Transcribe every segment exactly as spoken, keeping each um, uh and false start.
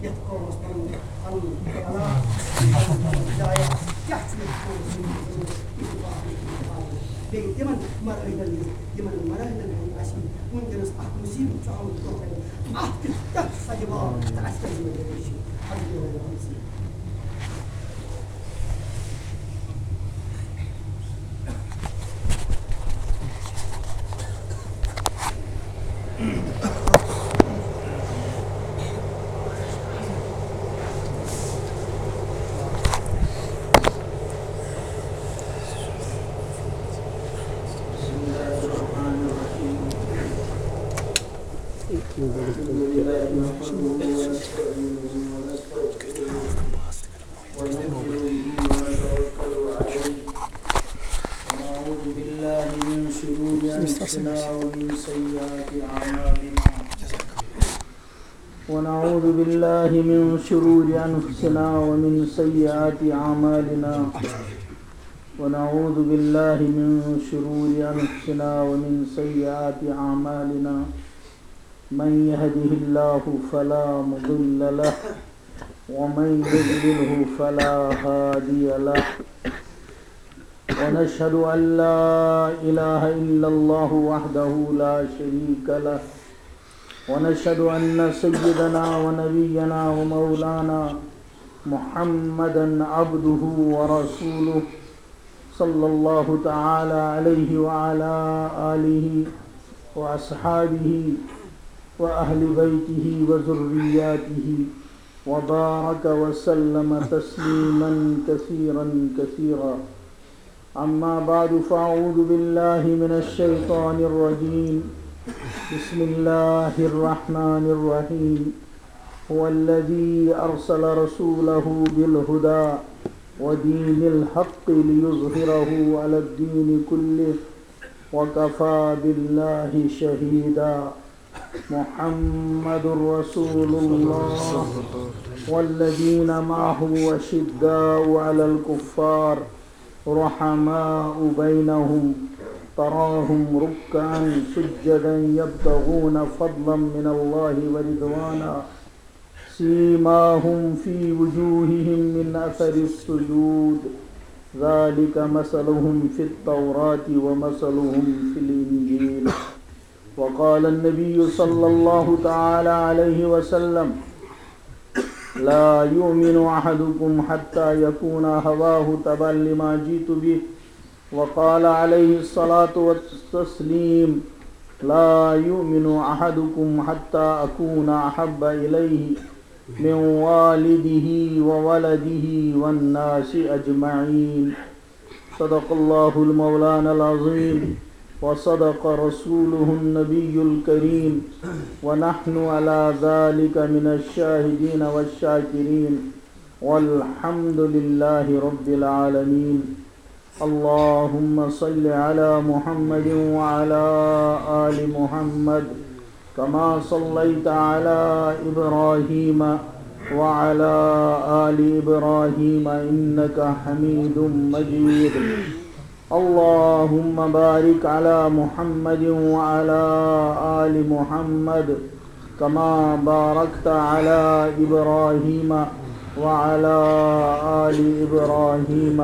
یتھ قومس پنُن، پنُن خیالات، پنُن ہدایت کیٛاہ چھُ یتھ قومس منٛز ضروٗرت، یہِ چھُ باقٕے۔ بیٚیہِ تِمن مراحلن ہٕنٛز، یِمن مراحلن ہُنٛد اَسہِ وٕنکیٚنس اکھ مُصیبت چھُ آمُت برٛونٛہہ کنہِ، اتھ کیُتھ کیٛاہ چھُ سجہِ باو تہٕ اَسہِ کیٛاہ ذمہٕ دٲری چھِ؟ حضرت مولانا حافظ۔ ونؤمن به ونتوكل عليه. ونعوذ بالله من شرور أنفسنا ومن سيئات أعمالنا. ونعوذ بالله من شرور أنفسنا ومن سيئات أعمالنا. ونعوذ بالله من شرور أنفسنا ومن سيئات أعمالنا. من يهده الله فلا مضل له، ومن يضلله فلا هادي له. ونشهد أن لا إله إلا الله وحده لا شريك له، ونشهد أن سيدنا ونبينا ومولانا محمدا عبده ورسوله، صلى الله تعالى عليه وعلى آله وأصحابه وأهل بيته وذرياته وبارك وسلم تسليما كثيرا كثيرا. أما بعد، فأعوذ بالله من الشيطان الرجيم. بسم الله الرحمن الرحيم. هو الذي أرسل رسوله بالهدى ودين الحق ليظهره على الدين كله وكفى بالله شهيدا. محمد رسول الله والذين معه أشداء على الكفار رحماء بينهم تراهم ركعا سجدا يبتغون فضلا من الله ورضوانا سيماهم في وجوههم من أثر السجود ذلك مثلهم في التوراة ومثلهم في الإنجيل. وقال النبي صلى الله تعالى عليه وسلم: لا يؤمن أحدكم حتى يكون هواه تبعا لما جئت به. وقال عليه الصلاة والتسليم: لا يؤمن أحدكم حتى أكون أحب إليه من والده وولده والناس أجمعين. صدق الله المولانا العظيم وصدق رسوله النبي الكريم ونحن على ذلك من الشاهدين والشاكرين والحمد لله رب العالمين. اللهم صل على محمد وعلى آل محمد كما صليت على إبراهيم وعلى آل إبراهيم إنك حميد مجيد. اللهم بارك على محمد وعلى آل محمد كما باركت على إبراهيم وعلى آل إبراهيم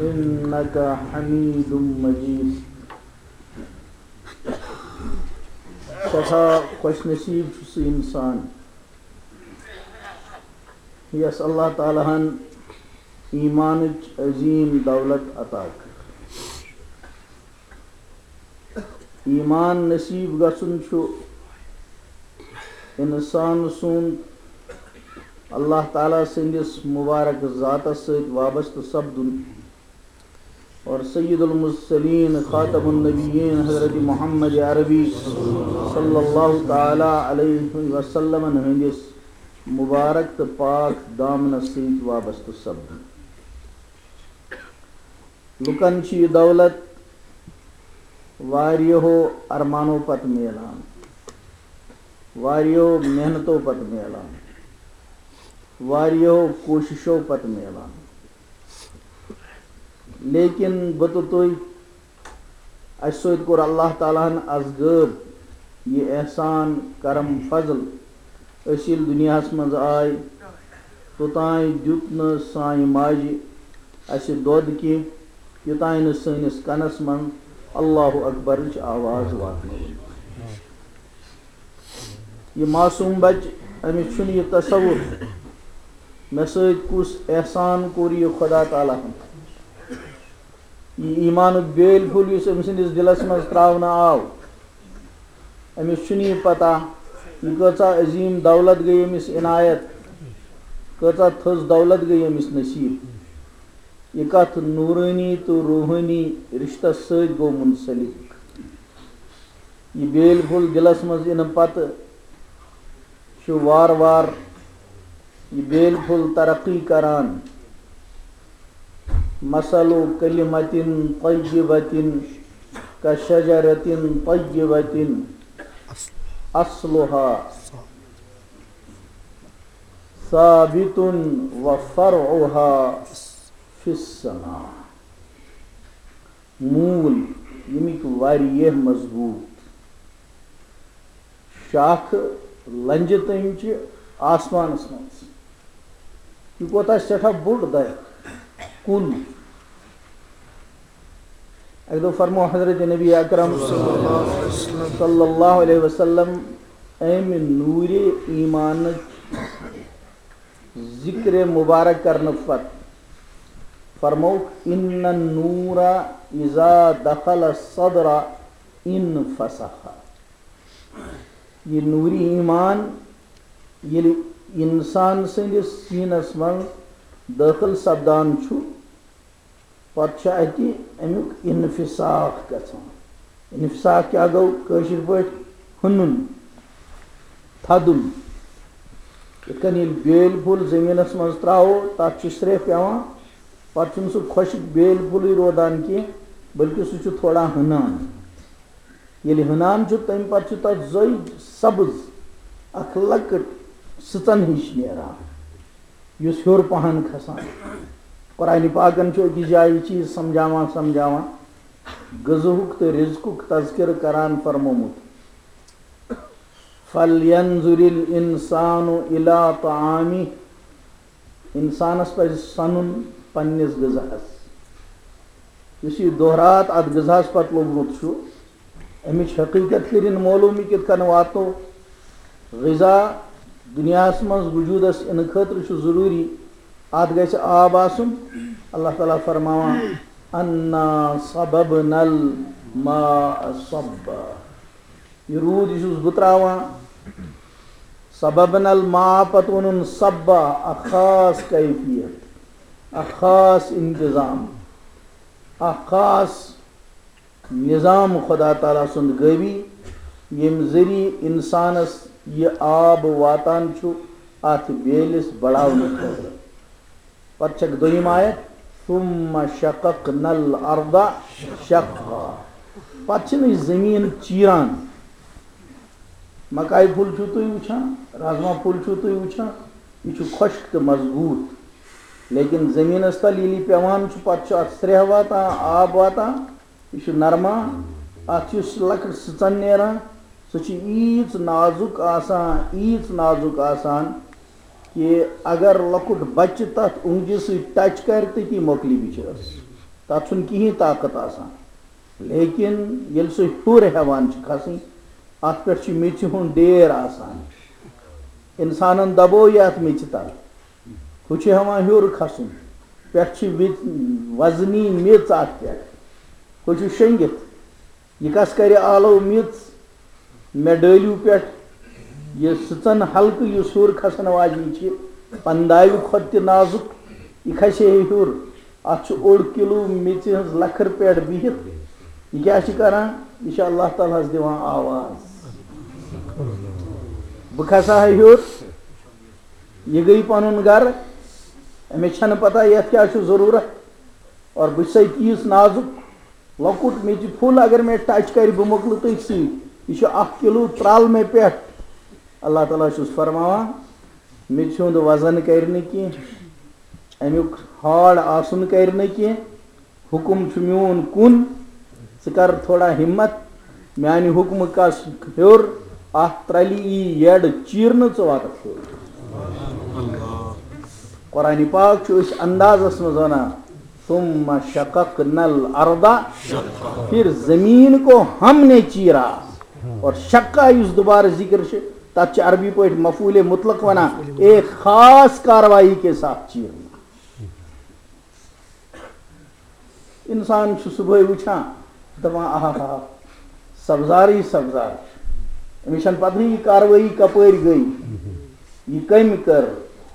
إنك حميد مجيد. سٮ۪ٹھاہ خۄش نصیٖب چھُ سُہ اِنسان، یَس اللہ تعالیٰ ہَن ایٖمانٕچ عظیٖم دولت عطا کٔر۔ ایٖمان نصیٖب گژھُن چھُ اِنسان سُنٛد اللہ تعالیٰ سٕنٛدِس مُبارک ذاتَس سۭتۍ وابستہٕ سپدُن۔ اور سید المرسلین خاتم النبیین حضرت محمد عربی صلی اللہ تعالیٰ علیہ وسلمن ہٕنٛدِس مُبارک تہٕ پاک دامنَس سۭتۍ وابستہٕ سپدُن۔ لُکَن چھِ یہِ دولت واریاہو ارمانو پتہٕ میلان، واریاہو محنتو پتہٕ میلان، واریاہو کوٗششو پتہٕ میلان۔ لیکن بہٕ تہٕ تُہۍ، اَسہِ سۭتۍ کوٚر اللہ تعالیٰ ہَن از غٲب یہِ احسان، کرم، فضل، أسۍ ییٚلہِ دُنیاہَس منٛز آے، توٚتام دیُت نہٕ سانہِ ماجہِ اَسہِ دۄد کینٛہہ، یوٚتام نہٕ سٲنِس کَنَس منٛز اللہ اکبرٕچ آواز واتنٲو۔ یہِ معصوٗم بَچہٕ، أمِس چھُنہٕ یہِ تصوُر، مےٚ سۭتۍ کُس احسان کوٚر یہِ خۄدا تعالیٰ ہَن۔ یہِ ایٖمانُک بیٲلۍ پھوٚل، یُس أمۍ سٕنٛدِس دِلَس منٛز ترٛاونہٕ آو، أمِس چھُنہٕ یہِ پَتہ، یہِ کۭژاہ عظیٖم دولت گٔے أمِس عنایت، کۭژاہ تھٔز دولت گٔے أمِس نصیٖب۔ یہِ کَتھ نوٗرٲنی تہٕ روحٲنی رِشتَس سۭتۍ گوٚو مُنسلِک۔ یہِ بیٲلۍ پھوٚل دِلَس منٛز یِنہٕ پَتہٕ چھُ وارٕ وارٕ یہِ بیٲلۍ پھوٚل ترقی کران۔ مثل کلمة طیبة کشجرة طیبة اصلها ثابت وفرعها في السماء۔ موٗل ییٚمِکۍ واریاہ مضبوٗط شاخہٕ لنجہِ تٔمۍ چہِ آسمانس منٛز۔ یہِ کوتاہ سٮ۪ٹھاہ بوٚڑ درخت، کُل۔ اَکہِ دۄہ فرموو حضرت نبی اکرم صلی اللہ علیہ وسلم، اَمہِ نوٗرِ ایٖمانٕچ ذِکرِ مُبارک کرنہٕ پتہٕ فرمووُکھ، "ان النور اذا دخل الصدر انفسخ۔" یہِ نوٗرِ ایٖمان ییٚلہِ اِنسان سٕنٛدِس سیٖنس منٛز دٲخل سپدان چھُ، پتہٕ چھُ اَتہِ اَمیُک انفساخ گژھان۔ انفساخ کیٛاہ گوٚو؟ کٲشِر پٲٹھۍ ہُنُن، تھدُن۔ یِتھ کٔنۍ ییٚلہِ بیٲلۍ پھوٚل زٔمیٖنَس منٛز ترٛاوو، تَتھ چھُ سرٛیٚہہ پٮ۪وان، پَتہٕ چھُنہٕ سُہ خۄشٕک بیٲلۍ پھوٚلٕے روزان کینٛہہ، بلکہِ سُہ چھُ تھوڑا ہُنان۔ ییٚلہِ ہُنان چھُ، تَمہِ پَتہٕ چھُ تَتھ زٔج سبٕز اَکھ لۄکٕٹ سٕژَن ہِش نیران، یُس ہیوٚر پَہَن کھسان۔ قرآنِ پاکَن چھُ أکِس جایہِ یہِ چیٖز سمجھاوان، سمجھاوان، غذہُک تہٕ رزقُک تذکرٕ کران فرمومُت، "فلینظر الانسان الی طعامہ"، اِنسانَس پَزِ سَنُن پنٛنِس غذاہَس۔ یُس یہِ دۄہ رات اَتھ غذاہَس پَتہٕ لوٚگمُت چھُ، اَمِچ حقیٖقت کٔرِن معلوٗم، یہِ کِتھ کٔنۍ واتو۔ غذا دُنیاہَس منٛز وجوٗدَس یِنہٕ خٲطرٕ چھُ ضروٗری، اَتھ گژھِ آب آسُن۔ اللہ تعالیٰ فرماوان، "انا صببنا الماء صبا"، یہِ روٗد یہِ چھُس بہٕ ترٛاوان۔ صببنا الماء، پَتہٕ ووٚنُن صبا، اَکھ خاص کیفیت، اَکھ خاص انتظام، اَکھ خاص نظام خدا تعالیٰ سُنٛد غٲبی، ییٚمہِ ذٔریعہٕ اِنسانَس یہِ آب واتان چھُ اَتھ بیلِس بڑاونہٕ خٲطرٕ۔ پتہٕ چھکھ دوٚیِم آیت، "ثم شققنا الارض شقا"۔ پتہٕ چھِنہٕ أسۍ زٔمیٖن چیٖران۔ مکایہِ پھوٚل چھِو تُہۍ وٕچھان، رازما پھوٚل چھِو تُہۍ وٕچھان، یہِ چھُ خۄشک تہٕ مضبوٗط۔ لیکن زٔمیٖنَس تَل ییٚلہِ یہِ پٮ۪وان چھُ، پتہٕ چھُ اَتھ سرٛیٚہہ واتان، آب واتان، یہِ چھُ نرمان، اَتھ چھُ لۄکٕٹ سٕژَن نیران، سُہ چھُ ییٖژ نازُک آسان، ییٖژ نازُک آسان کہِ اگر لۄکُٹ بچہٕ تَتھ اونٛگجہِ سۭتۍ touch کَرِ، تٔتی مۄکلہِ بِچٲرِس۔ تَتھ چھُنہٕ کِہیٖنۍ طاقت آسان۔ لیکن ییٚلہِ سُہ ہیوٚر ہٮ۪وان چھُ کھسٕنۍ، اَتھ پٮ۪ٹھ چھُ میٚژِ ہُنٛد ڈیر آسان۔ اِنسانَن دَبوو یہِ اَتھ میٚژِ تَل۔ ہُہ چھُ ہٮ۪وان ہیوٚر کھسُن، پٮ۪ٹھٕ چھِ وِ-، وزنی میٚژ اَتھ پٮ۪ٹھ۔ ہُہ چھُ شۄنٛگِتھ۔ یہِ کَس کَرِ آلو میٚژ مےٚ ڈٲلِو پٮ۪ٹھ؟ یہِ سٕژَن حلقہٕ یُس ہیوٚر کھسَن واجِنۍ چھِ، پَنداوِ کھۄتہٕ تہِ نازُک، یہِ کھسہِ ہے ہیوٚر۔ اَتھ چھُ اوٚڑ کِلوٗ میٚژِ ہٕنٛز لَکھٕر پٮ۪ٹھ بِہِتھ۔ یہِ کیٛاہ چھِ کَران؟ یہِ چھِ اللہ تعالیٰ ہَس دِوان آواز۔ بہٕ کھسہٕ ہا ہیوٚر، یہِ گٔے پَنُن گَرٕ، أمِس چھَنہٕ پَتہ یَتھ کیٛاہ چھُ ضروٗرت۔ اور بہٕ چھُسَے تیٖژ نازُک، لۄکُٹ میٚژِ پھوٚل اگر مےٚ touch کَرِ، بہٕ مۄکلہٕ تٔتھۍ سۭتۍ۔ یہِ چھُ اَکھ کِلوٗ ترٛال مےٚ پٮ۪ٹھ۔ اللہ تعالیٰ چھُس فرماوان، میٚژِ ہُنٛد وزن کَرِ نہٕ کینٛہہ، اَمیُک hard آسُن کَرِ نہٕ کینٛہہ۔ حُکُم چھُ میون کُن، ژٕ کَر تھوڑا ہِمت، میٛانہِ حُکمہٕ کَس ہیوٚر، اَتھ ترٛلہِ یی یٔڈ چیٖرنہٕ، ژٕ واتَکھ سیوٚد۔ قرآن پاک چھُ أسۍ اندازس منٛز وَنان، "ثم شققنا الارض"، پھر زمین کو ہم نے چیرا۔ اور شقہ یُس دوبارٕ ذکر چھُ، تَتھ چھِ عربی پٲٹھۍ مفعول مطلق وَنان، ایک خاص کاروائی کے ساتھ چیرنا۔ انسان چھُ صبحٲے وٕچھان، دَپان، "آہا ہا، سبزارٕے سبزار چھُ۔" أمِس چھَنہٕ پَتہٕے یہِ کاروٲیی کَپٲرۍ گٔے، یہِ کٔمۍ کٔر۔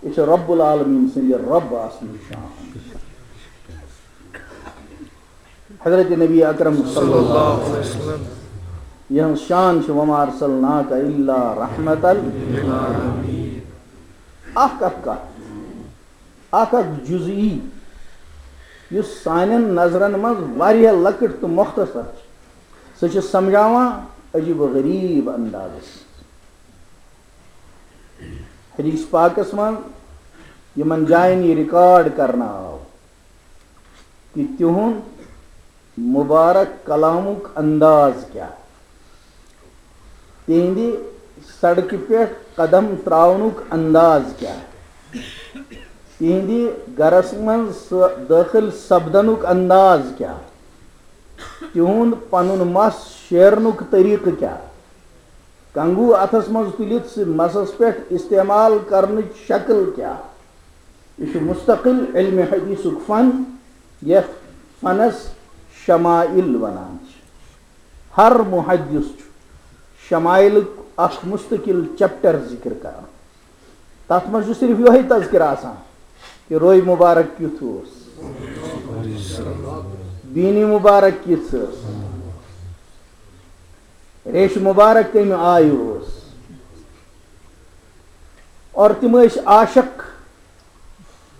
یہِ چھِ رب العالمین سٕنٛدِ رب آسنٕچ شان۔ حضرت نبی اکرم صلی اللہ علیہ وسلم، یِہٕنٛز شان چھِ، "وما ارسلناک الا رحمتا للعالمین۔" اکھ اکھ کتھ، اکھ اکھ جزئی، یُس سانٮ۪ن نظرن منٛز واریاہ لۄکٕٹ تہٕ مختصر چھِ، سُہ چھِ سمجھاوان عجیب و غریب اندازس منٛز۔ حدیث پاکس منٛز یِمن جاین یہِ ریکارڈ کرنہٕ آو، کہ تِہُنٛد مبارک کلامُک انداز کیٛاہ، تِہنٛدِ سڑکہِ پٮ۪ٹھ قدم تراونُک انداز کیٛاہ، تِہنٛدِ گرس منٛز سہ-، دٲخل سپدنُک انداز کیٛاہ، تِہُنٛد پنُن مس شیرنُک طریقہٕ کیٛاہ، کنگو اتھس منٛز تُلِتھ سُہ مسس پٮ۪ٹھ استعمال کرنٕچ شکل کیٛاہ؟ یہِ چھُ مستقل علم حدیثُک فن، یتھ فنس شمائل ونان چھِ۔ ہر محدث چھُ شمائلُک اکھ مستقل چیپٹر ذکر کران۔ تتھ منٛز چھُ صرف یِہوٚے تذکرہ آسان کہ روے مبارک کیُتھ اوس، بینی مبارک کِژھ ٲس، ریش مبارک کمہِ آیہِ اوس۔ اور تِم ٲسۍ عاشق،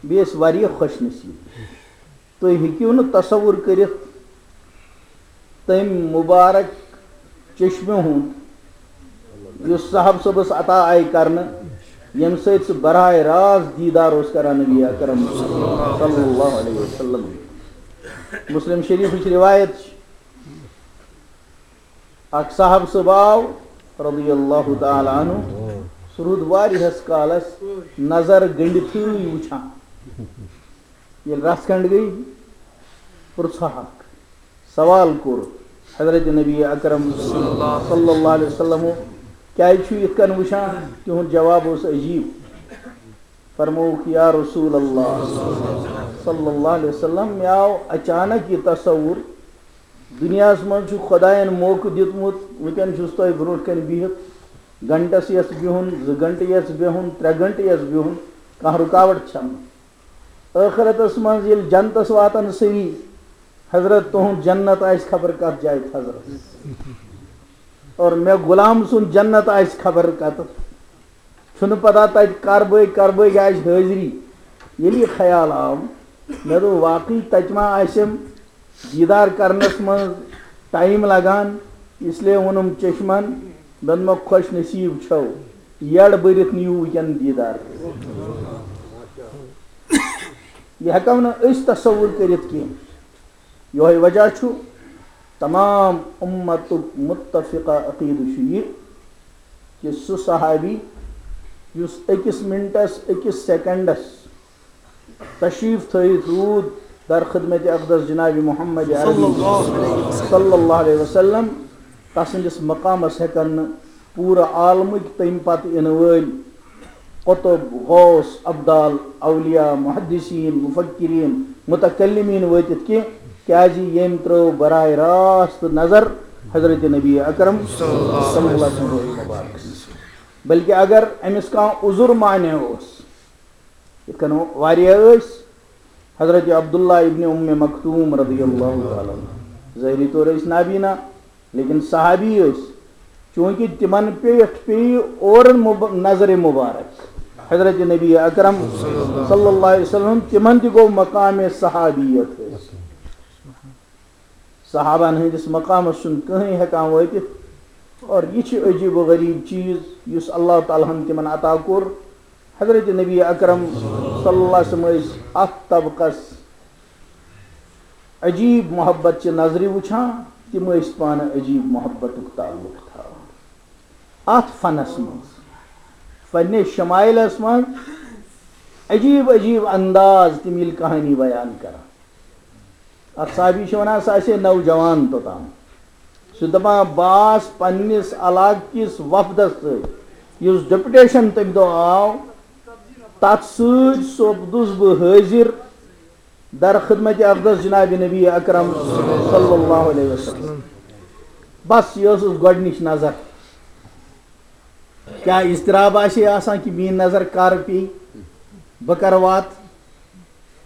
بیٚیہِ ٲسۍ واریاہ خوش نصیب۔ تُہۍ ہیٚکِو نہٕ تصور کٔرِتھ تٔمۍ مبارک چشمہِ ہُنٛد، یُس صاحب صٲبس عطا آیہِ کرنہٕ، ییٚمہِ سۭتۍ سُہ براہ راست دیٖدار اوس کران نبی اکرم صلی اللہ علیہ وسلم۔ مسلم شریفٕچ روایت چھِ، اکھ صاحب صٲب آو رضی اللہ تعالیٰ عنہ، سُہ روٗد واریاہس کالس نظر گٔنڈِتھٕے وٕچھان۔ ییٚلہِ رژھ کھنڈ گٔے، پرٛژھہکھ، سوال کوٚر حضرت نبی اکرم صلی اللہ علیہ وسلم، "کیٛازِ چھُ یِتھ کٔنۍ وٕچھان؟" تِہُنٛد جواب اوس عجیٖب۔ فرمووُکھ، "یا رسول اللہ صلی اللہ علیہ وسلم، مےٚ آو اچانک یہِ تصور، دُنیاہَس منٛز چھُ خۄدایَن موقعہٕ دیُتمُت، وٕنکٮ۪ن چھُس تۄہہِ برونٛٹھ کَنہِ بِہِتھ، گھنٹَس یَس بِہُن، زٕ گھنٹہٕ یَس بِہُن، ترٛےٚ گھنٹہٕ یَس بِہُن، کانٛہہ رُکاوَٹ چھَنہٕ۔ ٲخرتَس منٛز ییٚلہِ جنتَس واتَن سٲری، حضرت، تُہُنٛد جنت آسہِ خبر کَتھ جایہِ، حضرت، اور مےٚ غلام سُنٛد جنت آسہِ خبر کَتَتھ۔" چھُنہٕ پتہ تتہِ کر بٲگۍ کر بٲگۍ آسہِ حٲضری۔ ییٚلہِ یہِ خیال آو، مےٚ دوٚپ، "واقعی تتہِ ما آسٮ۪م دیٖدار کرنس منٛز ٹایم لگان؟" اس لیے ووٚنُم چشمن، مےٚ دوٚپمَکھ، "خۄش نصیٖب چھَو، یٔڈ بٔرِتھ نِیِو وٕنکٮ۪ن دیٖدار کٔرِتھ۔" یہِ ہٮ۪کو نہٕ أسۍ تصور کٔرِتھ کینٛہہ۔ یِہوٚے وجہ چھُ، تمام اُمتُک مُتفقہ عقیٖدٕ چھُ یہِ کہِ سُہ صحابی یُس أکِس مِنٹَس، أکِس سیکنڈَس تشریٖف تھٲوِتھ روٗد در خدمت اقدس جناب محمد عربی صلی اللہ علیہ وسلم، تسٕنٛدِس مقامَس ہٮ۪کَن نہٕ پوٗرٕ عالمٕکۍ تَمہِ پتہٕ یِنہٕ وٲلۍ قطب، غوث، ابدال، اولیاء، محدثین، مفکرین، متکلمین وٲتِتھ کینٛہہ، کیازِ ییٚمۍ ترٲو براہ راست نظر حضرت نبی اکرم صلی اللہ علیہ وسلم مبارکس۔ بلکہ اگر أمِس کانٛہہ عذر مانع اوس، یِتھ کٔنۍ واریاہ ٲسۍ، حضرت عبداللہ ابن ام مکتوم رضی اللہ تعالیٰ عنہ، ظٲہری طور ٲسۍ نابینا، لیکن صحابی ٲسۍ، چونکہ تِمن پٮ۪ٹھ پیٚیہِ اورٕ مب-، نظرِ مبارک حضرت نبی اکرم صلی اللہ علیہ وسلم، تِمن تہِ گوٚو مقامِ صحابیت حٲصِل۔ صحابن ہٕنٛدِس مقامس چھُنہٕ کٕہٕنۍ ہٮ۪کان وٲتِتھ۔ اور یہِ چھِ عجیب و غریب چیٖز یُس اللہ تعالیٰ ہن تِمن عطا کوٚر۔ حضرت نبی اکرم صلی اللہ علیہ وسلم ٲسۍ اتھ طبقس عجیب محبت چہِ نظرِ وٕچھان، تِم ٲسۍ پانہٕ عجیب محبتُک تعلق تھاوان۔ اتھ فنس منٛز، پننِس شمائلس منٛز عجیب عجیب انداز تِم ییٚلہِ کہانی بیان کران۔ اکھ صحابی چھُ ونان، سُہ آسہِ ہے نوجوان توٚتام۔ سُہ دپان، بہٕ آس پننِس علاقہٕ کِس وفدس سۭتۍ، یُس ڈیپوٹیشن تمہِ دۄہ آو، تتھ سۭتۍ سپدُس بہٕ حٲضِر در خدمت اقدس جناب نبی اکرم صلی اللہ علیہ وسلم۔ بس، یہِ ٲسٕس گۄڈنِچ نظر۔ کیٛاہ اضطراب آسہِ ہے آسان کہِ میٛٲنۍ نظر کر پیٚیہِ، بہٕ کر واتہٕ،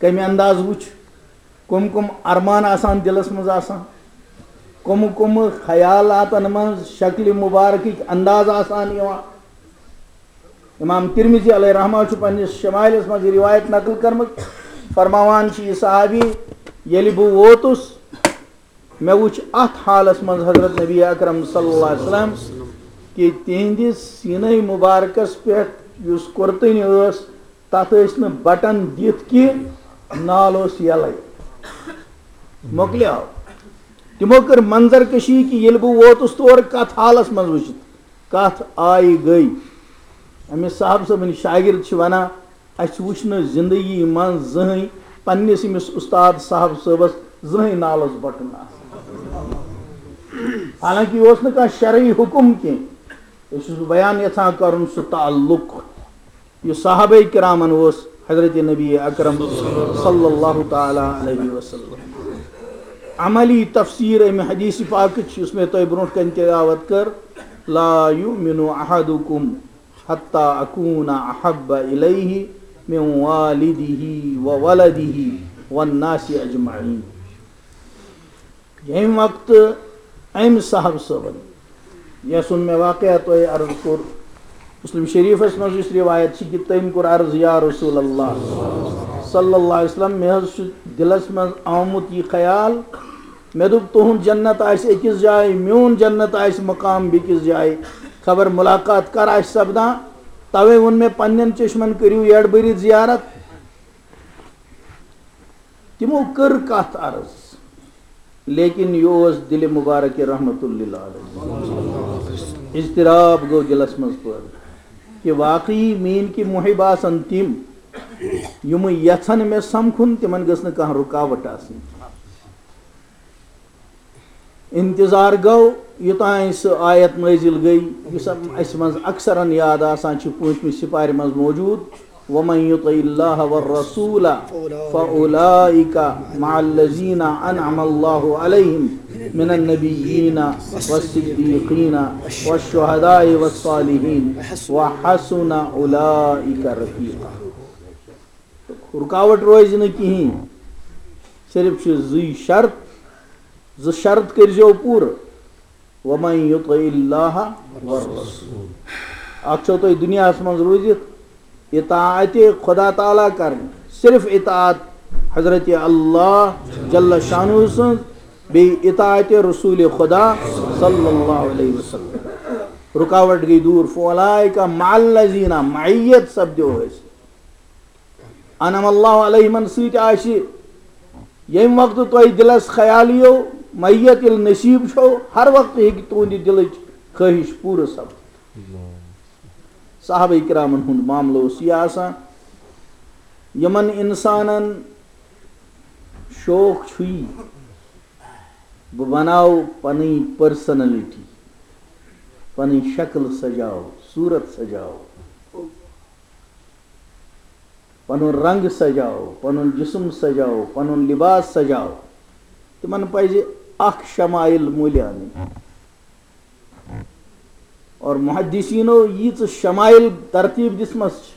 کمہِ انداز وٕچھ، کم کم ارمان آسان دلس منٛز آسان، کم کم خیالاتن منٛز شکلِ مبارکٕکۍ انداز آسان یِوان۔ امام ترمذی علیہ رحمہ چھُ پننِس شمائلس منٛز یہِ روایت نقل کٔرمٕژ، فرماوان چھُ یہِ صحابی، ییٚلہِ بہٕ ووتُس، مےٚ وُچھ اتھ حالس منٛز حضرت نبی اکرم صلی اللہ علیہ وسلم کہِ تِہنٛدِس سیٖنَے مُبارکس پٮ۪ٹھ یُس کُرتٕنۍ ٲس، تتھ ٲسۍ نہٕ بٹن دِتھ کینٛہہ، نال اوس یَلَے۔ مۄکلیو۔ تِمو کٔر منظر کشی کہِ ییٚلہِ بہٕ ووتُس تور، کتھ حالس منٛز وُچھِتھ کتھ آیہِ گٔے۔ أمِس صاحب صٲبٕنۍ شاگرد چھِ ونان، اسہِ وُچھ نہٕ زندگی منٛز زٕہٕنۍ پننِس أمِس اُستاد صاحب صٲبس زٕہٕنۍ نالس بٹُن آسان۔ حالانکہ یہِ اوس نہٕ کانٛہہ شرعی حُکم کینٛہہ، یہِ چھُس بہٕ بیان یژھان کرُن سُہ تعلق یُس صحابہ کرامن اوس حضرت نبی اکرم صلی اللہ تعالیٰ علیہ وسلم۔ عملی تفسیر امہِ حدیث پاکٕچ یُس مےٚ تۄہہِ برونٛٹھ کنہِ تلاوت کٔر، لا یؤمن احدکم حتی اکون احب الیہ من والدہ وولدہ والناس اجمعین۔ ییٚمہِ وقتہٕ أمۍ صاحب صٲبن، یَس سُنٛد مےٚ واقعہ تۄہہِ عرض کوٚر، مسلم شریفس منٛز یُس روایت چھِ کہِ تٔمۍ کوٚر عرض، یا رسول اللہ صلی اللہ علیہ وسلم، مےٚ حظ چھُ دِلس منٛز آمُت یہِ خیال، مےٚ دوٚپ، تُہُنٛد جنت آسہِ أکِس جایہِ، میون جنت آسہِ مقام بیٚکِس جایہِ، خبر ملاقات کر آسہِ سپدان۔ توے ووٚن مےٚ پننٮ۪ن چشمن، کٔرِو یڈ بٔرِتھ زیارت۔ تِمو کٔر کتھ عرض، لیکن یہِ اوس دِلِ مبارک رحمت للعالمین۔ اضطراب گوٚو دِلس منٛز پٲدٕ کہِ واقعی میٲنۍ کہِ محب آسن تِم، یِم یژھن مےٚ سمکھُن، تِمن گٔژھ نہٕ کانٛہہ رُکاوٹ آسٕنۍ۔ انتظار گوٚو، یوٚتام سُہ آیت نٲزِل گٔے، یُس اَسہِ منٛز اکثرن یاد آسان چھِ، پوٗنٛژمہِ سپارِ منٛز موجود، ومن یطع اللہ والرسول فاولئک مع الذین انعم اللہ علیہم من النبیین والصدیقین والشہداء والصالحین وحسن اولئک رفیقا۔ رکاوٹ روزِ نہٕ کِہیٖنۍ، صرف چھِ زٕے شرط، زٕ شرط کٔرۍزیو پوٗرٕ۔ ومن یطع اللہ والرسول۔ اکھ چھو تۄہہِ دُنیاہس منٛز روٗزِتھ اطاعت خدا تعالیٰ کرٕنۍ، صرف اطاعت حضرت اللہ جل شانہ سٕنٛز، بیٚیہِ اطاعت رسول خدا صلی اللہ علیہ وسلم۔ رکاوٹ گٔے دوٗر۔ فاولئک مع الذین، معیت سپدیو حٲصِل۔ انعم اللہ علیہمن سۭتۍ آسہِ، ییٚمہِ وقتہٕ تۄہہِ دِلس خیال یِیو، میت ییٚلہِ نصیب چھو، ہر وقتہٕ ہیٚکہِ تُہنٛدِ دِلٕچ خٲہِش پوٗرٕ سپدِتھ۔ صحابہ کرامن ہُنٛد معاملہٕ اوس یہِ آسان، یِمن انسانن شوق چھُ یی، بہٕ بناو پنٕنۍ پرسنلٹی، پنٕنۍ شکل سجاو، صورت سجاو، پنُن رنگ سجاو، پنُن جسم سجاو، پنُن لباس سجاو، تِمن پزِ اکھ شمائل مٔلۍ انٕنۍ۔ اور محدثینو ییٖژٕ شمائل ترتیب دِژمژ چھِ،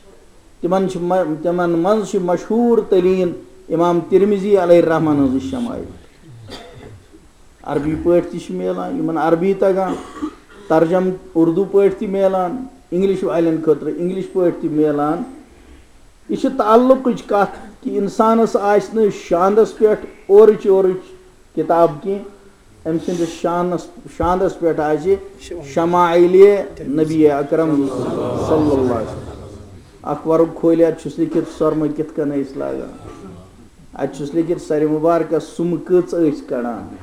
تِمن چھِ م-، تِمن منٛز چھِ مشہوٗر تریٖن امام ترمذی علیہ الرحمن ہٕنٛز شمائل۔ عربی پٲٹھۍ تہِ چھِ میلان، یِمن عربی تگان، ترجم اردو پٲٹھۍ تہِ میلان، انگلش والٮ۪ن خٲطرٕ انگلش پٲٹھۍ تہِ میلان۔ یہِ چھِ تعلقٕچ کتھ کہِ انسانس آسہِ نہٕ شاندس پٮ۪ٹھ اورٕچ یورٕچ کتاب کینٛہہ، أمۍ سٕنٛدِس شانس، شاندس پٮ۪ٹھ آسہِ شمائل نبی اکرم صلی اللہ علیہ وسلم۔ اکھ ورُق کھولہِ، اتھ چھُس لیکھِتھ سۄرمہٕ کِتھ کٔنۍ ٲسۍ لاگان، اتہِ چھُس لیکھِتھ سرِ مبارکس سُمہٕ کٔژ ٲسۍ کڑان،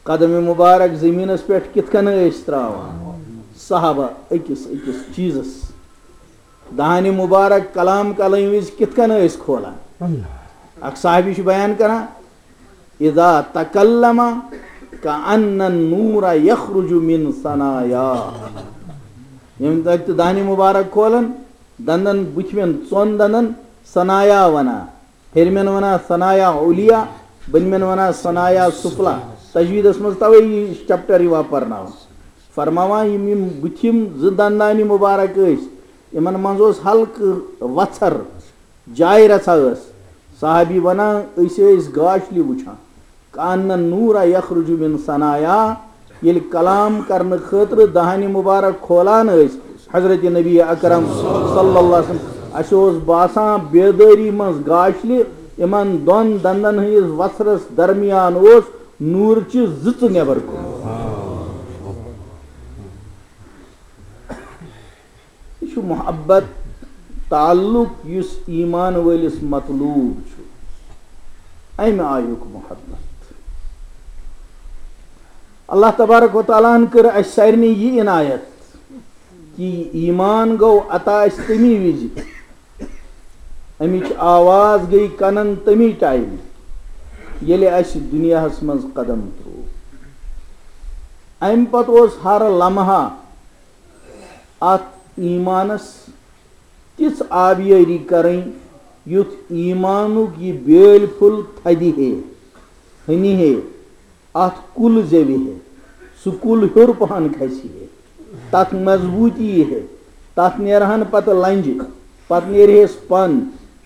قدم مبارک زمینس پٮ۪ٹھ کِتھ کٔنۍ ٲسۍ تراوان، صحابہ أکِس أکِس چیٖزس دہانِ مُبارک کلام کرنہٕ وِزِ کِتھ کٔنۍ ٲسۍ کھولان؟ اکھ صحابی چھُ بیان کران، "اذا تکلم کأن النور یخرج من ثنایا"، ییٚمہِ دۄہ تہِ دہانِ مُبارک کھولان، دندن، بٕتھمٮ۪ن ژۄن دندن ثنایا ونان۔ ہیٚرمٮ۪ن ونان ثنایا علیا، بٔنمٮ۪ن ونان ثنایا سفلا۔ تجویٖدس منٛز توے یہِ چیپٹر یِوان پرناونہٕ۔ فرماوان، یِم یِم بٕتھِم زٕ دندانہِ مُبارک ٲسۍ، یِمن منٛز اوس ہلکہٕ وژھر، جاے رژھا ٲس۔ صحابی ونان، أسۍ ٲسۍ گاشلہِ وٕچھان۔ کأن النور یخرج من ثنایا، ییٚلہِ کلام کرنہٕ خٲطرٕ دہانِ مُبارک کھولان ٲسۍ حضرت نبی اکرم صلی اللہ علیہ وسلم، اَسہِ اوس باسان بیدٲری منٛز گاشلہِ، یِمن دۄن دندن ہٕنٛدِس وژھرس درمیان اوس نوٗرچہِ زٕژٕ نٮ۪بر کُن۔ یہِ چھُ محبت، تعلق یُس ایمان وٲلِس مطلوب چھُ، اَمہِ آیُک محبت۔ اللہ تبارک و تعالیٰ ہن کٔر اَسہِ سارنٕے یہِ عنایت کہِ یہِ ایمان گوٚو عطا اَسہِ تَمی وِزِ، اَمِچ آواز گٔے کَنَن تَمی ٹایمہٕ، ییٚلہِ اَسہِ دُنیاہَس منٛز قدم ترٛوو۔ اَمہِ پَتہٕ اوس ہر لمحہ اَتھ ایٖمانَس تِژھ آبیٲری کَرٕنۍ، یُتھ ایٖمانُک یہِ بیٲلۍ پھوٚل تھدِ ہے، ہنہِ ہے، اَتھ کُل زیوِ ہے، سُہ کُل ہیوٚر پَہَن کھسہِ ہے، تَتھ مضبوٗطی یی ہے، تَتھ نیرہَن پَتہٕ لَنجہِ، پَتہٕ نیرِہَس پَن،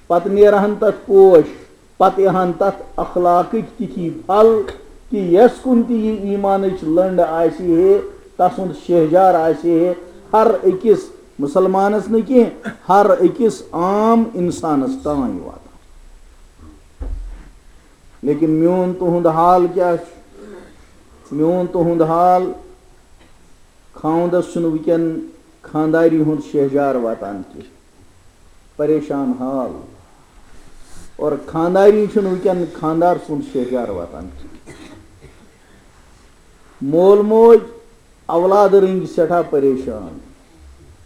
پَتہٕ نیرہَن تَتھ پوش، پتہٕ یِہن تتھ اخلاقٕکۍ تِتھی پھل کہِ یس کُن تہِ یہِ ایٖمانٕچ لٔنڈ آسہِ ہے، تسُنٛد شہجار آسہِ ہے، ہر أکِس مُسلمانس نہٕ کینٛہہ، ہر أکِس عام انسانس تام واتان۔ لیکن میون تُہُنٛد حال کیٛاہ چھُ؟ میون تُہُنٛد حال، خاوندس چھُنہٕ وٕنکٮ۪ن خانداری ہُنٛد شہجار واتان کینٛہہ۔ پریشان حال۔ اور خانداری چھُنہٕ وٕنکٮ۪ن خاندار سُنٛد شہجار واتان کینٛہہ۔ مول موج اولاد رٔنگۍ سٮ۪ٹھاہ پریشان۔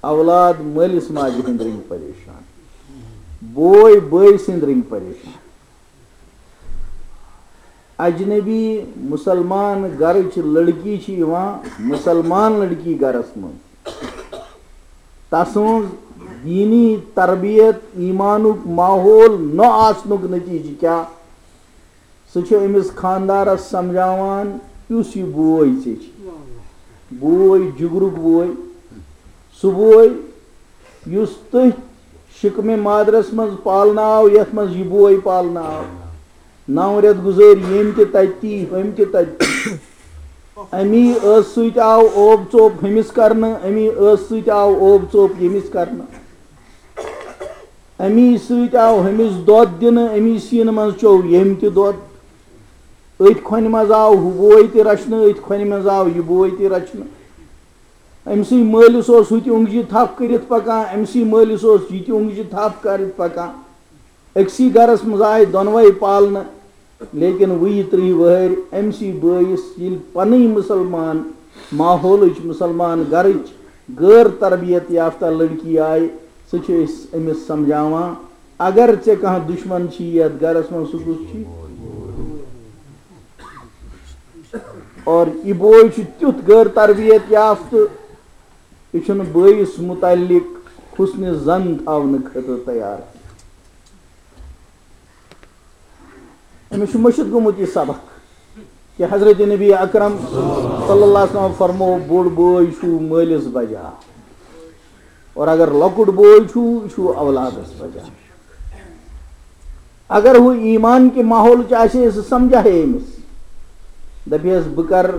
اولاد مٲلِس ماجہِ ہٕنٛدۍ رٔنگۍ پریشان۔ بوے بٲے سٕنٛدۍ رٔنگۍ پریشان۔ اجنبی مسلمان گرٕچ لڑکی چھِ یِوان مسلمان لڑکی گرس منٛز۔ تسٕنٛز دیٖنی تربیت، ایٖمانُک ماحول نہ آسنُک نتیجہٕ کیٛاہ؟ سُہ چھُ أمِس خاندارس سمجھاوان، یُس یہِ بوے ژےٚ چھِ، بوے، جگرُک بوے، سُہ بوے یُس تٔتھۍ شِکمہِ مادرس منٛز پالنہٕ آو، یتھ منٛز یہِ بوے پالنہٕ آو۔ نو رٮ۪تھ گُزٲرۍ ییٚمۍ تہِ تَتہِ، ہُمۍ تہِ تَتہِ۔ اَمی ٲسہٕ سۭتۍ آو اوب ژوپ ہُمِس کرنہٕ، اَمی ٲسہٕ سۭتۍ آو اوب ژوپ ییٚمِس کرنہٕ۔ اَمی سۭتۍ آو ہُمِس دۄد دِنہٕ، اَمی سیٖنہٕ منٛز چوٚو ییٚمۍ تہِ دۄد۔ أتھۍ کھۄنہِ منٛز آو ہُہ بوے تہِ رچھنہٕ، أتھۍ کھۄنہِ منٛز آو یہِ بوے تہِ رچھنہٕ۔ أمۍ سٕے مٲلِس اوس ہُہ تہِ اوٚنٛگجہِ تھپھ کٔرِتھ پکان، أمۍ سٕے مٲلِس اوس یہِ تہِ اوٚنٛگجہِ تھپھ کٔرِتھ پکان۔ أکسٕے گرس منٛز آیہِ دۄنوَے پالنہٕ، لیکن وُہہِ ترٕٛہہِ وٕہٕرۍ أمۍ سٕے بٲیِس ییٚلہِ پنٕنۍ مُسلمان ماحولٕچ، مُسلمان گرٕچ غٲر تربیت یافتہ لڑکی آیہِ، سُہ چھِ أسۍ أمِس سمجھاوان، اگر ژےٚ کانٛہہ دُشمن چھی یتھ گرس منٛز، سُہ کُس چھی؟ اور یہِ بوے چھُ تیُتھ غٲر تربیت یافتہٕ، یہِ چھُنہٕ بٲیِس مُتعلق حُسنِ ظن تھاونہٕ خٲطرٕ تیار۔ أمِس چھُ مٔشِتھ گوٚمُت یہِ سبق کہِ حضرت نبی اکرم صلی اللہ علیہ وسلم فرموو، بوٚڑ بوے چھُ مٲلِس بجا، اور اگر لۄکُٹ بوے چھُ، یہِ چھُ اولادس بجا۔ اگر ہُہ ایمان کہِ ماحولٕچ آسہِ ہے، سُہ سمجھا ہے أمِس، دپہِ ہس، بہٕ کرٕ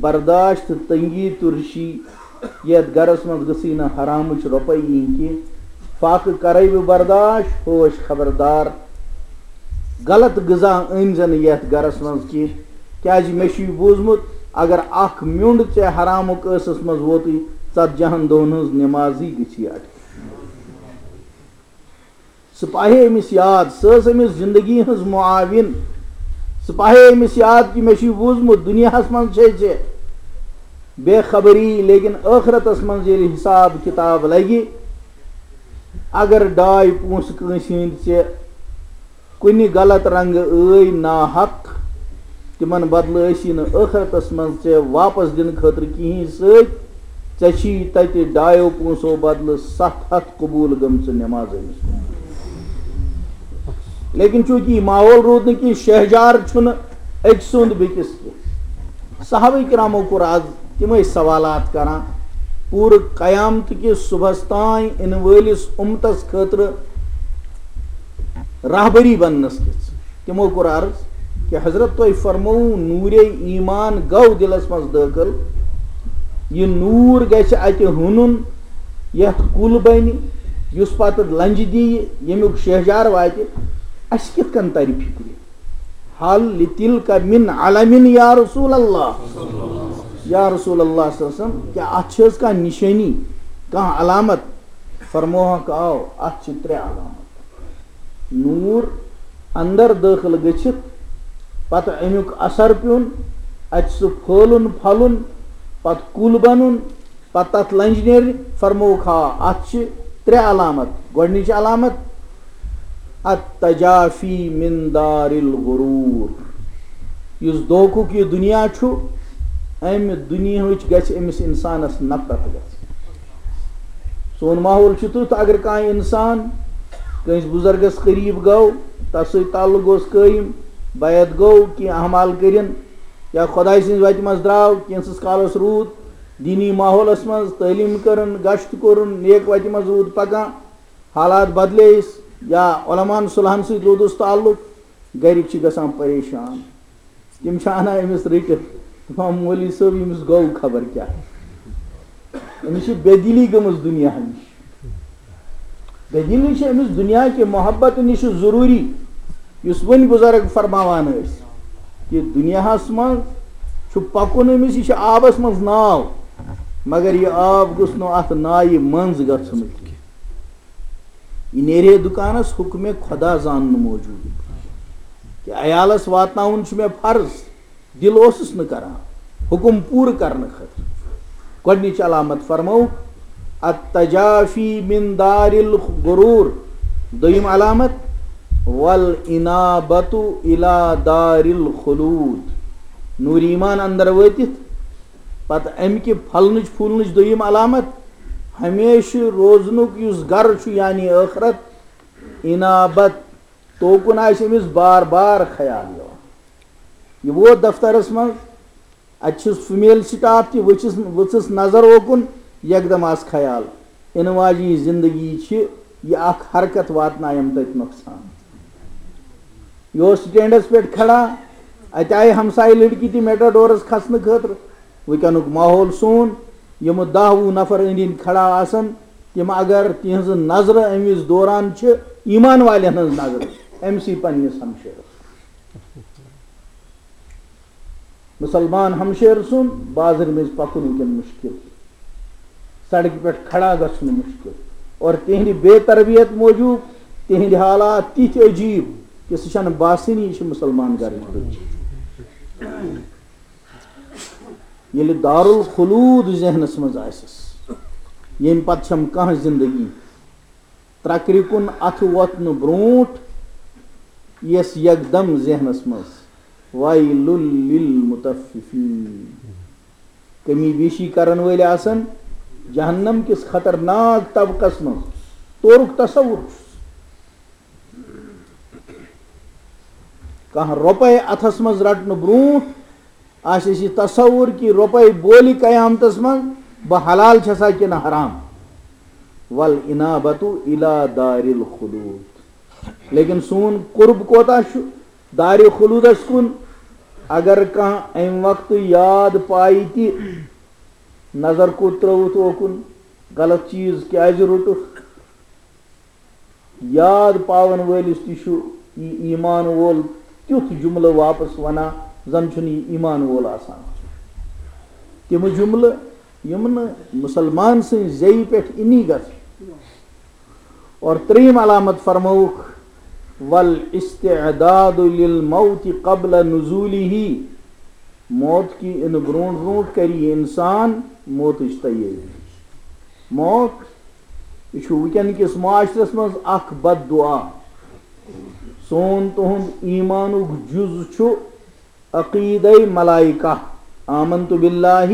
برداشت تہٕ تنگی تُرشی، یتھ گرس منٛز گٔژھٕے نہٕ حرامٕچ رۄپے یِنۍ کینٛہہ۔ فاقہٕ کرے بہٕ برداشت، ہوش خبردار، غلط غذا أنۍ زِ نہٕ یتھ گرس منٛز کینٛہہ، کیازِ مےٚ چھُ یہِ بوٗزمُت، اگر اکھ میوٚنٛڈ ژےٚ حرامُک ٲسس منٛز ووتُے، ژتجی ہن دۄہن ہٕنٛز نمازٕے گٔژھی اٹکِتھ۔ سُہ پاہے أمِس یاد، سۄ ٲس أمِس زندگی ہٕنٛز معاون۔ سُہ پاہے أمِس یاد کہِ مےٚ چھُ یہِ بوٗزمُت، دُنیاہس منٛز چھے ژےٚ بے خبری، لیکن ٲخرتس منٛز ییٚلہِ حساب کتاب لگہِ، اگر ڈاے پونٛسہٕ کٲنٛسہِ ہٕنٛدۍ ژےٚ کُنہِ غلط رنگہٕ ٲے ناحق، تِمن بدلہٕ ٲسی نہٕ ٲخرتس منٛز ژےٚ واپس دِنہٕ خٲطرٕ کِہیٖنۍ سۭتۍ۔ ژےٚ چھی تتہِ ڈایو پونٛسو بدلہٕ ستھ ہتھ قبول گٔمژٕ نماز أمِس۔ لیکن چونکہ یہِ ماحول روٗد نہٕ کینٛہہ، شہجار چھُنہٕ أکۍ سُنٛد بیٚکِس کینٛہہ۔ صحابہ کرامو کوٚر آز تِمے سوالات کران، پوٗرٕ قیامتہٕ کِس صُبحس تام یِنہٕ وٲلِس اُمتس خٲطرٕ رہبری بننس کِژھ۔ تِمو کوٚر عرض کہ حضرت، تۄہہِ فرمووُ نوٗرے ایمان گوٚو دِلس منٛز دٲخل، یہِ نوٗر گژھِ اتہِ ہُنُن، یتھ کُل بنہِ، یُس پتہٕ لنجہِ دِیہِ، ییٚمیُک شہجار واتہِ، اسہِ کِتھ کٔنۍ ترِ فکرِ؟ حل لتلک من علم یا رسول اللہ؟ یا رسول اللہ صلی اللہ علیہ وسلم، کیا اتھ چھِ حظ کانٛہہ نشٲنی، کانٛہہ علامت؟ فرموہکھ، آو، اتھ چھِ ترٛےٚ علامت۔ نوٗر اندر دٲخل گٔژھِتھ، پتہٕ امیُک اثر پیوٚن، اتہِ سُہ پھٲلُن پھۄلُن، پتہٕ کُل بنُن، پتہٕ تتھ لنجہِ نیرِ۔ فرمووُکھ، آ، اتھ چھِ ترٛےٚ علامت۔ گۄڈنِچ علامت، التجافی من دار الغرور۔ یُس دھوکُک یہِ دُنیا چھُ، امہِ دُنیاہٕچ گژھِ أمِس انسانس نفرت گژھِ۔ سون ماحول چھُ تیُتھ، اگر کانٛہہ انسان کٲنٛسہِ بُزرگس قریب گوٚو، تس سۭتۍ تعلق گوٚوس قٲیِم، بیعت گوٚو، کینٛہہ اعمال کٔرِن، یا خۄداے سٕنٛزِ وتہِ منٛز درٛاو، کینٛژھس کالس روٗد دینی ماحولس منٛز، تعلیٖم کٔرٕن، گشت کوٚرُن، نیک وتہِ منٛز روٗد پکان، حالات بدلییس، یا علماءن صلحن سۭتۍ روٗدُس تعلق، گرِکۍ چھِ گژھان پریشان۔ تِم چھِ انان أمِس رٔٹِتھ، دپان، مولوی صٲب، أمِس گوٚو خبر کیٛاہ۔ أمِس چھِ بے دِلی گٔمٕژ دُنیا نِش۔ بے دِلی چھِ أمِس دُنیا کہِ محبت نِش ضروٗری، یُس وۄنۍ بُزرگ فرماوان ٲسۍ کہِ دُنیاہس منٛز چھُ پکُن أمِس، یہِ چھُ آبس منٛز ناو، مگر یہِ آب گوٚژھ نہٕ اتھ نایہِ منٛز گژھُن کینٛہہ۔ یہِ نیرِ ہے دُکانس حُکمِ خۄدا زاننہٕ موٗجوٗب۔ کہِ عیالس واتناوُن چھُ مےٚ فرض، دِل اوسُس نہٕ کران حُکُم پوٗرٕ کرنہٕ خٲطرٕ۔ گۄڈٕنِچ علامت فرمٲو، التجافی من دار الغرور۔ دوٚیِم علامت، والانابۃ الی دار الخلود۔ نوٗر ایمان اندر وٲتِتھ، پتہٕ امہِ کہِ پھۄلنٕچ پھوٗلنٕچ دوٚیِم علامت، ہمیشہٕ روزنُک یُس گرٕ چھُ، یعنی ٲخرت، انابت، توکُن آسہِ أمِس بار بار خیال یِوان۔ یہِ ووت دفترس منٛز، اتہِ چھُس فیمیل سٹاف تہِ، وٕچھِس، وٕژھٕس نظر اوکُن، یکدم آس خیال، یِنہٕ واجیٚنۍ زندگی چھِ یہِ اکھ حرکت، واتنایم تٔتۍ نۄقصان۔ یہِ اوس سٹینڈس پٮ۪ٹھ کھڑا، اتہِ آیہِ ہمسایہِ لڑکی تہِ میٹاڈورس کھسنہٕ خٲطرٕ۔ وٕنکیٚنُک ماحول سون، یِم دَہ وُہ نفر أنٛدۍ أنٛدۍ کھڑا آسن، تِم اگر تِہنٛزٕ نظرٕ أمِس دوران چھِ ایمان والٮ۪ن ہٕنٛز نظرٕ أمسٕے پننِس ہمشیرس۔ مُسلمان ہمشیر سُنٛد بازرٕ مٔنٛزۍ پکُن وٕنکیٚن مُشکل، سڑکہِ پٮ۪ٹھ کھڑا گژھُن مُشکل، اور تِہنٛدِ بے تربیت موٗجوٗب تِہنٛدِ حالات تِتھۍ عجیٖب کہِ سُہ چھنہٕ باسٲنی یہِ چھِ مُسلمان گرٕچ بٔچی۔ ییٚلہِ دارالخلود ذہنس منٛز آسٮ۪س، ییٚمہِ پتہٕ چھم کانٛہہ زندگی، ترکرِ کُن اتھٕ وۄتھنہٕ برونٛٹھ یِیَس یکدم ذہنس منٛز، ویل للمطففین۔ کمی بیشی کرن وٲلۍ آسن جہنم کِس خطرناک طبقس منٛز۔ تورُک تصور چھُس۔ کانٛہہ رۄپے اتھس منٛز رٹنہٕ برونٛٹھ آسہِ اَسہِ یہِ تصور کہِ رۄپے بولہِ قیامتس منٛز، بہٕ حلال چھسا کِنہٕ حرام۔ والانابۃ الی دار الخلود۔ لیکن سون قرب کوتاہ چھُ دارِ خلودس کُن؟ اگر کانٛہہ امہِ وقتہٕ یاد پایہِ تہِ، نظر کوٚت ترٲوٕتھ اوکُن، غلط چیٖز کیازِ روٚٹُکھ، یاد پاون وٲلِس تہِ چھُ یہِ ایمان وول تیُتھ جملہٕ واپس ونان، زن چھُنہٕ یہِ ایمان وول آسان۔ تِم جملہٕ یِم نہٕ مُسلمان سٕنٛزِ زیٚیہِ پٮ۪ٹھ اِنی گژھِ۔ اور ترٛیٚیِم علامت فرمٲوُکھ، والاستعداد للموت قبل نزولہ۔ موت کی ان برونٹھ برونٹھ کری انسان موتچ تیاری۔ موت، یہ چھُ وٕنکیٚن کِس معاشرس منٛز اکھ بد دعا۔ سون تُہُنٛد ایمانُک جُز چھُ عقیدے ملائکہ، آمنت باللہ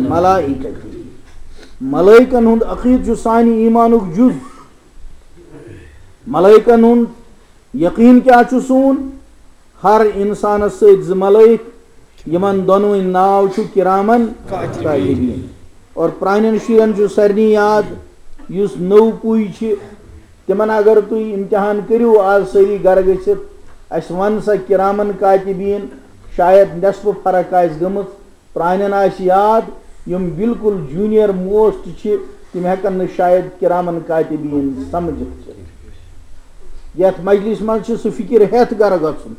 ملائکتی۔ ملائکن ہُنٛد عقیدٕ چھُ سانہِ ایمانُک جُز۔ ملائکن ہُنٛد یقین کیا چھُ سون؟ ہر انسانس سۭتۍ زٕ ملائک، یِمن دۄنوٕنۍ ناو چھُ کرامن کاتبین۔ اور پرانٮ۪ن شُرٮ۪ن چھُ سارنٕے یاد، یُس نٔو پُے چھِ، تِمن اگر تُہۍ امتحان کٔرِو آز سٲری گرٕ گٔژھِتھ، اسہِ ون سا کرامن کاتبین، شاید نصف فرق آسہِ گٔمٕژ۔ پرانٮ۪ن آسہِ یاد، یِم بالکل جونیئر موسٹ چھِ، تِم ہٮ۪کن نہٕ شاید کرامن کاتبین سمجھِتھ۔ یتھ مجلس منٛز چھِ سُہ فکر ہٮ۪تھ گرٕ گژھُن۔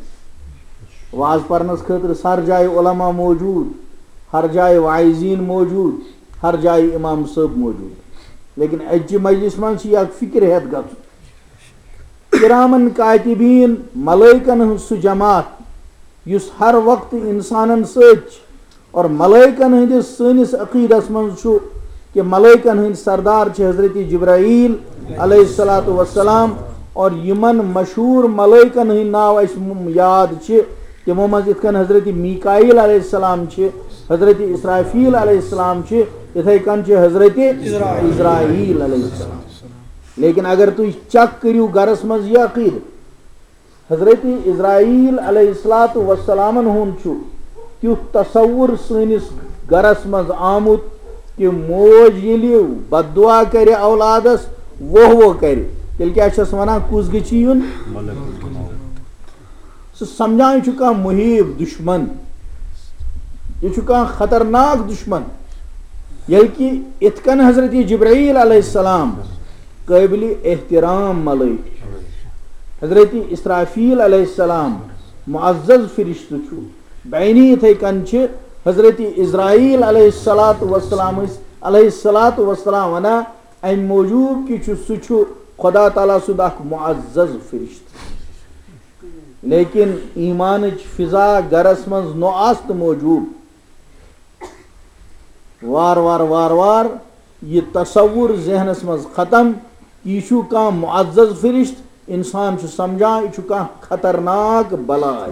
واز پرنس خٲطرٕ چھِ ہر جایہِ علماء موجود، ہر جایہِ واعظین موجود، ہر جایہِ امام صٲب موجود، لیکن اجہِ مجلس منٛز چھِ یہِ اکھ فکر ہٮ۪تھ گژھُن۔ کرامن کاتبین، ملائکن ہٕنٛز سُہ جماعت یُس ہر وقتہٕ انسانن سۭتۍ چھِ، اور ملائکن ہٕنٛدِس سٲنِس عقیدس منٛز چھُ کہ ملائکن ہٕنٛدۍ سردار چھِ حضرت جبرائیل علیہ الصلوۃ والسلام، اور یِمن مشہوٗر ملائکن ہٕنٛدۍ ناو اَسہِ م-، یاد چھِ، تِمو منٛز یِتھ کٔنۍ حضرت میکائیل علیہ السلام چھِ، حضرت اسرافیل علیہ السلام چھِ، یِتھے کٔنۍ چھِ حضرت اسرائیل علیہ السلام۔ لیکن اگر تُہۍ چیک کٔرِو گرس منٛز یہِ عقیدٕ، حضرت اسرائیل علیہ الصلوۃ والسلامن ہُنٛد چھُ تیُتھ تصور سٲنِس گرس منٛز آمُت کہ موج ییٚلہِ بددعا کرِ اولادس، ووہ ووہ کرِ، تیٚلہِ کیٛاہ چھس ونان، کُس گژھِ یُن؟ سُہ سمجھان چھُ کانٛہہ محیب دشمن، یہِ چھُ کانٛہہ خطرناک دشمن۔ ییٚلہِ کہِ اِتھ کٔنۍ حضرت جبرائیل علیہ السلام قٲبلِ احترام ملائک چھُ، حضرت اسرافیل علیہ السلام معزز فرشتہٕ چھُ، بینی اِتھے کٔنۍ چھِ حضرت اسرائیل علیہ الصلوۃ والسلام، علیہ الصلوۃ والسلام ونان، امہِ موٗجوٗب کہِ چھُ، سُہ چھُ خدا تعالیٰ سُنٛد اکھ معزز فرشتہٕ۔ لیکن ایمانٕچ فضا گرس منٛز نہٕ آسنہٕ موٗجوٗب وار وار وار وار یہِ تصور ذہنس منٛز ختم، یہِ چھُ کانٛہہ معزز فرشتہٕ، انسان چھُ سمجھان یہِ چھُ کانٛہہ خطرناک بلاے۔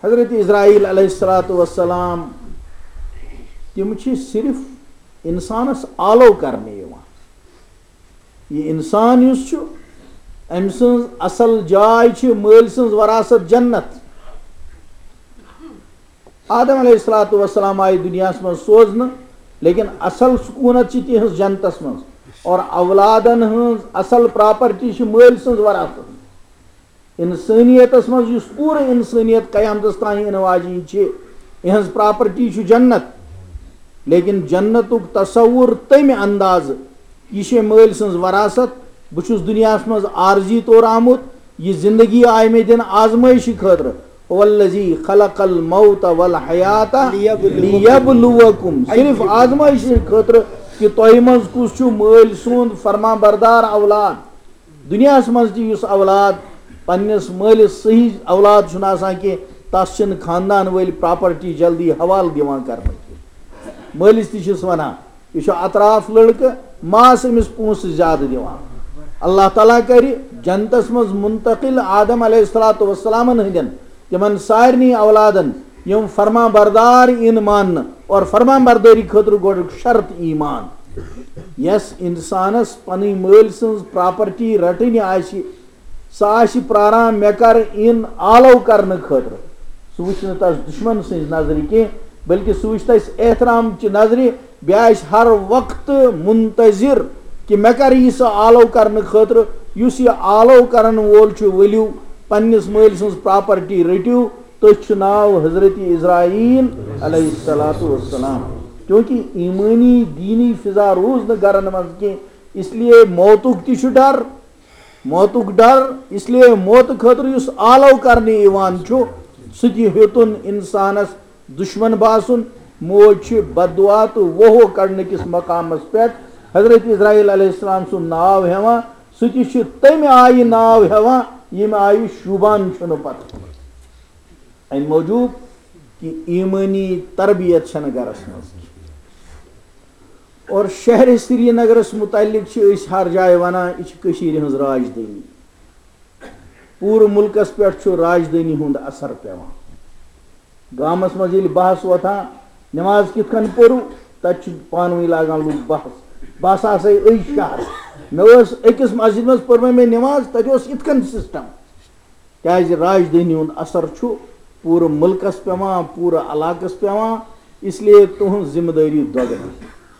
حضرت اسرائیل علیہ الصلوۃ والسلام، تِم چھِ صرف انسانس آلو کرنہٕ یِوان۔ یہِ انسان یُس چھُ، أمۍ سٕنٛز اصل جاے چھِ مٲلۍ سٕنٛز وراثت جنت۔ آدم علیہ الصلوۃ والسلام آیہِ دُنیاہس منٛز سوزنہٕ، لیکن اصل سکوٗنت چھِ تِہنٛز جنتس منٛز، اور اولادن ہٕنٛز اصل پراپرٹی چھِ مٲلۍ سٕنٛز وراثت۔ انسٲنیتس منٛز یُس پوٗرٕ انسٲنیت قیامتس تام یِنہٕ واجیٚنۍ چھِ، یِہنٛز پراپرٹی چھُ جنت۔ لیکن جنتُک تصور تمہِ اندازٕ، یہِ چھِ مٲلۍ سٕنٛز وراثت۔ بہٕ چھُس دُنیاہس منٛز عارضی طور آمُت، یہِ زندگی آیہِ مےٚ دِنہٕ آزمٲیشہِ خٲطرٕ۔ هو الذی خلق الموت والحیات لیبلوکم۔ صرف آزمٲیشہِ خٲطرٕ کہ تۄہہِ منٛز کُس چھُ مٲلۍ سُنٛد فرمان بردار اولاد۔ دُنیاہَس منٛز تہِ یُس اولاد پننِس مٲلِس صحیح اولاد چھُنہٕ آسان کینٛہہ، تَس چھِنہٕ خاندان وٲلۍ پراپرٹی جلدی حوالہٕ دِوان کرنہٕ کینٛہہ۔ مٲلِس تہِ چھِس وَنان، یہِ چھُ اطراف لڑکہٕ، ماس أمِس پونٛسہٕ زیادٕ دِوان۔ اللہ تعالیٰ کرِ جنتس منٛز منتقل آدم علیہ الصلوۃ والسلامن ہٕنٛدٮ۪ن تِمن سارنٕے اولادن، یِم فرمان بردار یِن ماننہٕ، اور فرمان بردٲری خٲطرٕ گۄڈٕ شرط ایمان۔ یس انسانس پنٕنۍ مٲلۍ سٕنٛز پراپرٹی رٹٕنۍ آسہِ، سُہ آسہِ پراران مےٚ کر یِن آلو کرنہٕ خٲطرٕ۔ سُہ وٕچھِ نہٕ تس دشمن سٕنٛزِ نظرِ کینٛہہ، بلکہ سُہ وٕچھِ تس احترام چہِ نظرِ۔ بیٚیہِ آسہِ ہر وقتہٕ منتظر کہِ مےٚ کر یی سُہ آلو کرنہٕ خٲطرٕ۔ یُس یہِ آلو کرن وول چھُ، ؤلِو پننِس مٲلۍ سٕنٛز پراپرٹی رٔٹِو، تٔتھۍ چھُ ناو حضرت اسرائیل علیہ الصلوۃ والسلام۔ کیونکہ ایمٲنی دینی فضا روٗز نہٕ گرن منٛز کینٛہہ، اس لیے موتُک تہِ چھُ ڈر، موتُک ڈر، اس لیے موتہٕ خٲطرٕ یُس آلو کرنہٕ یِوان چھُ، سُہ تہِ ہیوٚتُن انسانس دشمن باسُن۔ موج چھِ بددعا تہٕ ووہو کڑنہٕ کِس مقامس پٮ۪ٹھ حضرت اسرائیل علیہ السلام سُنٛد ناو ہٮ۪وان، سُہ تہِ چھُ تَمہِ آیہِ ناو ہٮ۪وان، ییٚمہِ آیہِ شوٗبان چھُنہٕ پتہٕ۔ اَمہِ موٗجوٗب کہِ ایٖمٲنی تربیت چھَنہٕ گرس منٛز کینٛہہ۔ اور شہرِ سرینگرس متعلق چھِ أسۍ ہر جایہِ وَنان، یہِ چھِ کٔشیٖرِ ہٕنٛز راجدھٲنی۔ پوٗرٕ مُلکس پٮ۪ٹھ چھُ راجدھٲنی ہُنٛد اثر پٮ۪وان۔ گامس منٛز ییٚلہِ بحث وۄتھان، نماز کِتھ کٔنۍ پٔرو، تتہِ چھِ پانہٕ ؤنۍ لاگان لُکھ بحث، بہٕ ہسا آسے أزۍ شہر، مےٚ ٲس أکِس مسجد منٛز پٔرمٕژ مےٚ نماز، تتہِ اوس یِتھ کٔنۍ سسٹم۔ کیازِ راجدھٲنی ہُنٛد اثر چھُ پوٗرٕ مُلکس پٮ۪وان، پوٗرٕ علاقس پٮ۪وان، اس لیے تُہنٛز ذمہ دٲری دۄگنہٕ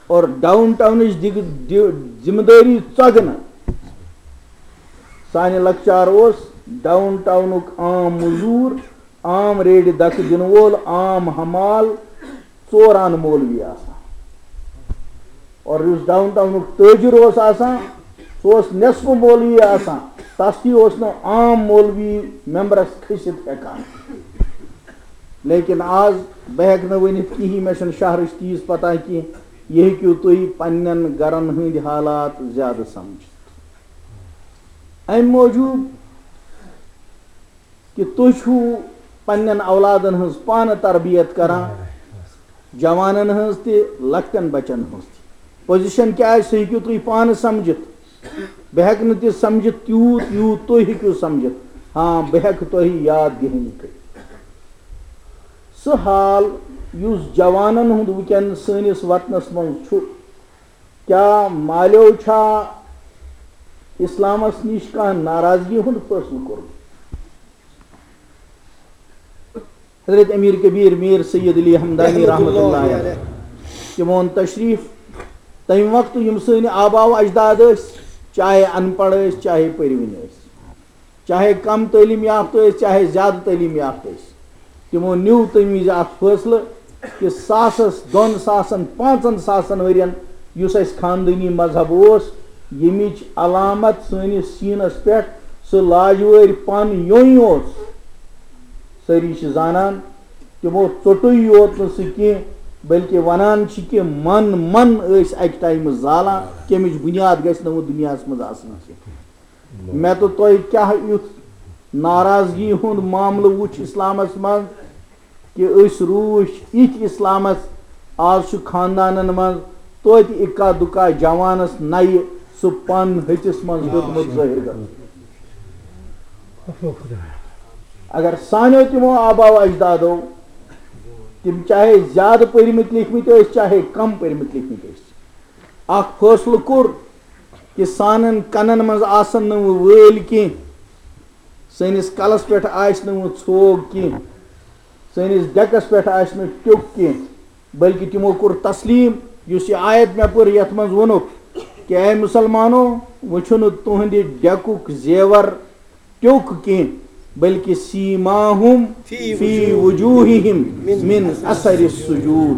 اور ڈاؤن ٹاؤنٕچ دِگ-، دِ-، ذمہ دٲری ژۄگنہٕ۔ سانہِ لۄکچار اوس ڈاؤن ٹاؤنُک عام مزوٗر، عام ریڈِ دکہٕ دِنہٕ وول، عام حمال، ژور آنہٕ مولوی آسان۔ اور یُس ڈاؤن ٹاؤنُک تٲجِر اوس آسان، سُہ اوس نٮ۪صفہٕ مولوی آسان، تَس تہِ اوس نہٕ عام مولوی ممبرَس کھٔسِتھ ہٮ۪کان۔ لیکن آز بہٕ ہٮ۪کہٕ نہٕ ؤنِتھ کِہیٖنۍ، مےٚ چھَنہٕ شہرٕچ تیٖژ پتہ کینٛہہ، یہِ ہیٚکِو تُہۍ پنٛنٮ۪ن گَرَن ہٕنٛدۍ حالات زیادٕ سَمجھِتھ۔ اَمہِ موٗجوٗب کہِ تُہۍ چھِو پنٛنٮ۪ن اولادَن ہٕنٛز پانہٕ تربیت کران، جوانَن ہٕنٛز تہِ، لۄکٹٮ۪ن بَچَن ہٕنٛز تہِ۔ پوزیشن کیٛاہ آسہِ، سُہ ہیٚکِو تُہۍ پانہٕ سَمجھِتھ۔ بہٕ ہٮ۪کہٕ نہٕ تہِ سَمجھِتھ تیوٗت، یوٗت تُہۍ ہیٚکِو سَمجھِتھ۔ ہاں، بہٕ ہٮ۪کہٕ تۄہہِ یاد دِہٲنی کٔرِتھ۔ سُہ حال یُس جوانَن ہُنٛد وٕنکٮ۪ن سٲنِس وطنَس منٛز چھُ، کیٛاہ مالیو چھا اِسلامَس نِش کانٛہہ ناراضگی ہُنٛد فٲصلہٕ کوٚرمُت؟ حضرت امیر کبیر میر سید علی ہمدانی رحمۃ اللہ علیہ، تِم اوٚن تشریف۔ تمہِ وقتہٕ یِم سٲنۍ آبا و اجداد ٲسۍ، چاہے ان پڑھ ٲسۍ، چاہے پٔرۍوٕنۍ ٲسۍ، چاہے کم تعلیٖم یافتہٕ ٲسۍ، چاہے زیادٕ تعلیٖم یافتہٕ ٲسۍ، تِمو نیوٗ تمہِ وِزِ اکھ فٲصلہٕ کہِ ساسس، دۄن ساسن، پانٛژن ساسن ؤرین یُس اسہِ خاندٲنی مذہب اوس، ییٚمِچ علامت سٲنِس سیٖنس پٮ۪ٹھ سُہ لاجوٲرۍ پن یوٚنۍ اوس، سٲری چھِ زانان، تِمو ژوٚٹُے یوت نہٕ سُہ کینٛہہ، بلکہِ وَنان چھِ کہِ من من ٲسۍ اَکہِ ٹایمہٕ زالان، کَمِچ بُنیاد گژھِ نہٕ وۄنۍ دُنیاہَس منٛز آسٕنۍ کینٛہہ۔ مےٚ تہٕ تۄہہِ کیٛاہ یُتھ ناراضگی ہُنٛد معاملہٕ وُچھ اِسلامَس منٛز کہِ أسۍ روٗدۍ یِتھۍ اِسلامَس، آز چھُ خاندانَن منٛز توتہِ اِکا دُکا جوانَس نَیہِ سُہ پَن ۂژِس منٛز دیُتمُت ظٲہِر گژھُن۔ اگر سانیو تِمو آبا و اجدادو، تِم چاہے زیادٕ پٔرمٕتۍ لیکھمٕتۍ ٲسۍ، چاہے کم پٔرمٕتۍ لیکھمٕتۍ ٲسۍ، اکھ فٲصلہٕ کوٚر کہِ سانٮ۪ن کنن منٛز آسن نہٕ وۄنۍ وٲلۍ کینٛہہ، سٲنِس کلس پٮ۪ٹھ آسہِ نہٕ وۄنۍ ژھوگ کینٛہہ، سٲنِس ڈیکس پٮ۪ٹھ آسہِ نہٕ ٹیوٚک کینٛہہ، بلکہِ تِمو کوٚر تسلیٖم، یُس یہِ آیت مےٚ پٔر، یَتھ منٛز ووٚنُکھ کہِ، اے مُسلمانو، وۄنۍ چھُنہٕ تُہنٛدِ ڈیکُک زیور ٹیوٚک کینٛہہ، بلکہِ سیٖماہُم فی فی وجوٗہِم وجوٗہِم من من اثر السجود۔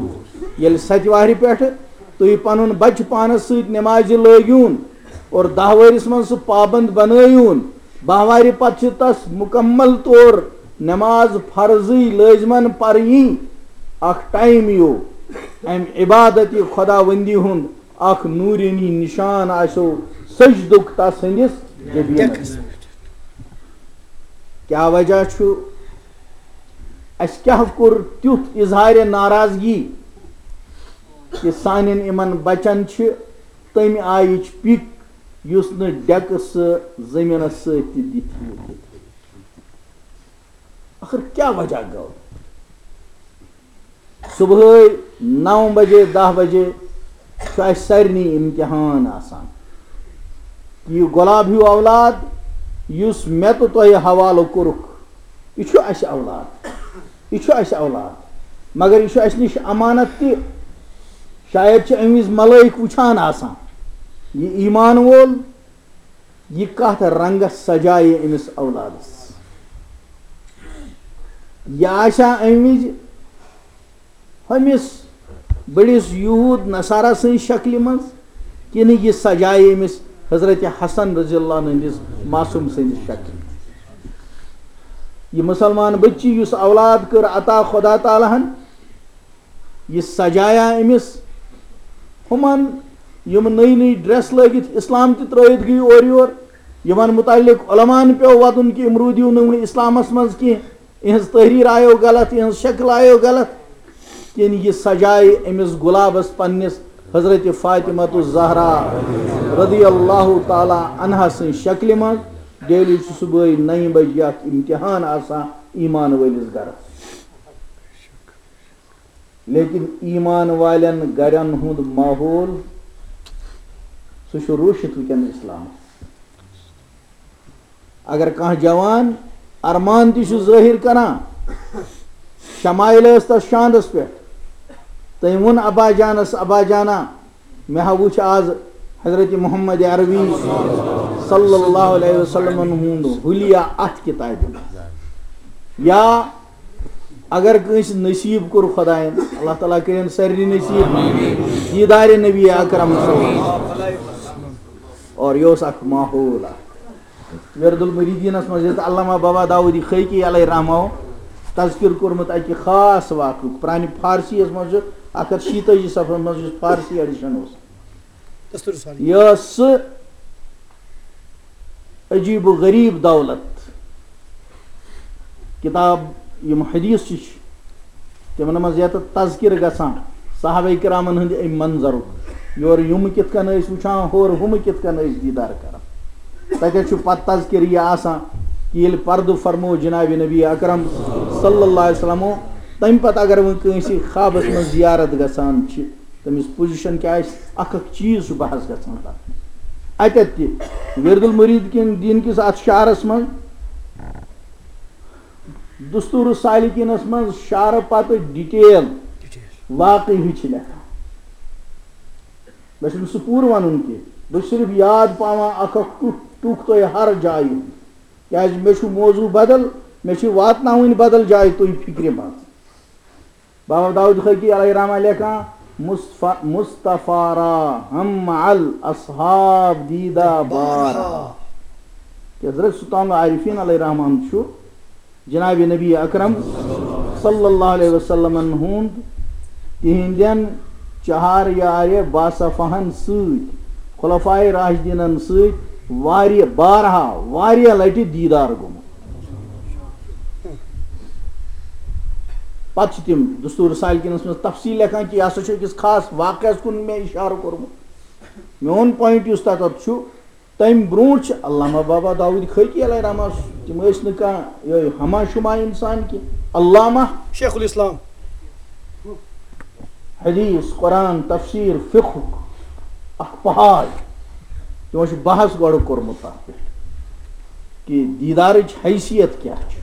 ییٚلہِ ستہِ وہرِ پٮ۪ٹھٕ تُہۍ پنُن بچہٕ پانس سۭتۍ نمازِ لٲگِوُن اور دَہ وہرِس منٛز سُہ پابند بنٲیِوُن، بَہہ وہرِ پتہٕ چھِ تس مُکمل طور نماز فرضٕے لٲزمن پرٕنۍ۔ اکھ ٹایم یِیو امہِ عبادتِ خداوندی ہُنٛد، اکھ نوٗرٲنی نشان آسیو سجدُک تس ہٕنٛدِس جبینس پٮ۪ٹھ۔ کیٛاہ وجہ چھُ؟ اَسہِ کیٛاہ کوٚر تیُتھ اظہارِ ناراضگی کہِ سانٮ۪ن یِمن بچن چھِ تَمہِ آیِچ پِک، یُس نہٕ ڈیکہٕ سُہ زٔمیٖنس سۭتۍ تہِ دِتھ ہیٚکہِ؟ ٲخٕر کیٛاہ وجہ گوٚو؟ صبحٲے نَو بجے، دَہ بجے چھُ اَسہِ سارنٕے امتحان آسان۔ یہِ گۄلاب ہیوٗ اولاد یُس مےٚ تہٕ تۄہہِ حوالہٕ کوٚرُکھ، یہِ چھُ اَسہِ اولاد، یہِ چھُ اَسہِ اولاد، مگر یہِ چھُ اَسہِ نِش امانت تہِ۔ شاید چھِ اَمہِ وِزِ ملٲیِک وٕچھان آسان، یہِ ایمان وول، یہِ کتھ رنگس سجایہِ أمِس اولادس؟ یہِ آسیا اَمہِ وِزِ ہُمِس بٔڑِس یہوٗد نصارہ سٕنٛزِ شکلہِ منٛز، کِنہٕ یہِ سجایہِ أمِس حضرت حسن رضی اللہ عنہ ہٕنٛدِس معصوم سٕنٛزِ شکلہِ؟ یہِ مُسلمان بچی یُس اولاد کٔر عطا خدا تعالیٰ ہن، یہِ سجایا أمِس ہُمن یِم نٔے نٔے ڈریس لٲگِتھ اسلام تہِ ترٲوِتھ گٔے اورٕ یور، یِمن متعلق علماءن پیوٚو وَدُن کہِ یِم روٗدِو نہٕ وٕنہِ اسلامس منٛز کینٛہہ، یِہٕنٛز تحریر آیو غلط، یِہٕنٛز شکل آیو غلط، کِنہٕ یہِ سجایہِ أمِس گُلابس پننِس حضرت فاطمہ الزہرا رضی اللہ تعالیٰ عنہا سٕنٛز شکلہِ منٛز۔ ڈیلی چھُ صُبحٲے نَیہِ بجہِ اکھ امتحان آسان ایمان وٲلِس گرس۔ لیکن ایمان والٮ۪ن گرن ہُنٛد ماحول، سُہ چھُ روٗشِتھ وٕنکٮ۪ن اسلامس۔ اگر کانٛہہ جوان ارمان تہِ چھُ ظٲہِر کران، شمائل ٲس تس شاندس پٮ۪ٹھ، تٔمۍ ووٚن ابا جانس، "ابا جانا، مےٚ ہا وُچھ آز حضرت محمد عربی صلی اللہ علیہ وسلمن ہُنٛد حلیہ اتھ کتابہِ منٛز۔" یا اگر کٲنٛسہِ نصیب کوٚر خۄدایَن، اللہ تعالیٰ کٔرِن سارنٕے نصیب دیٖدارِ نبی اکرم صلی اللہ علیہ وسلم۔ اور یہِ اوس اکھ ماحول اکھ۔ ورد المریدینس منٛز ییٚتہِ علامہ بابا داؤدی خیقی علیہ رحمہ تذکر کوٚرمُت اکہِ خاص واقعُک، پرانہِ فارسی یس منٛز چھُ اکھ ہتھ شیٖتٲجی صفحس منٛز، یُس فارسی ایڈیشن اوس۔ دستور سالی۔ یہِ ٲس سُہ عجیب و غریب دولت۔ کتاب یِم حدیث چھِ، تِمن منٛز یتھ تذکر گژھان صحابہ کرامن ہٕنٛدِ امہِ منظرُک، یورٕ یِم کِتھ کٔنۍ ٲسۍ وٕچھان، ہورٕ ہُم کِتھ کٔنۍ ٲسۍ دیٖدار کران۔ تتٮ۪تھ چھُ پتہٕ تذکر یہِ آسان کہِ ییٚلہِ پردٕ فرموو جناب نبی اکرم صلی اللہ علیہ وسلمو، تمہِ پتہٕ اگر وۄنۍ کٲنٛسہِ خوابس منٛز زیارت گژھان چھِ، تٔمِس پوزیشن کیٛاہ آسہِ، اکھ اکھ چیٖز چھُ بحث گژھان تتھ۔ اتٮ۪تھ تہِ ورد المرید کِن دین کِس اتھ شعرس منٛز دستور السالکینس منٛز شعرٕ پتہٕ ڈیٹیل واقعی ہٕچھ لیکھان۔ مےٚ چھُنہٕ سُہ پوٗرٕ ونُن کینٛہہ، بہٕ چھُس صرف یاد پاوان اکھ اکھ ٹُک ٹُک تۄہہِ ہر جایہِ ہُنٛد، کیازِ مےٚ چھُ موضوع بدل، مےٚ چھِ واتناوٕنۍ بدل جایہِ تُہۍ فکرِ منٛز۔ بابا داؤد خیقی علیہ رحمہ لیکھان، "مصطفیٰ، مصطفیٰ را ہم مع الاصحاب دیدہ بارہا۔" کہ حضرت سلطان العارفین علیہ رحمان چھُ جناب نبی اکرم صلی اللہ علیہ وسلمن ہُنٛد تِہنٛدٮ۪ن چہار یارِ باصفہن سۭتۍ، خلفائے راشدینن سۭتۍ واریاہ، بارہا، واریاہ لٹہِ دیدار گوٚمُت۔ پتہٕ چھِ تِم دستور سالکینس منٛز تفصیل لیکھان کہِ یہِ ہسا چھُ أکِس خاص واقعس کُن مےٚ اشارٕ کوٚرمُت۔ میون point یُس تتھ چھُ، تمہِ برونٛٹھ چھِ علامہ بابا داؤد خیقی علیہ رحمہ، تِم ٲسۍ نہٕ کانٛہہ یِہوٚے ہما شما انسان کینٛہہ، علامہ، شیخ الاسلام۔ حدیث، قرآن، تفسیر، فقہُک اکھ پہاڑ۔ تِمو چھُ بحث گۄڈٕ کوٚرمُت تَتھ پٮ۪ٹھ کہِ دیٖدارٕچ حیثیت کیٛاہ چھِ۔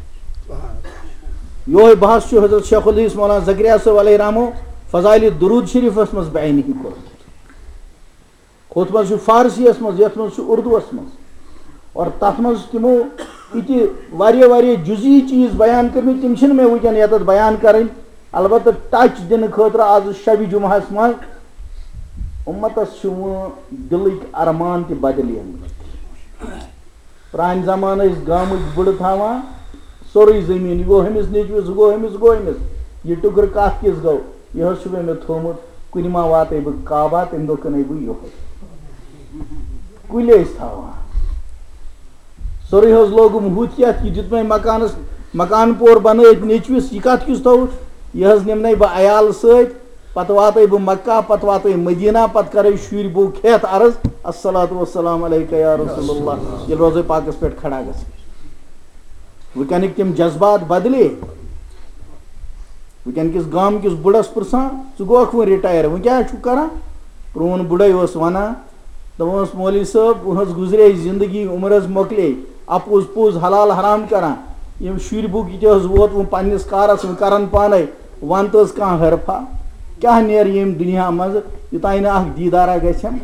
یِہوٚے بحث چھُ حضرت شیخ الحدیث مولانا زکریا صٲب علیہ رحمو فضائل درود شریفس منٛز بیانٕے کوٚرمُت۔ ہُتھ منٛز چھُ فارسیَس منٛز، یَتھ منٛز چھُ اردوَس منٛز۔ اور تَتھ منٛز چھِ تِمو یِتہِ واریاہ، واریاہ جُزئی چیٖز بیان کٔرمٕتۍ، تِم چھِنہٕ مےٚ وٕنکٮ۪ن یَتَتھ بیان کَرٕنۍ۔ البتہ touch دِنہٕ خٲطرٕ آز شبِ جمعہَس منٛز اُمتَس چھِ وۄنۍ دِلٕکۍ ارمان تہِ بدلیمٕتۍ۔ پرٛانہِ زمانہٕ ٲسۍ گامٕکۍ بٕڑٕ تھاوان سورُے زٔمیٖن، یہِ گوٚو ہُمِس نیٚچوِس، ہُہ گوٚو ہُمِس، ہُہ گوٚو ہُمِس۔ یہِ ٹُکرٕ کَتھ کِس گوٚو؟ یہِ حظ چھُ مےٚ، مےٚ تھوٚومُت، کُنہِ ما واتَے بہٕ کعبہ، تَمہِ دۄہ کٕنَے بہٕ یِہوٚے۔ کُلۍ ٲسۍ تھاوان۔ سورُے حظ لوگُم ہُتھ یَتھ، یہِ دیُت مےٚ مکانَس، مکان پور بَنٲیِتھ نیٚچوِس، یہِ کَتھ کِس تھوٚوُتھ؟ یہِ حظ نِمنَے بہٕ عیال سۭتۍ، پتہٕ واتے بہٕ مکہ، پتہٕ واتے مدینہ، پتہٕ کرے شُرۍ بوٗ کھٮ۪تھ عرض، "الصلاۃ والسلام علیک یا رسول اللہ"، ییٚلہِ روزے پاکس پٮ۪ٹھ کھڑا گژھِ۔ وٕنکیٚنٕکۍ تِم جذبات بدلے۔ وٕنکیٚن کِس گام کِس بُڑس پرژھان، "ژٕ گوکھ وۄنۍ retire، وۄنۍ کیٛاہ چھُکھ کران؟" پرون بُڑے اوس ونان، دپان اوس، "مولوی صٲب، وۄنۍ حظ گُزرے زندگی، عمر حظ مۄکلے، اپُز پوٚز حلال حرام کران۔ یِم شُرۍ بوٗ کِتہِ حظ ووت وۄنۍ پننِس کارس، وۄنۍ کرن پانے۔" وَن تہٕ حظ کانٛہہ حرفا، کیٛاہ نیرِ ییٚمہِ دُنیا منٛزٕ، یوٚتانۍ نہٕ اکھ دیٖدارا گژھٮ۪م؟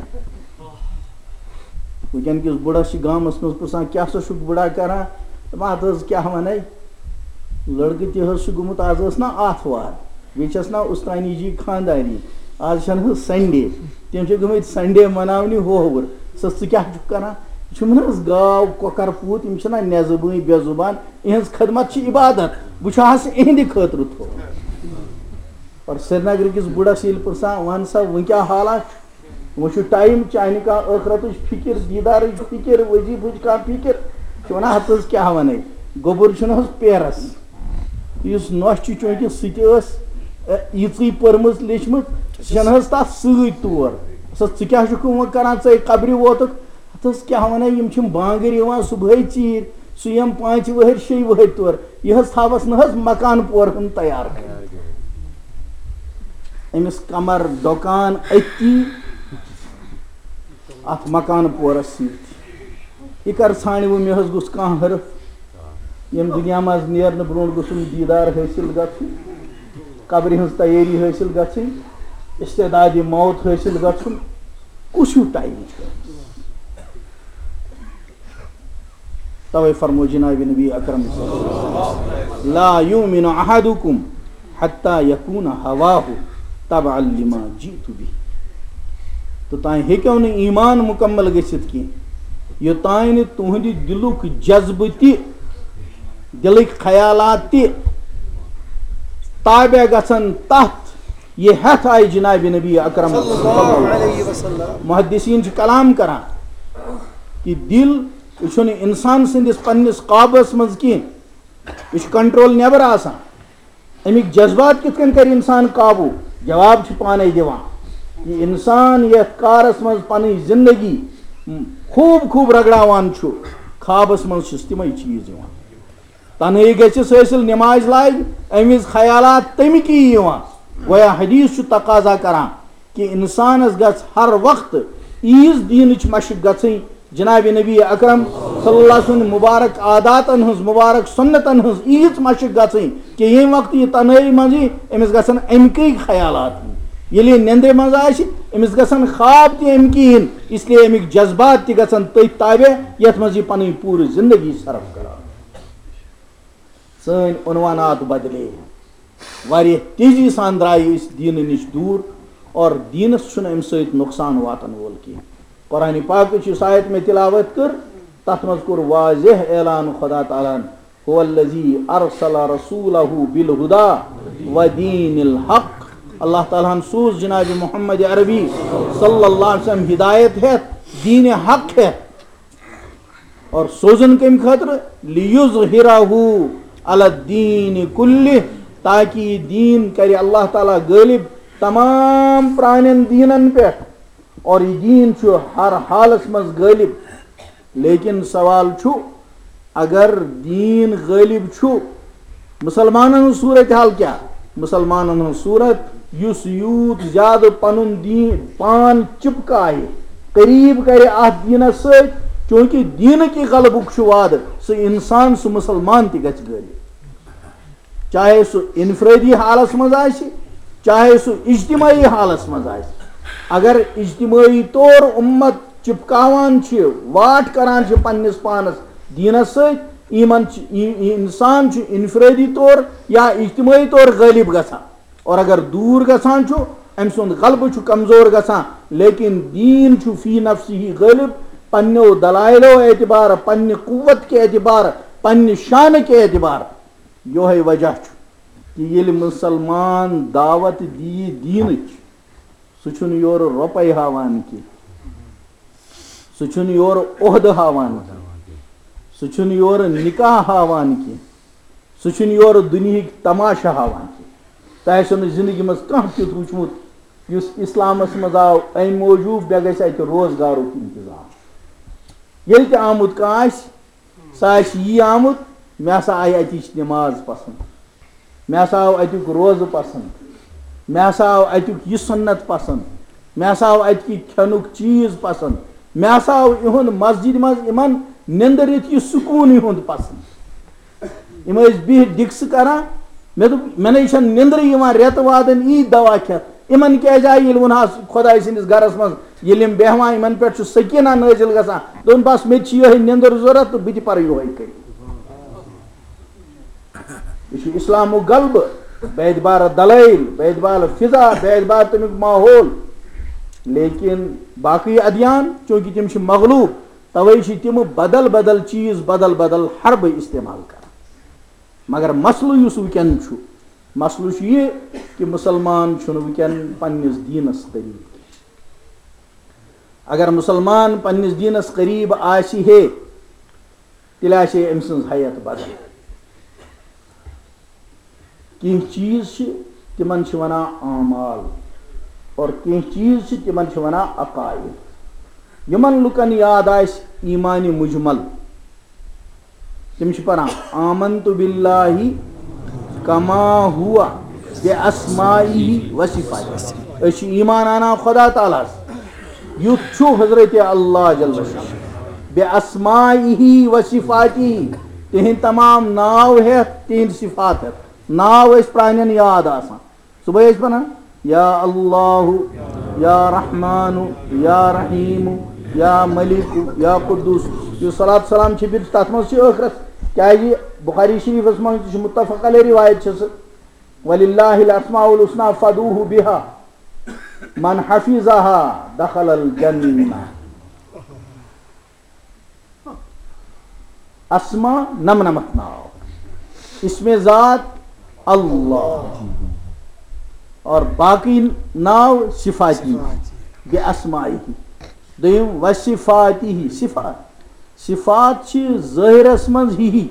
وٕنکٮ۪ن کِس بُڑس چھِ گامس منٛز پرژھان، "کیٛاہ سا چھُکھ بُڑا کران؟" دَپان، "اَتھ حظ کیٛاہ وَنَے، لٔڑکہٕ تہِ حظ چھُ گوٚمُت، آز ٲس نا آتھوار، بیٚیہِ چھَس نا اُستٲنی جی خانٛداری، آز چھَنہٕ حظ Sunday، تِم چھِ گٔمٕتۍ Sunday مَناونہِ ہووُر۔ سا ژٕ کیٛاہ چھُکھ کران؟" یہِ چھُم نہٕ حظ گاو، کۄکر پوٗت، یِم چھِنہ نٮ۪زٕ بٲنۍ بے زُبان۔ یِہٕنٛز خدمت چھِ عبادت، بہٕ چھُس اِہِنٛدِ خٲطرٕ تھوٚومُت۔ اور سرینگرٕ کِس بُڑس ییٚلہِ پرژھان، "وَن سا، وۄنۍ کیٛاہ حالات چھُ؟" وۄنۍ چھُ ٹایم، چانہِ کانٛہہ ٲخرتٕچ فِکِر، دیٖدارٕچ فِکِر، وظیٖفٕچ کانٛہہ فِکِر، چھُ وَنان، ہَتہٕ حظ کیٛاہ وَنَے، گوٚبُر چھُنہٕ حظ پیرَس۔ یُس نۄش چھُ، چوٗنٛکہِ سُہ تہِ ٲس، اَ، یِژٕے پٔرمٕژ لیٚچھمٕژ، سُہ چھَنہٕ حظ تَتھ سۭتۍ تور۔ سا ژٕ کیٛاہ چھُکھ وۄنۍ کَران، ژَے قبرِ ووتُکھ؟ ہَتہٕ حظ کیٛاہ وَنَے، یِم چھِم بانٛگٕرۍ یِوان صُبحٲے ژیٖرۍ، سُہ یِم پانٛژِ وٕہٕرۍ شیٚیہِ وٕہٕرۍ تور، یہِ حظ تھاوَس نہٕ حظ مکان پورٕ ہُنٛد تیار کٔرِتھ۔ أمِس کمر ڈۄکان أتی اَتھ مکان پورس سۭتۍ۔ یہِ کر ژھانٛڈِ وۄنۍ، مےٚ حظ گوٚژھ کانٛہہ حرف، ییٚمہِ دُنیا منٛز نیرنہٕ برونٛٹھ گوٚژھُم دیٖدار حٲصِل گژھُن، قبرِ ہٕنٛز تیٲری حٲصِل گژھٕنۍ، استعدادِ موت حٲصِل گژھُن۔ کُس ہیوٗ ٹایم چھُ؟ توے فرمو جناب نبی اکرم صلی اللہ علیہ وسلم، "لا یؤمن احدکم حتی یکون ہواہ تبعا لما جئت بہ"۔ توٚتام ہیٚکیو نہٕ ایمان مکمل گٔژھِتھ کینٛہہ، یوٚتام نہٕ تُہنٛدِ دِلُک جذبہٕ تہِ، دِلٕکۍ خیالات تہِ تابع گژھن تتھ، یہِ ہٮ۪تھ آیہِ جناب نبی اکرم صلی اللہ علیہ وسلم۔ محدثین چھِ کلام کران کہِ دِل، یہِ چھُنہٕ انسان سٕنٛدِس پننِس قابوٗس منٛز کینٛہہ، یہِ چھُ کنٹرول نٮ۪بر آسان۔ اَمِکۍ جذبات کِتھ کٔنۍ کرِ انسان قابوٗ؟ جواب چھُ پانے دِوان۔ یہِ انسان یتھ کارس منٛز پنٕنۍ زندگی خوٗب خوٗب رگڑاوان چھُ، خوابس منٛز چھِس تِمے چیٖز یِوان۔ تنہٲیی گژھٮ۪س حٲصِل، نمازِ لاگہِ، اَمہِ وِزِ خیالات تَمِکی یِوان۔ گویا حدیث چھُ تقاضا کران کہِ اِنسانَس گژھِ ہر وقتہٕ ییٖژ دیٖنٕچ مشق گژھٕنۍ، جناب نبی اکرم صلی اللہ علیہ وسلم سٕنٛدِ مبارک عاداتن ہٕنٛز، مبارک سُنتن ہٕنٛز ییٖژ مشق گژھٕنۍ کہِ ییٚمہِ وقتہٕ یہِ تنہٲیی منٛز یی، أمِس گژھن اَمِکٕے خیالات یِنۍ۔ ییٚلہِ یہِ نیٚنٛدرِ منٛز آسہِ، أمِس گژھن خواب تہِ اَمِکی یِنۍ، اس لیے اَمِکۍ جذبات تہِ گژھن تٔتھۍ تابع، یَتھ منٛز یہِ پنٕنۍ پوٗرٕ زندگی صرف کران۔ سٲنۍ عنوانات بدلے، واریاہ تیزی سان درٛایہِ أسۍ دیٖنہٕ نِش دوٗر، اور دیٖنَس چھُنہٕ اَمہِ سۭتۍ نۄقصان واتَن وول کینٛہہ۔ قرآن پاکٕچ یُس آیت مےٚ تلاوت کٔر، تَتھ منٛز کوٚر واضح اعلان خدا تعالیٰ ہَن، "هو الذی ارسل رسولہ بالہدی و دین الحق"۔ اللہ تعالیٰ ہَن سوٗز جناب محمد عربی صلی اللہ علیہ وسلم ہدایت ہٮ۪تھ، دیٖنِ حق ہٮ۪تھ۔ اور سوزُن کَمہِ خٲطرٕ؟ "لیظہرہ علی الدین کلہ"، تاکہ یہِ دیٖن کرِ اللہ تعالیٰ غٲلب تمام پرٛانٮ۪ن دیٖنَن پٮ۪ٹھ۔ اور یہِ دیٖن چھُ ہر حالس منٛز غٲلب۔ لیکن سوال چھُ، اگر دیٖن غٲلب چھُ، مُسلمانن ہٕنٛز صوٗرت حال کیٛاہ؟ مُسلمانن ہٕنٛز صوٗرت، یُس یوٗت زیادٕ پنُن دیٖن پان چِپکاوِ، قریب کرِ اتھ دیٖنس سۭتۍ، چونکہ دیٖنہٕ کہِ غلبُک چھُ وعدٕ، سُہ انسان، سُہ مُسلمان تہِ گژھِ غٲلب۔ چاہے سُہ انفرٲدی حالس منٛز آسہِ، چاہے سُہ اجتمٲعی حالس منٛز آسہِ، اگر اجتمٲعی طور اُمت چپکاوان چھِ، واٹھ کران چھِ پننِس پانس دیٖنس سۭتۍ، یِمن چھِ، یہِ، یہِ انسان چھُ انفرٲدی طور یا اجتمٲعی طور غٲلب گژھان۔ اور اگر دوٗر گژھان چھُ، أمۍ سُنٛد غلبہٕ چھُ کمزور گژھان۔ لیکن دیٖن چھُ فی نفسہِ غٲلب، پننیو دلائلو اعتبار، پننہِ قوت کے اعتبار، پننہِ شانہٕ کے اعتبار۔ یوہے وجہ چھُ کہِ ییٚلہِ مُسلمان دعوت دِیہِ دیٖنٕچ، سُہ چھُنہٕ یورٕ رۄپَے ہاوان کینٛہہ، سُہ چھُنہٕ یورٕ عہدٕ ہاوان کینٛہہ، سُہ چھُنہٕ یورٕ نکاح ہاوان کینٛہہ، سُہ چھُنہٕ یورٕ دُنیہٕکۍ تماشہٕ ہاوان کینٛہہ۔ تۄہہِ آسیو نہٕ زندگی منٛز کانٛہہ تیُتھ وٕچھمُت یُس اسلامس منٛز آو امہِ موٗجوٗب مےٚ گژھِ اتہِ روزگارُک انتظام۔ ییٚلہِ تہِ آمُت کانٛہہ آسہِ، سُہ آسہِ یی آمُت، مےٚ ہسا آیہِ اتِچ نماز پسنٛد، مےٚ ہسا آو اتیُک روزٕ پسنٛد، مےٚ ہسا آو اتیُک یہِ سُنت پسنٛد، مےٚ ہسا آو اتہِ کہِ کھٮ۪نُک چیٖز پسنٛد، مےٚ ہسا آو یِہُنٛد مسجدِ منٛز یِمن نِندٕر یِتھ یہِ سکوٗن یِہُنٛد پسنٛد۔ یِم ٲسۍ بِہِتھ ڈِکسہٕ کران۔ مےٚ دوٚپ، مےٚ نَے چھَنہٕ نِندرٕے یِوان رٮ۪تہٕ وادَن یی دوا کھٮ۪تھ۔ یِمن کیٛازِ آیہِ ییٚلہِ ووٚنہَس خۄداے سٕنٛدِس گرس منٛز ییٚلہِ یِم بیٚہوان، یِمن پٮ۪ٹھ چھُ سکیٖنہ نٲزِل گژھان۔ دوٚپُن، بس، مےٚ تہِ چھِ یِہوٚے نِندٕر ضوٚرتھ تہٕ بہٕ تہِ پَرٕ یِہوٚے کٔرِتھ۔ یہِ چھُ اِسلامُک غلبہٕ، بے اعتبار دلائل، بے اعتبار فضا، بے اعتبار تَمیُک ماحول۔ لیکن باقٕے ادیان، چونکہ تِم چھِ مغلوب، توے چھِ تِم بدل بدل چیٖز، بدل بدل حربہٕ استعمال کران۔ مگر مسلہٕ یُس وٕنکیٚن چھُ، مسلہٕ چھُ یہِ کہِ مُسلمان چھُنہٕ وٕنکیٚن پننِس دیٖنس قریب کینٛہہ۔ اگر مسلمان پننِس دیٖنس قریب آسہِ ہے، تیٚلہِ آسہِ ہے أمۍ سٕنٛز حیت بدل۔ کینٛہہ چیٖز چھِ، تِمن چھِ ونان اعمال، اور کینٛہہ چیٖز چھِ، تِمن چھِ ونان عقائد۔ یِمن لُکن یاد آسہِ ایمان مجمل، تِم چھِ پران آمنت باللہ کما ہوا باسمائہ و صفاتہ۔ أسۍ چھِ ایمان انان خدا تعالیٰ ہس، یُتھ چھُ حضرت اللہ جل شانہ، باسمائہ و صفاتہ، تِہنٛدۍ تمام ناو ہٮ۪تھ، تِہنٛدۍ صفات ہٮ۪تھ۔ ناو ٲسۍ پرانٮ۪ن یاد آسان۔ صبحٲے ٲسۍ پران، یا اللہ، یا رحمان، یا رحیم، یا ملک، یا قدوس۔ یُس صلات سلام چھِ بیٚیہِ تَتھ منٛز چھِ ٲخرس، کیٛازِ بخاری شریٖفس منٛز تہِ چھُ متفق علیہ روایت چھِ سُہ، وللہ الاسماء الحسنی فدعوہ بہا، من حفظہا دخل الجنہ۔ اسما نمنمتھ ناو، اسم ذات اللہ، اور باقی ناو صفاتی، بے اسمائی۔ دوٚیِم وصفاتی صفات، صفات چھِ ظٲہرس منٛز ہی ہی۔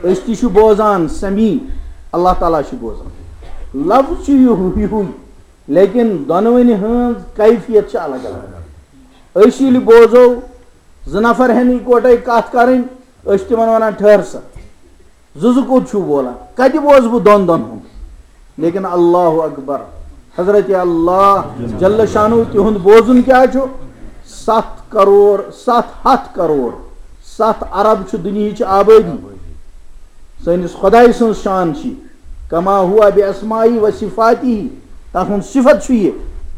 أسۍ تہِ چھِ بوزان سمیع، اللہ تعالیٰ چھُ بوزان۔ لفظ چھُ یِہُ-، یِہُے، لیکن دۄنوٕنی ہٕنٛز کیفیت چھِ الگ الگ۔ أسۍ ییٚلہِ بوزو، زٕ نفر ہٮ۪ن اِکوٹے کتھ کرٕنۍ، أسۍ چھِ تِمن ونان، "ٹھٔہر سا، زٕ زٕ کوٚت چھِو بولان؟ کتہِ بوزٕ بہٕ دۄن دۄن ہُنٛد؟" لیکن اللہ اکبر، حضرت اللہ جل شانہ تِہُنٛد بوزُن کیٛاہ چھُ؟ ستھ کرور، ستھ ہتھ کرور، ستھ ارب چھُ دُنیہٕچ آبٲدی۔ سٲنِس خۄداے سٕنٛز شان چھِ، کما ہوا بے اسمائی و صفاتی، تَتھ ہُنٛد صفت چھُ یہِ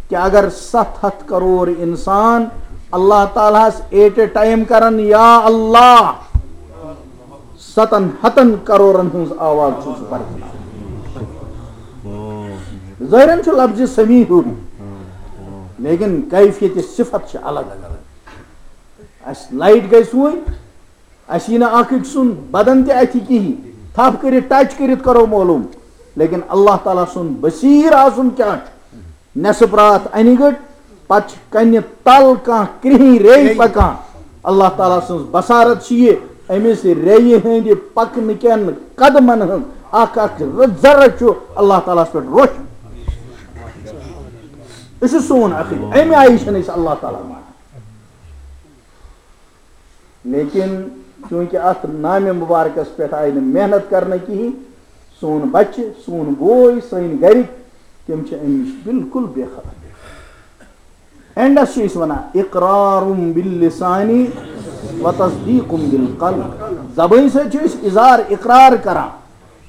کہِ اگر ستھ ہتھ کرور انسان اللہ تعالیٰ ہس ایٹ اے ٹائم کرن، یا اللہ، ستن ہتن کرورن ہٕنٛز آواز چھُ سُہ پرزٕناوان۔ ظٲہرن چھُ لفظ سمیع ہیوٗ، لیکن کیفیت صفت چھِ الگ الگ۔ اَسہِ لایٹ گٔے سُوٕنۍ، اَسہِ یی نہٕ اکھ أکۍ سُنٛد بدن تہِ اَتھِ کِہیٖنۍ، تھپھ کٔرِتھ ٹچ کٔرِتھ کرو معلوم، لیکن اللہ تعالیٰ سُنٛد بصیٖر آسُن کیٛاہ چھُ؟ نٮ۪صٕف راتھ اَنہِ گٔٹ، پتہٕ چھِ کنہِ تل کانٛہہ کرٛہِنۍ ریٚے پکان۔ اللہ تعالیٰ سٕنٛز بصارت چھِ یہِ، أمِس ریٚیہِ ہٕنٛدِ پکنہٕ کٮ۪ن قدمن ہٕنٛز اکھ اکھ ذرٕ چھُ اللہ تعالیٰ ہس پٮ۪ٹھ روشن۔ یہِ چھُ سون عقیدٕ، اَمہِ آیہِ چھِنہٕ أسۍ اللہ تعالیٰ مانان۔ لیکن چونکہ اتھ نامہِ مبارکس پٮ۪ٹھ آیہِ نہٕ محنت کرنہٕ کِہیٖنۍ، سون بچہِ، سون بوے، سٲنۍ گرِکۍ، تِم چھِ امہِ نِش بالکل بے خبر۔ اینڈس چھِ أسۍ ونان، اقرار باللسانی و تصدیق بالقلب۔ زبٲنۍ سۭتۍ چھِ أسۍ اظہار اقرار کران،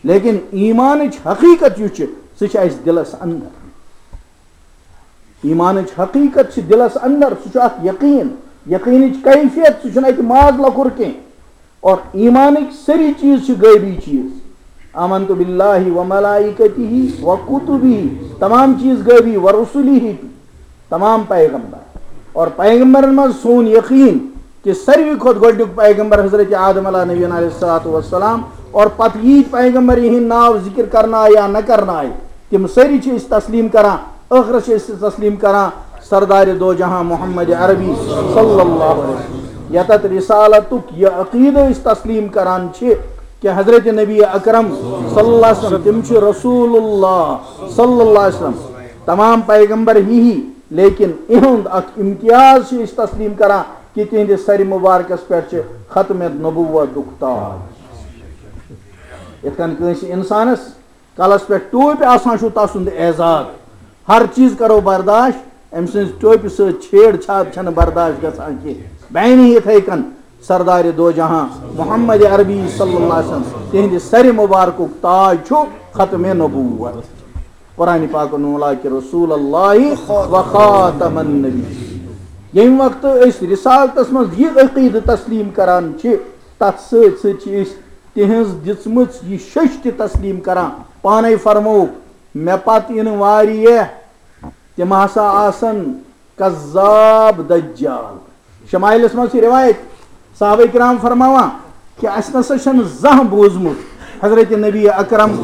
لیکن ایمانٕچ حقیقت یُس چھِ، سُہ چھِ اسہِ دلس اندر۔ ایمانٕچ حقیقت چھِ دلس اندر، سُہ چھُ اکھ یقین، یقینٕچ کیفیت، سُہ چھُنہٕ اتہِ ماز لۄکُر کینٛہہ۔ اور ایمانٕکۍ سٲری چیٖز چھِ غٲبی چیٖز۔ آمنت باللہ و ملائکتہ و کتبہ، تمام چیٖز غٲبی، و رسلہ، تمام پیغمبر۔ اور پیغمبرن منٛز سون یقین کہ ساروی کھۄتہٕ گۄڈٕنیُک پیغمبر حضرت آدم علیہ نبینا علیہ الصلوۃ والسلام، اور پتہٕ ییٖتۍ پیغمبر یِہِنٛدۍ ناو ذکر کرنہٕ آے یا نہ کرنہٕ آے، تِم سٲری چھِ أسۍ تسلیٖم کران۔ ٲخرس چھِ أسۍ تسلیٖم کران سردارِ دو جہاں محمد عربی صلی اللہ علیہ وسلم۔ یتتھ رسالتُک یہِ عقیدٕ أسۍ تسلیٖم کران چھِ کہ حضرت نبی اکرم صلی اللہ علیہ وسلم، تِم چھِ رسول اللہ صلی اللہ علیہ وسلم۔ تمام پیغمبر ہی ہی، لیکن اِہُنٛد اکھ امتیاز چھِ أسۍ تسلیٖم کران کہ تِہنٛدِس سرِ مبارکس پٮ۪ٹھ چھِ ختم نبوتُک تاج۔ یِتھ کٔنۍ کٲنٛسہِ انسانس کلس پٮ۪ٹھ ٹوپۍ آسان چھُ تسُنٛد اعزاز، ہر چیٖز کرو برداشت، أمۍ سٕنٛز ٹوپہِ سۭتۍ چھیڑ چھاڑ چھنہٕ برداشت گژھان کینٛہہ۔ بینہِ یِتھے کٔنۍ سردارِ دو جہاں محمد عربی صلی اللہ علیہ وسلم، تِہنٛدِ سرِ مبارکُک تاج چھُ ختم نبوت۔ قرآن پاکن ووٚن، "لکن رسول اللہ و خاتم النبی۔" ییٚمہِ وقتہٕ أسۍ رسالتس منٛز یہِ عقیدٕ تسلیٖم کران چھِ، تتھ سۭتۍ سۭتۍ چھِ أسۍ تِہنٛز دِژمٕژ یہِ شٔچھ تہِ تسلیٖم کران۔ پانے فرمووُکھ، "مےٚ پتہٕ یِنہٕ واریاہ، تِم ہسا آسن کذاب دجال۔" شمائلس منٛز چھِ روایت، صحابہ کرام فرماوان کہ اسہِ نسا چھنہٕ زانٛہہ بوٗزمُت حضرت نبی اکرم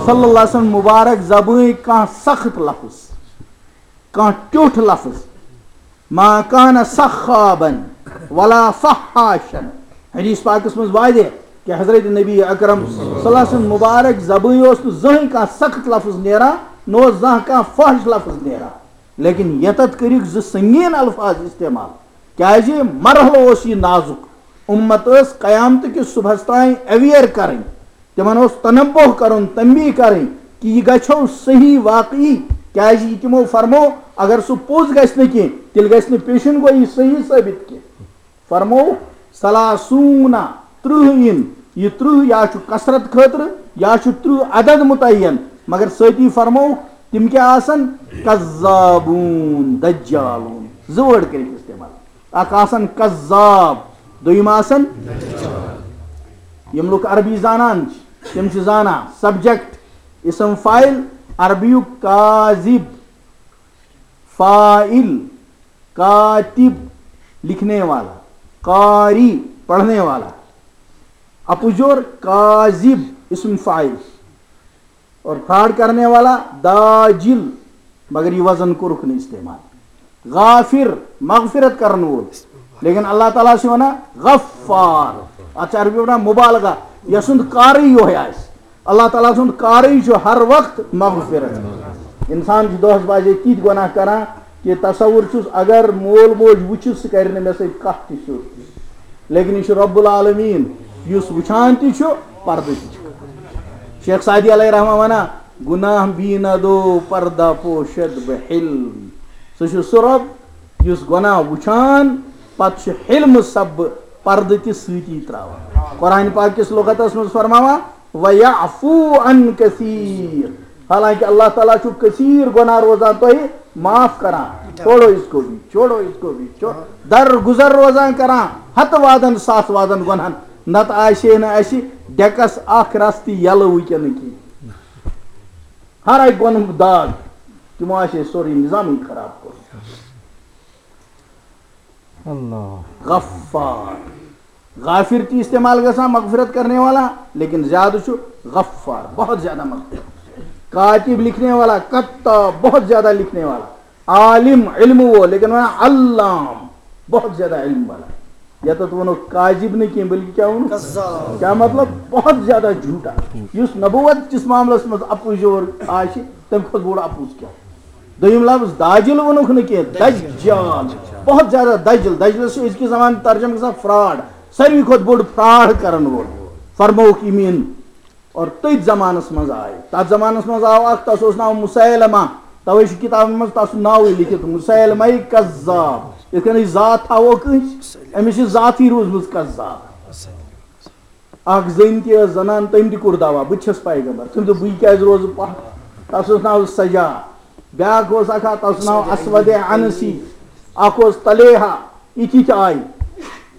صلی اللہ علیہ وسلم مبارک زبٲنۍ کانٛہہ سخت لفظ، کانٛہہ ٹیوٚٹھ لفظ۔ ما کان سخابن ولا فحاشن۔ حدیث پاکس منٛز واضح کہ حضرت نبی اکرم صلی اللہ علیہ وسلم مبارک زبٲنۍ اوس نہٕ زٕہٕنۍ کانٛہہ سخت لفظ نیران، نہ اوس زانٛہہ کانٛہہ فحش لفظ نیران، لیکن یتتھ کٔرِکھ زٕ سنگین الفاظ استعمال۔ کیازِ؟ مرحلہٕ اوس یہِ نازُک، امت ٲس قیامتہٕ کِس صبحس تام اویئر کرٕنۍ، تِمن اوس تنبوہ کرُن، تنبیہ کرٕنۍ کہ یہِ گژھو صحیح واقعی، کیازِ یہِ تِمو فرمو، اگر سُہ پوٚز گژھِ نہٕ کینٛہہ، تیٚلہِ گژھِ نہٕ پیشن گویی صحیح ثٲبت کینٛہہ۔ فرمو، ثلاثون، ترٕٛہ یِن، یہِ ترٕٛہ یا چھُ کثرت خٲطرٕ یا چھُ ترٕٛہ عدد متعین، مگر سۭتی فرمو، تِم کیٛاہ آسن؟ کذابون، دجالون، زٕ word کٔرِکھ استعمال۔ اکھ آسان کذاب، دوٚیِم آسان۔ یِم لُکھ عربی زانان چھِ، تِم چھِ زانان سبجیکٹ، اسم فاعل، عربیُک کاذب، فاعل، کاتب، لکھنے والا، قاری، پڑھنے والا، اپُزیور کاذب، اسم فاعل۔ اور فراڈ کرنے والا داجل، مگر یہ وزن کوٚرُکھ نہٕ استعمال۔ غافر، مغفرت کرن وول، لیکن اللہ تعالیٰ چھُ ونان غفار۔ اتھ چھِ عربی ونان مبالغہ، یسُنٛد کارٕے یۄہے آسہِ۔ اللہ تعالیٰ سُنٛد کارٕے چھُ ہر وقت مغفرت۔ انسان چھُ دۄہس بجے تِتھۍ گۄناہ کران کہ تصور چھُس، اگر مول موج وٕچھِ، سُہ کرِ نہٕ مےٚ سۭتۍ کتھ تہِ سیوٚد۔ لیکن یہِ چھُ رب العالمین، یُس وٕچھان تہِ چھُ، پردٕ تہِ چھُ۔ شیخ سعدی علیہ رحمہ ونان، گناہ بی نہ دو پردہ پوشد بہ حلم۔ سُہ چھُ سُہ رب یُس گناہ وٕچھان، پتہٕ چھُ حلم سبب پردٕ تہِ سۭتی تراوان۔ قرآن پاک کِس لغتس منٛز فرماوان، وَيَعْفُو عَنْ كَثِيرٍ۔ حالانکہ اللہ تعالیٰ چھُ کثیر گناہ روزان تۄہہِ معاف کران۔ چھوڑو اس کو بھی، چھوڑو اس کو بھی، چھو-، در گزر روزان کران، ہتہٕ وادن ساس وادن گۄنہن۔ نتہٕ آسہِ ہے نہٕ اسہِ ڈیکس اکھ رس تہِ یلہٕ وٕنکیٚنہٕ کینٛہہ۔ ہر اکہِ گۄنہُک داغ، تِمو آسہِ ہے سورُے نظامٕے خراب کوٚرمُت۔ اللہ۔ غفار۔ غافر تہِ استعمال گژھان مغفرت کرنے والا، لیکن زیادٕ چھُ غفار، بہت زیادہ مغفرت۔ کاتب، لکھنے والا، کتاب، بہت زیادہ لکھنے والا۔ عالم، علم وول، لیکن ونان علام، بہت زیادہ علم والا۔ یتتھ ونو کاذب نہٕ کینٛہہ، بلکہ کیا ونو؟ کذاب۔ کیا مطلب؟ بہت زیادہ جھوٹا۔ یُس نبوت کِس معاملس منٛز اپُزیور آسہِ، تمہِ کھۄتہٕ بوٚڑ اپُز کیا؟ دوٚیِم لفظ داجل ووٚنُکھ نہٕ کینٛہہ، دجال۔ بہت زیادہ دجل۔ دجلس چھُ أزکہِ زمانہٕ ترجمہٕ گژھان فراڈ۔ ساروی کھۄتہٕ بوٚڑ فراڈ کرن وول۔ فرمووُکھ یِم یِن۔ اور تٔتھۍ زمانس منٛز آے۔ تتھ زمانس منٛز آو اکھ، تس اوس ناو مسیلمہ۔ توے چھُ کتابن منٛز تس سُنٛد ناوٕے لیکھِتھ، مسیلمہ کذاب۔ یِتھ کٔنۍ أسۍ ذات تھاوو کٲنٛسہِ، أمِس چھِ ذاتٕے روٗزمٕژ کذاب۔ اکھ زٔنۍ تہِ ٲس زنان، تٔمۍ تہِ کوٚر دعویٰ، "بہٕ تہِ چھَس پیغمبر۔" تٔمۍ دوٚپ، "بہٕ کیٛازِ روزٕ پتھ؟" تَس اوس ناو سجا، بیٛاکھ اوس اکھ، تَس اوس ناو اسود عنسی، اکھ اوس طلیحہ، یِتھی تہِ آیہِ۔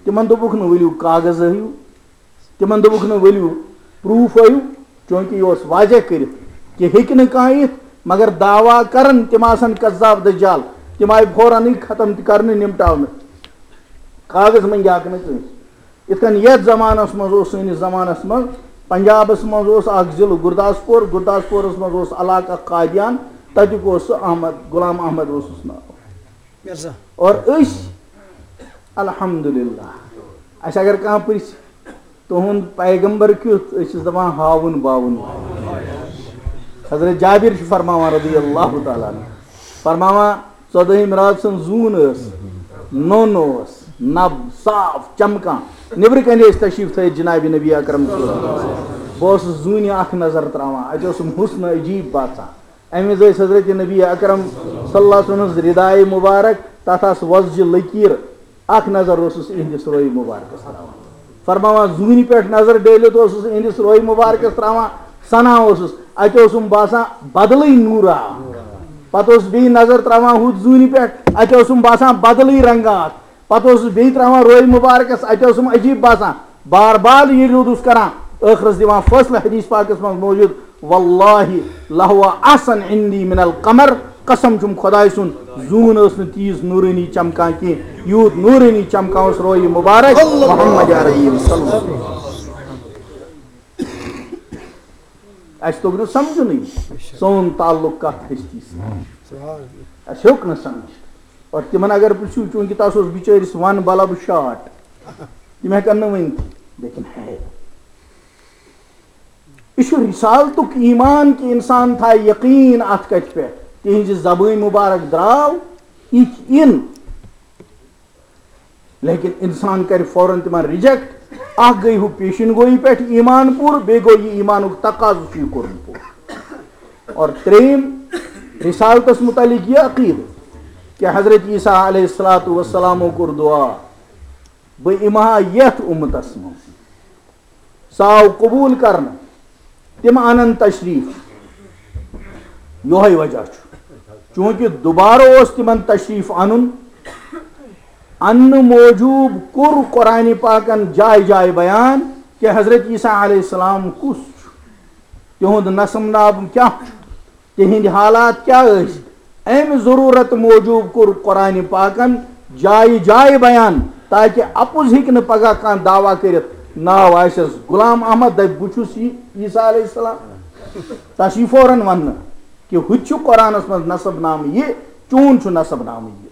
تِمن دوٚپُکھ نہٕ، "ؤلِو کاغذ ہٲیِو۔" تِمن دوٚپُکھ نہٕ، "ؤلِو پروٗف ہٲیِو۔" چوٗنٛکہِ یہِ اوس واضح کٔرِتھ کہِ ہیٚکہِ نہٕ کانٛہہ یِتھ، مگر دعویٰ کرن تِم آسن کذاب دجال، تِم آیہِ فوراًے ختم تہِ کرنہٕ، نِمٹاونہٕ۔ کاغذ منٛگیاکھ نہٕ کٲنٛسہِ۔ یِتھ کٔنۍ یَتھ زمانَس منٛز اوس، سٲنِس زمانَس منٛز پنجابَس منٛز اوس اَکھ ضلعہٕ گُرداسپوٗر، گُرداسپوٗرَس منٛز اوس علاقہٕ اَکھ قادیان، تَتیُک اوس سُہ احمد، غلام احمد اوسُس ناو۔ مرزا۔ اور أسۍ، الحمدللہ، اَسہِ اگر کانٛہہ پرٛژھِ، "تُہُنٛد پیغمبر کیُتھ؟" أسۍ چھِس دَپان، "ہاوُن باوُن۔" حضرت جابر چھُ فرماوان رضی اللہ تعالیٰ عنہ، فرماوان، ژۄدٲہِم راتھ سٕنٛز زوٗن ٲس، نوٚن اوس، نَب صاف چمکان۔ نیٚبرٕ کنہِ ٲسۍ تشریٖف تھٲیِتھ جناب نبی اکرم صلی اللہ علیہ وسلم۔ بہٕ اوسُس زوٗنہِ اکھ نظر تراوان، اَتہِ اوسُم حُسنہٕ عجیٖب باسان۔ اَمہِ وِزِ ٲسۍ حضرت نبی اکرم صلی اللہ علیہ وسلم سٕنٛز ردایہِ مُبارک، تَتھ آسہٕ وۄزجہِ لٔکیٖر۔ اکھ نظر اوسُس اِہِنٛدِس رویہِ مُبارکَس تراوان۔ فرماوان، زوٗنہِ پٮ۪ٹھ نظر ڈٲلِتھ اوسُس اِہِنٛدِس رویہِ مُبارکَس تراوان، سَنان اوسُس، اَتہِ اوسُم باسان بدلٕے نوٗرا۔ پَتہٕ اوسُس بیٚیہِ نظر تراوان ہُتھ زوٗنہِ پٮ۪ٹھ، اَتہِ اوسُم باسان بدلٕے رنٛگا اکھ۔ پَتہٕ اوسُس بیٚیہِ تراوان رویہِ مُبارکَس، اَتہِ اوسُم عجیٖب باسان۔ بار بار ییٚلہِ روٗدُس کران، ٲخرَس دِوان فٲصلہٕ، حدیث پاکَس منٛز موجود، "واللہ لہو احسن عندی من القمر"، قسم چھُم خۄداے سُنٛد، زوٗن ٲس نہٕ تیٖژ نوٗرٲنی چمکان کینٛہہ، یوٗت نوٗرٲنی چمکان اوس رویہِ مُبارک محمد عربی صلی اللہ علیہ وسلم۔ اَسہِ توٚگ نہٕ سمجھُنٕے سون تعلق کَتھ ہستی سۭتۍ۔ اَسہِ ہیوٚک نہٕ سمجھِتھ۔ اور تِمن اگر پرٛژھِو، چوٗنٛکہِ تَس اوس بِچٲرِس وَن بلب شاٹ، تِم ہٮ۪کن نہٕ ؤنِتھ۔ لیکن ہے، یہِ چھُ رسالتُک ایمان کہِ انسان تھایہِ یقین اتھ کتھِ پٮ۪ٹھ، تِہنزِ زبٲنۍ مبارک درٛاو، یہِ تہِ یِن۔ لیکن انسان کرِ فوراً تِمن ریجیکٹ۔ اکھ گٔے ہُہ پیشن گویی پٮ۪ٹھ ایمان پوٗرٕ، بیٚیہِ گوٚو یہِ ایمانُک تقاضہٕ چھُ یہِ کوٚرمُت پوٗرٕ۔ اور ترٛیٚیِم، رسالتس متعلق یہِ عقیدٕ کہ حضرت عیسیٰ علیہ الصلوۃ والسلامو کوٚر دعا، بہٕ یِمہٕ ہا یتھ امتس منٛز، سُہ آو قبول کرنہٕ، تِم انن تشریف۔ یۄہے وجہ چھُ، چونکہ دوبارٕ اوس تِمن تشریف انُن۔ اننہٕ موجوب کوٚر قرآن پاکن جایہِ جایہِ بیان کہ حضرت عیسیٰ علیہ السلام کُس چھُ، تِہُنٛد نسب ناب کیٛاہ چھُ، تِہنٛدۍ حالات کیٛاہ ٲسۍ۔ امہِ ضروٗرت موجوب کوٚر قرآن پاکن جایہِ جایہِ بیان، تاکہ اپُز ہیٚکہِ نہٕ پگاہ کانٛہہ دعویٰ کٔرِتھ، ناو آسٮ۪س غلام احمد، دپہِ، "بہٕ چھُس یہِ عیسیٰ علیہ السلام۔" تَس یی فوراً وننہٕ کہ ہُہ تہِ چھُ قرآنس منٛز نسب نامہٕ یہِ، چون چھُ نسب نامہٕ یہِ۔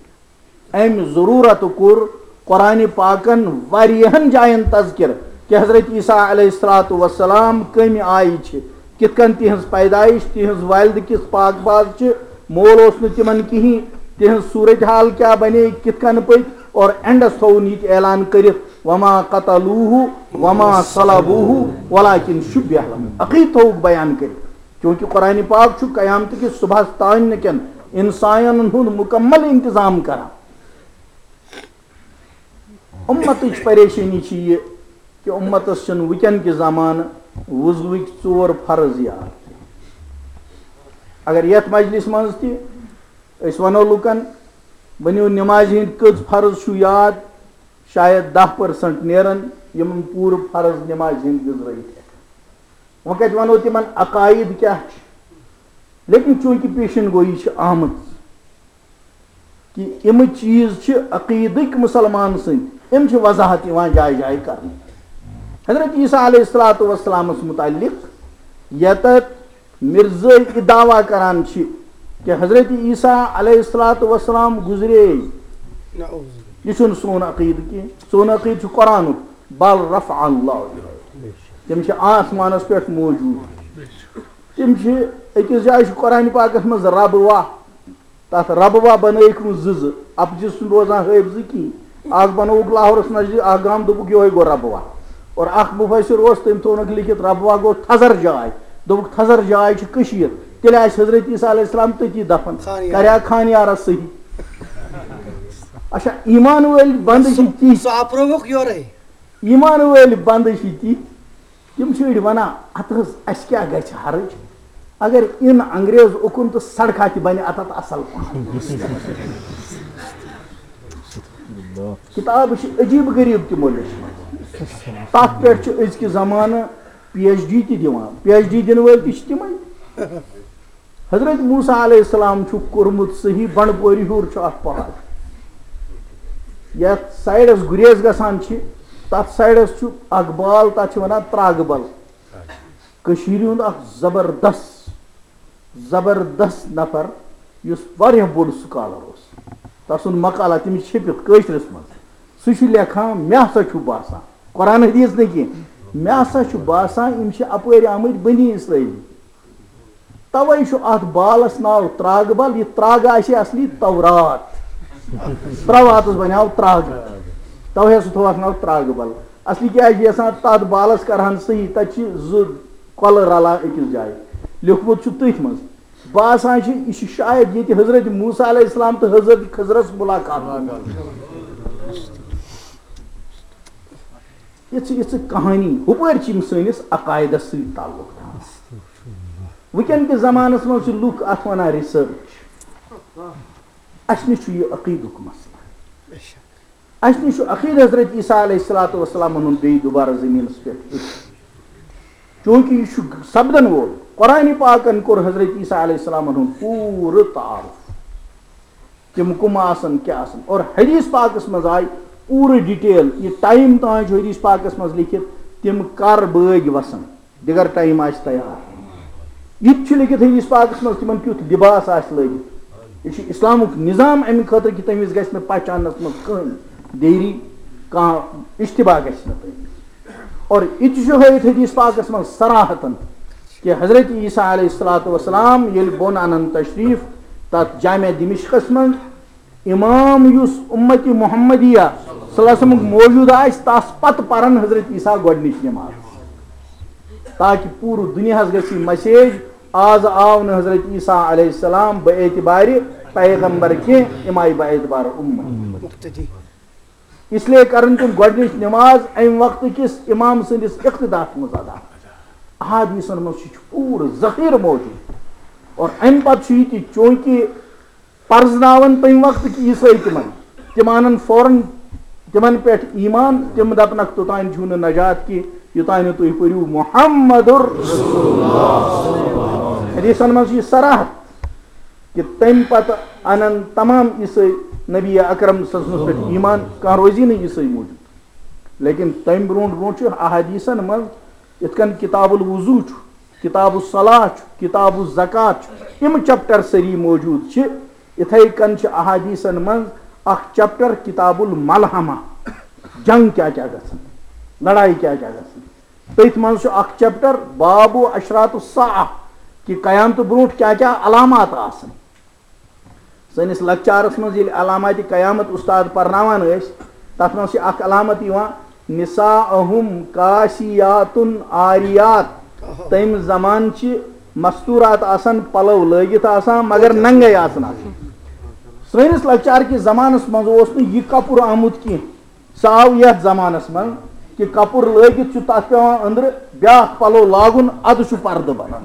امہِ ضروٗرت کوٚر قرآن پاکن واریاہن جاین تذکر کہ حضرت عیسیٰ علیہ الصلوۃ والسلام کمہِ آیہِ چھِ، کِتھ کٔنۍ تِہنٛز پیدائش، تِہنٛز والدٕ کِژھ پاک باز چھِ، مول اوس نہٕ تِمن کِہینۍ، تِہنٛز صورت حال کیٛاہ بنے، کِتھ کٔنۍ پٔکۍ، اور اینڈس تھووُن یہِ تہِ اعلان کٔرِتھ، "وما قتلوہ وما صلبوہ ولکن شبہ لہم"۔ عقیدٕ تھووُکھ بیان کٔرِتھ۔ چونکہ قرآن پاک چھُ قیامتہٕ کِس صبحس تانۍ نہٕ کٮ۪ن انسانن ہُنٛد مکمل انتظام کران۔ امتٕچ پریشٲنی چھِ یہِ کہ امتس چھِنہٕ وٕنکٮ۪ن کہِ زمانہٕ وضوٕکۍ ژور فرض یاد۔ اگر یتھ مجلس منٛز تہِ أسۍ ونو لُکن، "ؤنِو، نمازِ ہٕنٛدۍ کٔژ فرض چھُو یاد؟" شاید دَہ پٔرسنٹ نیرن یِمن پوٗرٕ فرض نمازِ ہٕنٛدۍ گٔنزرٲوِتھ ہٮ۪کن۔ وۄنۍ کتہِ ونو تِمن عقاید کیٛاہ چھِ؟ لیکن چونکہ پیشن گویی چھِ آمٕژ کہ یِم چیٖز چھِ عقیدٕکۍ مسلمان سٕنٛدۍ، یِم چھِ وضاحت یِوان جایہِ جایہِ کرنہٕ۔ حضرت عیسیٰ علیہ الصلوۃ والسلامس متعلق یتتھ مرزٲے یہِ دعویٰ کران چھِ کہ حضرت عیسیٰ علیہ الصلوۃ والسلام گُزرے۔ نعوذ باللہ۔ یہِ چھُنہٕ سون عقیدٕ کینٛہہ۔ سون عقیدٕ چھُ قرآنُک، "بل رفع اللہ الیہ۔" تِم چھِ آسمانس پٮ۪ٹھ موجود۔ تِم چھِ، أکِس جایہِ چھُ قرآن پاکس منٛز ربوہ، تَتھ ربوہ بنٲیِکھ نہٕ زٕ زٕ، اَپزِ چھُنہٕ روزان حٲفظہٕ کِہیٖنۍ۔ اَکھ بنووُکھ لاہورَس نزدیٖک، اَکھ گام دوٚپُکھ یِہوٚے گوٚو ربوہ۔ اور اَکھ مُفسِر اوس، تٔمۍ تھوٚونَکھ لیکھِتھ ربوہ گوٚو تھزر جاے، دوٚپُکھ تھزر جاے چھِ کٔشیٖر، تیٚلہِ آسہِ حضرت عیسیٰ علیہ السلام تٔتی دفن، خان یارس۔ کَرِ ہا خان یارس صحیح۔ اچھا، ایمان وٲلۍ بنٛدٕ چھِ سُہ، تِتھۍ، سُہ اَپرٲوُکھ یورَے۔ ایمان وٲلۍ بنٛدٕ چھِ تِتھۍ، تِم چھِ أڑۍ وَنان، "اَتھ حظ، اَسہِ کیٛاہ گژھِ حرج؟ اگر اِن انگریز اُکُن تہٕ سڑکھا تہِ بَنہِ اَتَتھ اَصٕل پَہَم۔" کِتابہٕ چھِ عجیٖب غریٖب تِمو لیچھمٕژ۔ تَتھ پٮ۪ٹھ چھِ أزکہِ زمانہٕ پی ایچ ڈی تہِ دِوان۔ پی ایچ ڈی دِنہٕ وٲلۍ تہِ چھِ تِمَے۔ حضرت موسیٰ علیہ السلام چھُ کوٚرمُت صحیح، بنڈپوری ہیوٚر چھُ اکھ پہاڑ۔ یتھ سایڈس گریز گژھان چھِ، تتھ سایڈس چھُ اکھ بال، تتھ چھِ ونان تراگہٕ بل۔ کٔشیٖرِ ہُنٛد اکھ زبردست، زبردست نفر، یُس واریاہ بوٚڑ سکالر اوس۔ تسُنٛد مقالہ تٔمِس چھٔپِتھ کٲشرِس منٛز۔ سُہ چھُ لیکھان، مےٚ ہسا چھُ باسان، قرآن حدیث نہٕ کینٛہہ، مےٚ ہسا چھُ باسان، یِم چھِ اپٲرۍ آمٕتۍ بنی اسرائیل۔ توے چھُ اتھ بالس ناو تراگہٕ بل، یہِ تراگہٕ آسہِ اصلی تورات۔ ترٛاواتس بنیٛاو تراگہٕ، توے ہسا تھوو اتھ ناو تراگہٕ بل۔ اصلی کیٛاہ چھِ یژھان، تتھ بالس کرہن صحیح، تتہِ چھِ زٕ کۄلہٕ رلان أکِس جایہِ۔ لیوٗکھمُت چھُ تٔتھۍ منٛز۔ باسان چھُ، یہِ چھُ شاید ییٚتہِ حضرت موسیٰ علیہ السلام تہٕ حضرت خضرس ملاقات۔ یِژھٕ یِژھٕ کہانی ہُپٲرۍ چھِ یِم سٲنِس عقایدس سۭتۍ تعلق تھاوان۔ وٕنکٮ۪ن کِس زمانس منٛز چھِ لُکھ اتھ ونان ریسرچ۔ اسہِ نِش چھُ یہِ عقیدُک مسلہٕ۔ اسہِ نِش چھُ عقیدٕ حضرت عیسیٰ علیہ الصلوۃ والسلامن ہُنٛد بیٚیہِ دوبارٕ زٔمیٖنس پٮ۪ٹھ یُن۔ چونکہ یہِ چھُ سپدن وول۔ قرآن پاکن کوٚر حضرت عیسیٰ علیہ السلامن ہُنٛد پوٗرٕ تعارُف۔ تِم کٕم آسن، کیٛاہ آسن۔ اور حدیث پاکس منٛز آیہِ پوٗرٕ ڈیٹیل، یہِ ٹائم تام چھُ حدیث پاکس منٛز لیکھِتھ، تِم کر بٲگۍ وسن، دِگر ٹائم آسہِ تیار۔ یہِ تہِ چھُ لیکھِتھ حدیث پاکس منٛز، تِمن کیُتھ لباس آسہِ لٲگِتھ۔ یہِ چھُ اسلامُک نظام، امہِ خٲطرٕ کہِ تٔمِس گژھِ نہٕ پہچاننس منٛز کٕہٕنۍ دیری، کانٛہہ اشتباہ گژھِ نہٕ تٔمِس۔ اور یہِ تہِ چھُ ہٲیِتھ حدیث پاکس منٛز صراحتن کہِ حضرت عیسیٰ علیہ الصلوۃ والسلام ییٚلہِ بۄن انن تشریف تتھ جامع دمشقس منٛز، امام یُس امت محمدیہ صلی اللہ علیہ وسلمُک موجود آسہِ، تس پتہٕ پرن حضرت عیسیٰ گۄڈنِچ نماز، تاکہ پوٗرٕ دُنیاہس گژھِ یہِ مسیج، آز آو نہٕ حضرت عیسیٰ علیہ السلام بہ اعتبار پیغمبر کینٛہہ، یِم آیہِ بہ اعتبار امت۔ اس لیے کرن تِم گۄڈنِچ نماز امہِ وقتہٕ کِس امام سٕنٛدِس اقتداہس منٛز ادا۔ احادیثن منٛز چھُ پوٗرٕ ذخیرٕ موجود۔ اور امہِ پتہٕ چھُ یہِ تہِ، چوٗنٛکہِ پرزناون تمہِ وقتہٕ کہِ عیسٲے تِمن، تِم انن فوراً تِمن پٮ۪ٹھ ایمان، تِم دپنکھ، توٚتام چھُو نہٕ نجات کینٛہہ، یوٚتام نہٕ تُہۍ پٔرِو محمد رسول اللہ۔ حدیثن منٛز چھُ یہِ صراحت کہِ تمہِ پتہٕ انن تمام عیسٲے نبی اکرم صلی اللہ علیہ وسلمس پٮ۪ٹھ ایمان، کانٛہہ روزی نہٕ عیسٲے موٗجوٗد۔ لیکن تمہِ برونٛٹھ برونٛٹھ چھُ احادیثن منٛز، یِتھ کٔنۍ کتاب الوضو چھُ، کتاب الصلاح چھُ، کتاب الزکات چھُ، یِم چیپٹر سٲری موجود چھِ۔ یِتھے کٔنۍ چھِ احادیثن منٛز اکھ چیپٹر کتاب الملحمہ، جنگ کیٛاہ کیٛاہ گژھن، لڑایہِ کیٛاہ کیٛاہ گژھن۔ تٔتھۍ منٛز چھُ اکھ چیپٹر باب اشراط الساعہ، کہِ قیامتہٕ برونٛٹھ کیٛاہ کیٛاہ علامات آسن۔ سٲنِس لۄکچارس منٛز ییٚلہِ علامات قیامت استاد پرناوان ٲسۍ، تتھ منٛز چھِ اکھ علامت یِوان، نساءہم کاسیاتن عاریات۔ تمہِ زمانہٕ چھِ مستورات آسان، پلو لٲگِتھ آسان، مگر ننگے آسان آسان۔ سٲنِس لۄکچار کِس زمانس منٛز اوس نہٕ یہِ کپُر آمُت کینٛہہ۔ سُہ آو یتھ زمانس منٛز کہِ کپُر لٲگِتھ چھُ تتھ پٮ۪وان أنٛدرٕ بیٛاکھ پلو لاگُن، ادٕ چھُ پردٕ بنان۔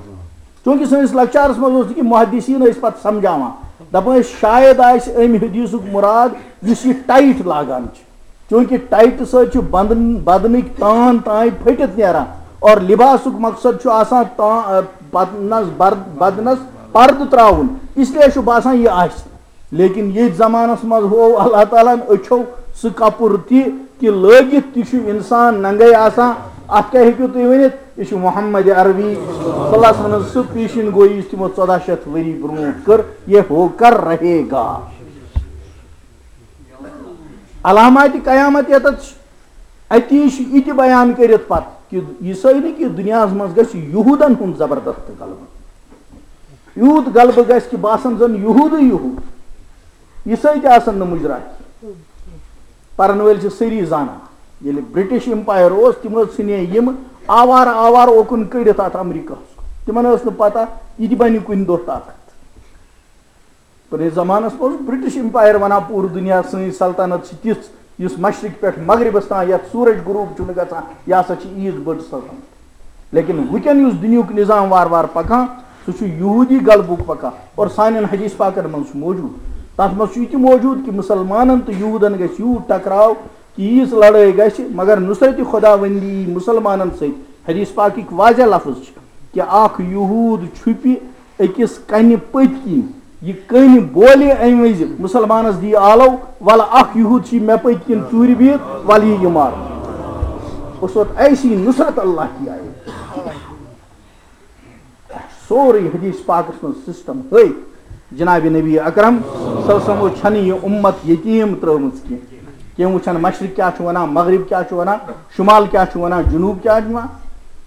چوٗنٛکہِ سٲنِس لۄکچارس منٛز اوس نہٕ کینٛہہ، محدثین ٲسۍ پتہٕ سمجھاوان، دپان ٲسۍ، شاید آسہِ امہِ حدیثُک مراد یُس یہِ ٹایٹ لاگان چھِ، چوٗنٛکہِ ٹایٹہٕ سۭتۍ چھُ بدن، بدنٕکۍ تان تام پھٔٹِتھ نیران، اور لباسُک مقصد چھُ آسان تا-، بدنس بر-، بدنس پردٕ تراوُن، اس لیے چھُ باسان یہِ آسہِ۔ لیکن ییٚتھۍ زمانس منٛز ہوو اللہ تعالیٰ ہن أچھو سُہ کپُر تہِ کہِ لٲگِتھ تہِ چھُ انسان ننگے آسان۔ اتھ کیٛاہ ہیٚکِو تُہۍ ؤنِتھ؟ یہِ چھُ محمد عربی صلی اللہ علیہ وسلم سٕنٛز سُہ پیشن گویی یُس تِمو ژۄداہ شیٚتھ ؤری برونٛٹھ کٔر، یہ ہو کر رہے گا۔ علامات قیامت یتتھ چھِ، اتی چھُ یہِ تہِ بیان کٔرِتھ پتہٕ کہِ یہِ سٲری کہِ دُنیاہس منٛز گژھِ یہودن ہُنٛد زبردست غلبہٕ۔ یوٗت غلبہٕ گژھِ کہِ باسان زن یہودٕے یہود، عیسٲے تہِ آسن نہٕ مُجرا کینٛہہ۔ پرن وٲلۍ چھِ سٲری زانان، ییٚلہِ برٹش امپایر اوس، تِم ٲسۍ ژھٕنے یِم آوارٕ آوارٕ اوکُن کٔڑِتھ اتھ امریکہس کُن۔ تِمن ٲس نہٕ پتہ یہِ تہِ بنہِ کُنہِ دۄہ طاقت۔ پرٲنِس زمانس منٛز اوس برٹش امپایر ونان، پوٗرٕ دُنیا سٲنۍ سلطنت چھِ تِژھ، یُس مشرق پٮ۪ٹھ مغربس تام یتھ سورج غروب چھُنہٕ گژھان، یہِ ہسا چھِ عیٖد بٔڑ سلطنت۔ لیکن وٕنکٮ۪ن یُس دُنیہُک نظام وارٕ وارٕ پکان، سُہ چھُ یہودی غلبُک پکان۔ اور سانٮ۪ن حدیث پاکن منٛز چھُ موجود، تتھ منٛز چھُ یہِ تہِ موجود کہِ مسلمانن تہٕ یہودن گژھِ یوٗت ٹکراو کہِ ییٖژ لڑٲے گژھِ، مگر نصرت خداوندی یی مسلمانن سۭتۍ۔ حدیث پاکٕکۍ واضح لفظ چھِ کہِ اکھ یہود چھُپہِ أکِس کنہِ پٔتۍ کِنۍ، یہِ کٔنۍ بولہِ امہِ وِزِ، مسلمانس دِیہِ آلو، ولہٕ اکھ یہود چھُ مےٚ پٔتۍ کِنۍ ژوٗرِ بِہِتھ، ولہٕ یہِ یہِ مارٕ۔ اس وقت ایسی نصرت اللہ کی آئی۔ سورُے حدیث پاکس منٛز سسٹم ہٲوِتھ۔ جناب نبی اکرم صلی اللہ علیہ وسلمو چھنہٕ یہِ امت یتیٖم ترٲومٕژ کینٛہہ۔ کینٛہہ وٕچھن مشرق کیٛاہ چھُ ونان، مغرب کیٛاہ چھُ ونان، شمال کیٛاہ چھُ ونان، جنوب کیٛاہ چھُ ونان،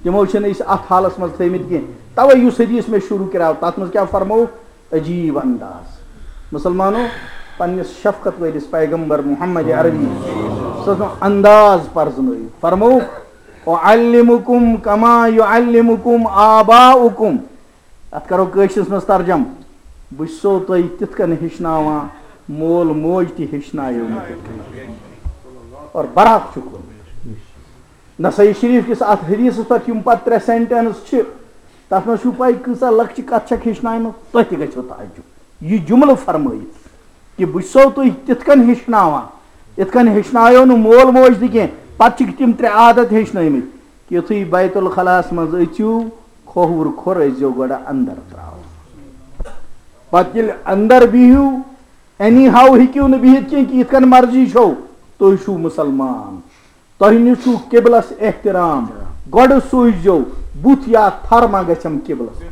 تِمو چھِنہٕ أسۍ اتھ حالس منٛز تھٲومٕتۍ کینٛہہ۔ توے یُس حدیث مےٚ شروع کریاو، تتھ منٛز کیٛاہ فرمووُکھ؟ عجیب انداز۔ مسلمانو، پننِس شفقت وٲلِس پیغمبر محمد عربی صلی اللہ علیہ وسلم انداز پرزنٲیِو۔ فرمووُکھ، "اعلمکم کما یعلمکم آباؤکم۔" اتھ کرو کٲشرِس منٛز ترجمہٕ، "بہٕ چھُسو تۄہہِ تِتھ کٔنۍ ہیٚچھناوان، مول موج تہِ ہیٚچھنایو مےٚ تِتھ کٔنۍ۔" اور برحق چھُ کوٚرمُت۔ نسائی شریف کِس اتھ حدیثس پٮ۪ٹھ یِم پتہٕ ترٛےٚ سینٹنس چھِ، تتھ منٛز چھُو پاے کۭژاہ لۄکچہِ کتھ چھکھ ہیٚچھناومٕژ، تۄہہِ تہِ گژھیو تعجب۔ یہِ جملہٕ فرمٲیِتھ کہِ بہٕ چھُسو تُہۍ تِتھ کٔنۍ ہیٚچھناوان، یِتھ کٔنۍ ہیٚچھنایو نہٕ مول موج تہِ کینٛہہ۔ پتہٕ چھِکھ تِم ترٛےٚ عادت ہیٚچھنٲومٕتۍ کہِ یُتھُے بیت الخلاہس منٛز أژِو، کھووُر کھوٚر ٲسۍزیو گۄڈٕ اندر ترٛاوان۔ پتہٕ ییٚلہِ اندر بِہِو، اینی ہاو ہیٚکِو نہٕ بِہِتھ کینٛہہ کہِ یِتھ کٔنۍ مرضی چھو، تُہۍ چھِو مسلمان۔ تۄہہِ نِش چھُو قبلس احترام، گۄڈٕ سوٗزیو بُتھ یا تھر ما گژھٮ۪م قبلس۔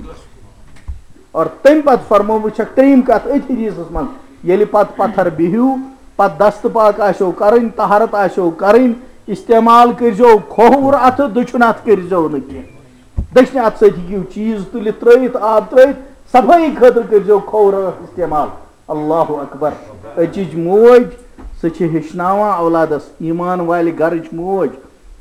اور تمہِ پتہٕ فرموو، وٕچھکھ ترٛیٚیِم کتھ أتھۍ حدیثس منٛز، ییٚلہِ پتہٕ پتھر بِہِو، پتہٕ دستہٕ پاک آسیو کرٕنۍ، طہارت آسیو کرٕنۍ، استعمال کٔرزیو کھووُر اتھٕ، دٔچھُن اتھٕ کٔرزیو نہٕ کینٛہہ۔ دٔچھنہِ اتھٕ سۭتۍ ہیٚکِو چیٖز تُلِتھ ترٲوِتھ، آب ترٲوِتھ، صفٲیی خٲطرٕ کٔرزیو کھووُر اتھٕ استعمال۔ اللہ اکبر۔ أزِچ موج، سۄ چھِ ہیٚچھناوان اولادس، ایمان والہِ گرٕچ موج،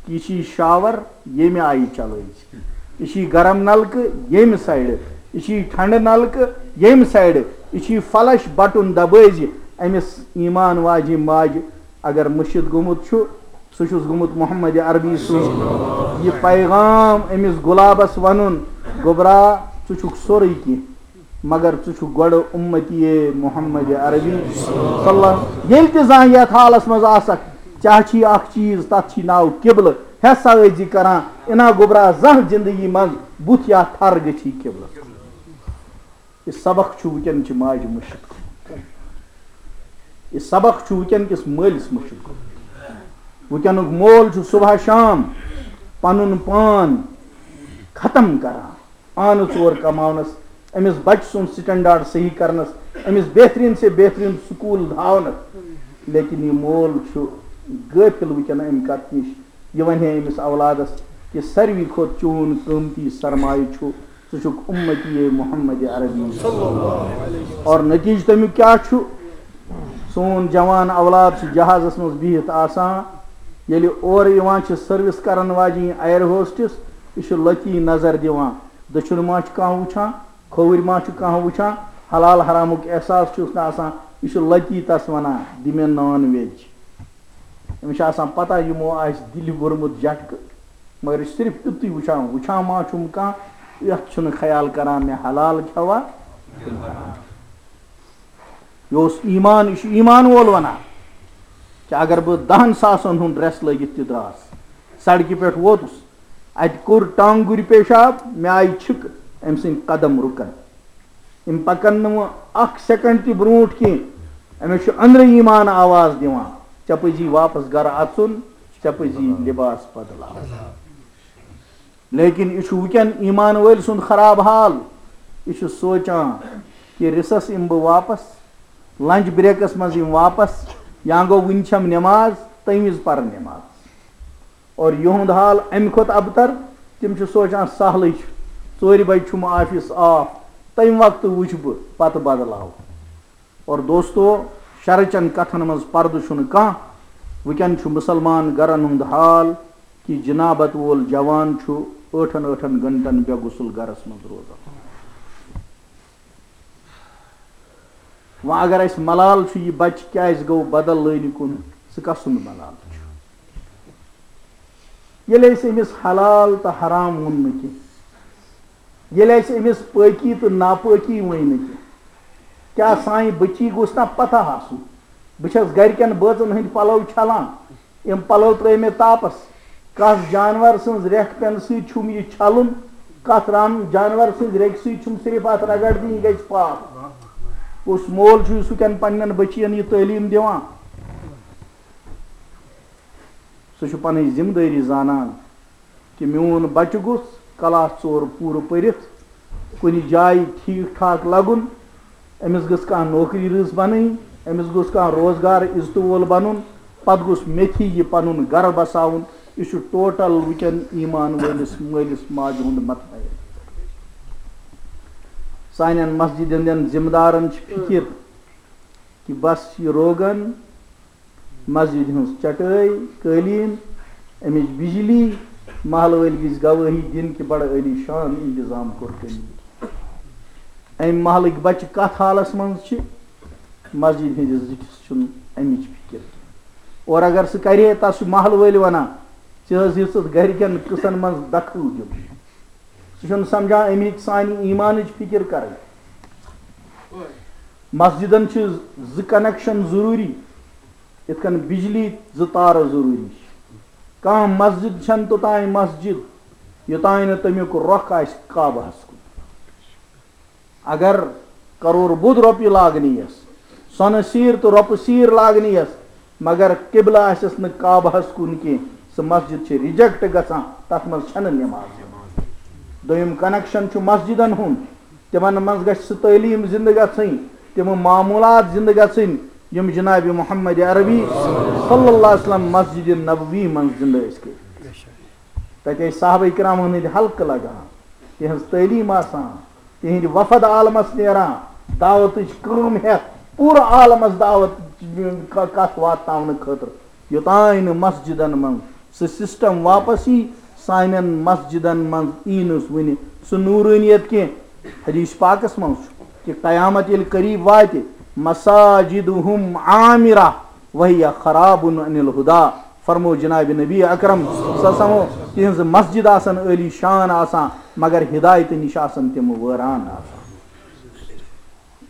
یہِ چھِ شاور ییٚمہِ آیہِ چلٲوِتھ، یہِ چھِ گرم نلکہٕ ییٚمہِ سایڈٕ، یہِ چھِ ٹھنڈٕ نلکہٕ ییٚمہِ سایڈٕ، یہِ چھِ فلش بٹن دبٲوِتھ۔ أمِس ایمان واجہِ ماجہِ اگر مٔشِتھ گوٚمُت چھُ، سُہ چھُس گوٚمُت محمد عربی سُنٛد یہِ پیغام أمِس گۄلابس ونُن، گوٚبرا، ژٕ چھُکھ سورُے کینٛہہ، مگر ژٕ چھُکھ گۄڈٕ امتی محمد عربی صلی اللہ۔ ییٚلہِ تہِ زانٛہہ یتھ حالس منٛز آسکھ، ژےٚ چھی اکھ چیٖز، تتھ چھی ناو قبلہٕ، ہسا ٲسۍ زِ کران، انا گوٚبرا زانٛہہ زندگی منٛز بُتھ یا تھر گٔژھی قبلس کُن۔ یہِ سبق چھُ وٕنکیٚن چہِ ماجہِ مٔشِتھ گوٚمُت۔ یہِ سبق چھُ وٕنکیٚن کِس مٲلِس مٔشِتھ گوٚمُت۔ وٕنکیٚنُک مول چھُ صبح شام پنُن پان ختم کران، آنہٕ ژور کماونس، أمِس بچہٕ سُنٛد سٹینڈارڈ صحیح کرنس، أمِس بہترین سے بہترین سکول دھاونس، لیکن یہِ مول چھُ غٲفل وٕنکیٚن امہِ کتھ نِش۔ یہِ ونہِ ہے أمِس اولادس کہِ ساروی کھۄتہٕ چون قۭمتی سرمایہ چھُ، ژٕ چھُکھ امتی محمد عربی۔ اور نتیجہ تمیُک کیٛاہ چھُ؟ سون جوان اولاد چھُ جہازس منٛز بِہِتھ آسان، ییٚلہِ اورٕ یِوان چھِ سروس کرن واجِنۍ ایئر ہوسٹس، یہِ چھُ لتی نظر دِوان، دٔچھُن ما چھُ کانٛہہ وٕچھان، کھووُرۍ ما چھُ کانٛہہ وٕچھان، حلال حرامُک احساس چھُس نہٕ آسان، یہِ چھُ لتی تس ونان، دِ مےٚ نان ویج۔ أمِس چھِ آسان پتہ، یِمو آسہِ دِلہِ بوٚرمُت جھٹکہٕ، مگر یہِ چھُ صرف یُتُے وٕچھان، وٕچھان ما چھُم کانٛہہ، یَتھ چھُنہٕ خیال کران مےٚ حلال کھٮ۪وا۔ یہِ اوس ایمان، یہِ چھُ ایمان وول وَنان کہِ اگر بہٕ دَہَن ساسَن ہُنٛد ڈرٛٮ۪س لٲگِتھ تہِ درٛاس، سڑکہِ پٮ۪ٹھ ووتُس، اَتہِ کوٚر ٹانٛگُرۍ پیشاب، مےٚ آیہِ چھِکہٕ، أمۍ سٕنٛدۍ قدم رُکَن۔ یِم پَکَن نہٕ وۄنۍ اَکھ سیکنڈ تہِ برٛونٛٹھ کینٛہہ۔ أمِس چھُ أنٛدرٕ ایمان آواز دِوان، "ژےٚ پَزی واپس گرٕ اَژُن، ژےٚ پَزی لباس بدلاوُن۔" لیکن یہِ چھُ وٕنکٮ۪ن ایمان وٲلۍ سُنٛد خراب حال۔ یہِ چھُ سونٛچان کہِ recess یِمہٕ بہٕ واپس، لنچ بریکس منٛز یِمہٕ واپس، یا گوٚو وٕنہِ چھَم نٮ۪ماز، تَمہِ وِزِ پَرٕ نٮ۪ماز۔ اور یِہُنٛد حال اَمہِ کھۄتہٕ ابتر، تِم چھِ سونٛچان سہلٕے چھُ، ژورِ بجہِ چھُم آفس آف، تَمہِ وقتہٕ وٕچھٕ بہٕ، پتہٕ بدلاو۔ اور دوستو، شرٕچن کتھن منٛز پردٕ چھُنہٕ کانٛہہ۔ وٕنکٮ۪ن چھُ مُسلمان گرن ہُنٛد حال کہِ جنابت وول جوان چھُ ٲٹھن ٲٹھن گھنٹن بے غسل گرس منٛز روزان۔ وۄنۍ اگر اَسہِ ملال چھُ، یہِ بچہِ کیازِ گوٚو بدل لٲنہِ کُن، سُہ کس سُنٛد ملال چھُ؟ ییٚلہِ اَسہِ أمِس حلال تہٕ حرام ووٚن نہٕ کینٛہہ، ییٚلہِ اَسہِ أمِس پٲکی تہٕ ناپٲکی ؤنۍ نہٕ کینٛہہ، کیٛاہ سانہِ بٔچی گوٚژھ نا پتہ آسُن؟ بہٕ چھَس گرِکٮ۪ن بٲژن ہٕنٛدۍ پلو چھلان، یِم پلو ترٲے مےٚ تاپس۔ کس جانور سٕنٛز ریکھ پٮ۪نہٕ سۭتۍ چھُم یہِ چھلُن؟ کتھ ران جانور سٕنٛز ریکہِ سۭتۍ چھُم صرف اتھ رگڑ دِنۍ، یہِ گژھِ پاک؟ کُس مول چھُ یُس وٕنکٮ۪ن پننٮ۪ن بٔچین یہِ تعلیٖم دِوان؟ سُہ چھُ پنٕنۍ ذمہٕ دٲری زانان کہِ میون بچہٕ گوٚژھ کلاس ژور پوٗرٕ پٔرِتھ، کُنہِ جایہِ ٹھیٖک ٹھاک لگُن، أمِس گٔژھ کانٛہہ نوکری رٕژ بنٕنۍ، أمِس گوٚژھ کانٛہہ روزگار عزتہٕ وول بنُن، پتہٕ گوٚژھ مےٚ تھی یہِ پنُن گرٕ بساوُن۔ یہِ چھُ ٹوٹل وٕنکٮ۪ن ایمان وٲلِس مٲلِس ماجہِ ہُنٛد مطلب۔ سانٮ۪ن مسجدن ہٕنٛدٮ۪ن ذمہٕ دارن چھِ فکر کہِ بس یہِ روغن، مسجد ہٕنٛز چٹٲے، قٲلیٖن، اَمِچ بجلی، محلہٕ وٲلۍ گٔژھۍ گوٲہی دِنۍ کہِ بڑٕ عٲلی شان انتظام کوٚر تٔمۍ۔ اَمہِ محلٕکۍ بچہٕ کتھ حالس منٛز چھِ، مسجد ہٕنٛدِس زِٹھِس چھُنہٕ اَمِچ فِکر کینٛہہ۔ اور اگر سُہ کرِ ہے، تس چھُ محلہٕ وٲلۍ ونان، "ژےٚ حظ یژھُتھ گرِکٮ۪ن قٕصن منٛز دخل دیُن۔" سُہ چھُنہٕ سمجھان اَمِچ سانہِ ایمانٕچ فِکر کرٕنۍ۔ مسجدن چھِ زٕ کنیکشن ضروٗری، یِتھ کٔنۍ بجلی زٕ تارٕ ضروٗری چھِ۔ کانٛہہ مسجد چھنہٕ توٚتام مسجد، یوٚتام نہٕ تمیُک رۄخ آسہِ کعبہس کُن۔ اگر کرور بوٚد رۄپیہِ لاگنی یس، سۄنہٕ سیٖر تہٕ رۄپہٕ سیٖر لاگنی یس، مگر قبلہٕ آسٮ۪س نہٕ کعبہس کُن کینٛہہ، سۄ مسجد چھِ ریجیکٹ گژھان، تتھ منٛز چھنہٕ نماز۔ دوٚیِم کنیکشن چھُ مسجدن ہُنٛد۔ تِمن منٛز گژھِ سُہ تعلیٖم زِندٕ گژھٕنۍ، تِم معموٗلات زِندٕ گژھٕنۍ، یِم جناب محمد عربی صلی اللہ علیہ وسلم مسجد نبوی منٛز زِندٕ ٲسۍ کٔرِتھ۔ تَتہِ ٲسۍ صحابہ کرامن ہٕنٛدۍ حلقہٕ لگان، تِہنٛز تعلیٖم آسان، تِہنٛدۍ وفد عالمس نیران، دعوتٕچ کٲم ہٮ۪تھ پوٗرٕ عالمس دعوت ک-، کتھ واتناونہٕ خٲطرٕ، یوٚتام نہٕ مسجدن منٛز سُہ سسٹم واپس یی، سانٮ۪ن مسجدن منٛز یی نہٕ وُنہِ سُہ نورانیت کینٛہہ۔ حدیث پاکس منٛز چھُ کہ قیامت ییٚلہِ قریب واتہِ، مساجدہم عامرہ وہی خراب عن الہدا، فرمو جناب نبی اکرم صلی اللہ علیہ وسلم، تِہنٛز مسجد آسن عٲلی شان آسان، مگر ہدایتہٕ نِش آسن تِم وٲران آسان۔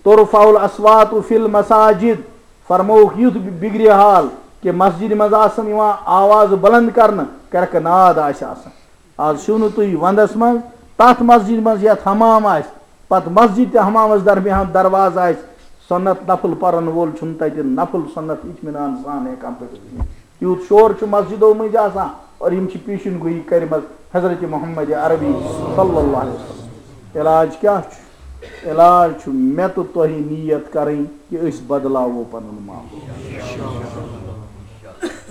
ترفع الاصوات فی المساجد، فرمووُکھ یُتھ بِگرِ حال کہ مسجدِ منٛز آسن یِوان آواز بلند کرنہٕ، کرکہٕ ناد آسہِ آسان۔ آز چھِو نہٕ تُہۍ ونٛدس منٛز تتھ مسجدِ منٛز یتھ حمام آسہِ، پتہٕ مسجد تہٕ حمامس درمیان دروازٕ آسہِ، سنت نفل پرن وول چھُنہٕ تتہِ نفل سنت اطمینان سان ہٮ۪کان پٔرِتھ۔ یوٗت شور چھُ مسجدو مٔنٛزۍ آسان، اور یِم چھِ پیشن گویی کرِمژ حضرت محمد عربی صلی اللہ علیہ وسلم۔ علاج کیٛاہ چھُ؟ علاج چھُ مےٚ تہٕ تۄہہِ نیت کرٕنۍ کہ أسۍ بدلاوو پنُن ماحول۔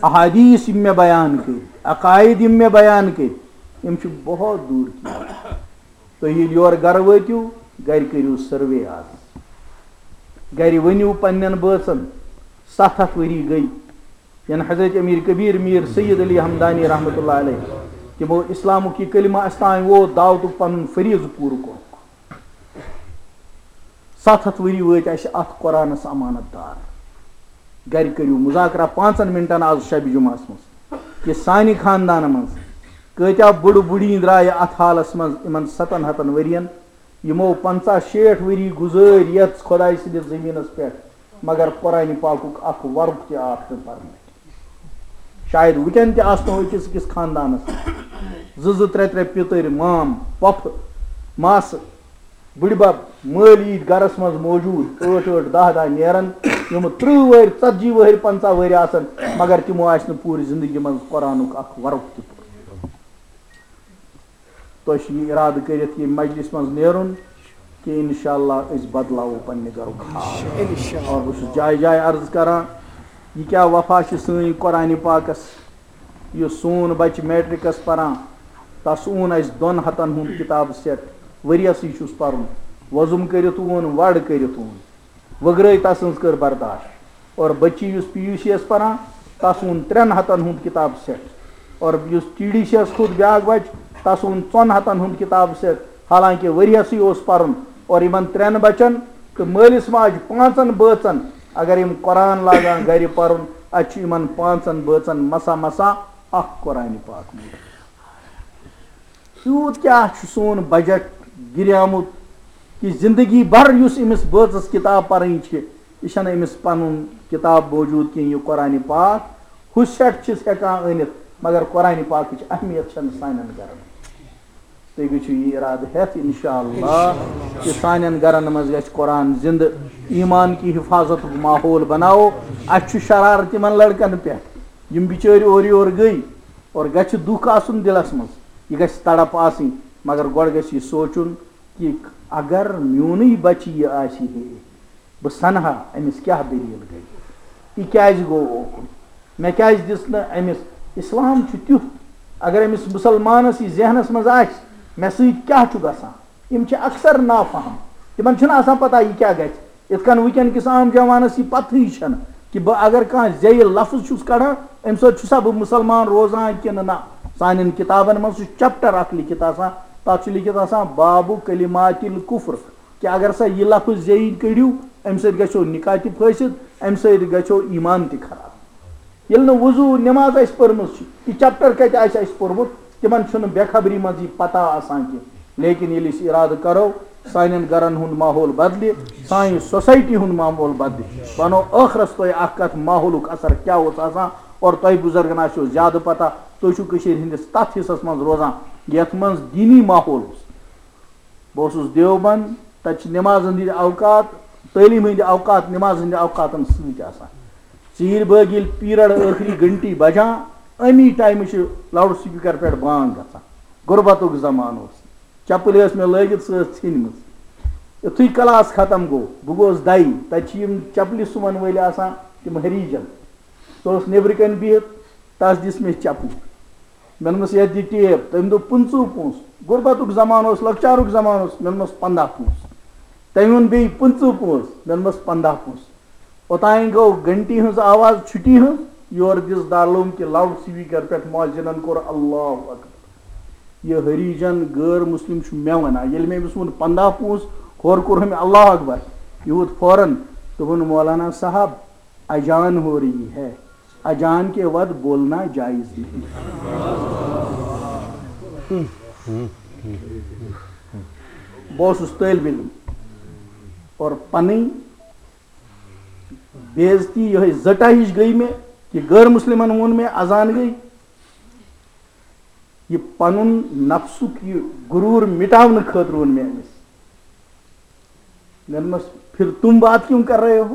احادیث یِم مےٚ بیان کٔرۍ، عقاید یِم مےٚ بیان کٔرۍ، یِم چھِ بہت دوٗر کی۔ تُہۍ ییٚلہِ یورٕ گرٕ وٲتِو، گرِ کٔرِو سروے آز۔ گرِ ؤنِو پننٮ۪ن بٲژن، ستھ ہتھ ؤری گٔے، یَنہٕ حضرت امیر کبیر میر سید علی ہمدانی رحمتہ اللہ علیہ تِمو اسلامُک یہِ کلمہ اَسہِ تام ووت، دعوتُک پنُن فریضہٕ پوٗرٕ کوٚرُکھ۔ ستھ ہتھ ؤری وٲتۍ اَسہِ اَتھ قرآنَس امانت دار۔ گرِ کٔرِو مذاکرہ پانٛژن منٹن آز شبِ جمعہس منٛز، کہِ سانہِ خاندانہٕ منٛز کۭتیاہ بُڑٕ بُڑیٖن درٛایہِ اَتھ حالس منٛز یِمن ستن ہتن ؤرین، یِمو پنٛژاہ شیٹھ ؤری گُزٲرۍ یَتھ خۄداے سٕنٛدِس زٔمیٖنَس پٮ۪ٹھ، مگر قرآنِ پاکُک اکھ ورُق تہِ آکھ نہٕ پرنہٕ۔ شاید وٕنکٮ۪ن تہِ آسنو أکِس أکِس خاندانَس زٕ زٕ ترٛےٚ ترٛےٚ پِتٕرۍ، مام، پۄپھٕ، ماسہٕ، بٕڈِبب، مٲلۍ ییٖتۍ گرس منٛز موجوٗد، ٲٹھ ٲٹھ، دَہ دَہ نیرن، یِم تٕرٛہ وٕہٕرۍ، ژتجی وٕہٕرۍ، پنٛژاہ وٕہٕرۍ آسن، مگر تِمو آسہِ نہٕ پوٗرٕ زندگی منٛز قرآنُک اکھ ورُق تہِ پوٚرمُت۔ تۄہہِ چھُ یہِ اِرادٕ کٔرِتھ ییٚمہِ مجلسہِ منٛز نیرُن کہِ انشاءاللہ أسۍ بدلاوو پننہِ گرُک حال۔ اور بہٕ چھُس جایہِ جایہِ عرض کران، یہِ کیٛاہ وفا چھِ سٲنۍ قرآنِ پاکس؟ یُس سون بچہِ میٹرکس پران، تس اوٚن اسہِ دۄن ہتن ہُنٛد کتاب سیٹ، ؤریسٕے چھُس پرُن، وۄزُم کٔرِتھ اوٚن، وڑ کٔرِتھ اوٚن۔ وٕگرٲے تسٕنٛز کٔر برداشت۔ اور بچی یُس پی یوٗ سی یس پران، تس اوٚن ترٛٮ۪ن ہتن ہُنٛد کتاب سیٹ۔ اور یُس ٹی ڈی سی یس کھوٚت بیٛاکھ بچہٕ، تس اوٚن ژۄن ہتن ہُنٛد کتاب سیٹ۔ حالانکہ ؤریسٕے اوس پرُن۔ اور یِمن ترٛٮ۪ن بچن تہٕ مٲلِس ماجہِ پانٛژن بٲژن، اگر یِم قرآن لاگان گرِ پرُن، اتہِ چھُ یِمن پانٛژن بٲژن مسا مسا اکھ قرآنِ پاک موٗدمُت۔ تیوٗت کیٛاہ چھُ سون بجٹ گِریومُت کہِ زندگی بھر یُس أمِس بٲژَس کِتاب پَرٕنۍ چھِ، یہِ چھَنہٕ أمِس پَنُن کِتاب موجوٗد کِہیٖنۍ، یہِ قرآنِ پاک۔ ہُہ سٮ۪ٹ چھِس ہٮ۪کان أنِتھ، مگر قرآنِ پاکٕچ اہمیت چھَنہٕ سانٮ۪ن گَرَن۔ تُہۍ گٔژھِو یہِ اِرادٕ ہٮ۪تھ، اِنشاء اللہ، کہِ سانٮ۪ن گَرَن منٛز گژھِ قرآن زِندٕ، ایٖمان کہِ حِفاظتُک ماحول بَناوو۔ اَسہِ چھُ شرارٕ تِمَن لٔڑکَن پٮ۪ٹھ، یِم بِچٲرۍ اورٕ یورٕ گٔے۔ اور گژھِ دُکھ آسُن دِلَس منٛز، یہِ گژھِ تڑپ آسٕنۍ، مگر گۄڈٕ گژھِ یہِ سونٛچُن کہِ اگر میونٕے بچہِ یہِ آسہِ ہے، بہٕ سنہٕ ہا أمِس کیٛاہ دٔلیٖل گٔے، یہِ کیٛازِ گوٚو اوکُن، مےٚ کیٛازِ دِژ نہٕ أمِس؟ اِسلام چھُ تیُتھ، اگر أمِس مُسلمانَس یہِ ذہنَس منٛز آسہِ، مےٚ سۭتۍ کیٛاہ چھُ گژھان؟ یِم چھِ اکثر نافہم، تِمن چھُنہٕ آسان پتہ یہِ کیٛاہ گژھِ۔ یِتھ کٔنۍ وٕنکیٚن کِس عام جوانس یہِ پتہٕے چھنہٕ کہِ بہٕ اگر کانٛہہ زیٚیہِ لفظ چھُس کڑان، امہِ سۭتۍ چھُسا بہٕ مُسلمان روزان کِنہٕ نہ۔ سانٮ۪ن کِتابن منٛز چھُ چیپٹر اکھ لیکھِتھ آسان، تتھ چھُ لیکھِتھ آسان باب کلمات الکفر، کہِ اگر سا یہِ لفظ زیٚیہِ کٔڑِو، امہِ سۭتۍ گژھیو نکاح تہِ فٲسد، امہِ سۭتۍ گژھیو ایمان تہِ خراب۔ ییٚلہِ نہٕ وضوٗ نٮ۪ماز آسہِ پٔرمٕژ چھِ، یہِ چیپٹر کتہِ آسہِ اَسہِ پوٚرمُت، تِمن چھُنہٕ بے خبری منٛز یہِ پتہ آسان کینٛہہ۔ لیکن ییٚلہِ أسۍ اِرادٕ کرو، سانٮ۪ن گرن ہُنٛد ماحول بدلہِ، سانہِ سوسایٹی ہُنٛد ماحول بدلہِ، بہٕ وَنو ٲخرس تۄہہِ اکھ کتھ، ماحولُک اثر کیٛاہ اوس آسان، اور تۄہہِ بُزرگن آسیو زیادٕ پتہ، تُہۍ چھِو کٔشیٖرِ ہٕنٛدِس تتھ حصس منٛز روزان، یتھ منٛز دینی ماحول اوس۔ بہٕ اوسُس دیوبند، تَتہِ چھِ نٮ۪مازَن ہٕنٛدۍ اوقات، تعلیٖم ہٕنٛدۍ اوقات، نٮ۪مازَن ہٕنٛدۍ اوقاتَن سۭتۍ آسان۔ ژیٖرۍ بٲگۍ ییٚلہِ پیٖرَڈ ٲخری گھنٹی بجان، اَمی ٹایمہٕ چھِ لاوُڈ سپیٖکر پٮ۪ٹھ بانگ گژھان۔ غربتُک زمانہٕ اوس۔ چپٕلۍ ٲس مےٚ لٲگِتھ، سۄ ٲس ژھیٚنمٕژ۔ یُتھُے کلاس ختم گوٚو، بہٕ گوس دَے، تَتہِ چھِ یِم چپلہِ سُوَن وٲلۍ آسان، تِم ہریجن۔ سُہ اوس نیٚبرٕ کَنۍ بِہِتھ، تَس دِژ مےٚ چپٕنۍ۔ مےٚ ووٚنمَس، "یَتھ دِ ٹیپ۔" تٔمۍ دوٚپ، "پٕنٛژٕہ پونٛسہٕ۔" غُربتُک زمانہٕ اوس، لۄکچارُک زمانہٕ اوس، مےٚ ووٚنمَس، "پنٛداہ پونٛسہٕ۔" تٔمۍ ووٚن بیٚیہِ، "پٕنٛژٕہ پونٛسہٕ۔" مےٚ ووٚنمَس، "پنٛداہ پونٛسہٕ۔" اوٚتانۍ گوٚو گھنٹی ہٕنٛز آواز چھُٹی ہٕنٛز، یورٕ دِژ دارالعلوم کہِ لاؤڈ سپیکر پٮ۪ٹھ مؤذنن کوٚر، "اللہ اکبر۔" یہِ ہریجن غٲر مسلم چھُ مےٚ وَنان، ییٚلہِ مےٚ أمِس ووٚن، "پنٛداہ پونٛسہٕ"، ہورٕ کوٚر ہُمہِ، "اللہ اکبر"، یہِ ووت فوراً۔ دوٚپُن، "مولانا صاحب، اجان ہو رہی ہے، اجان کے وقت بولنا جائز نہیں۔" بہٕ اوسُس طٲلبِ علم اور پنٕنۍ بے عزتی، یِہوٚے زٔٹا ہِش گٔے مےٚ کہِ غٲر مسلمن ووٚن مےٚ، اذان گٔے۔ یہِ پنُن نفسُک یہِ غرور مٹاونہٕ خٲطرٕ ووٚن مےٚ أمِس۔ مےٚ دوٚپمَس، "پھر تم بات کیوں کر رہے ہو؟"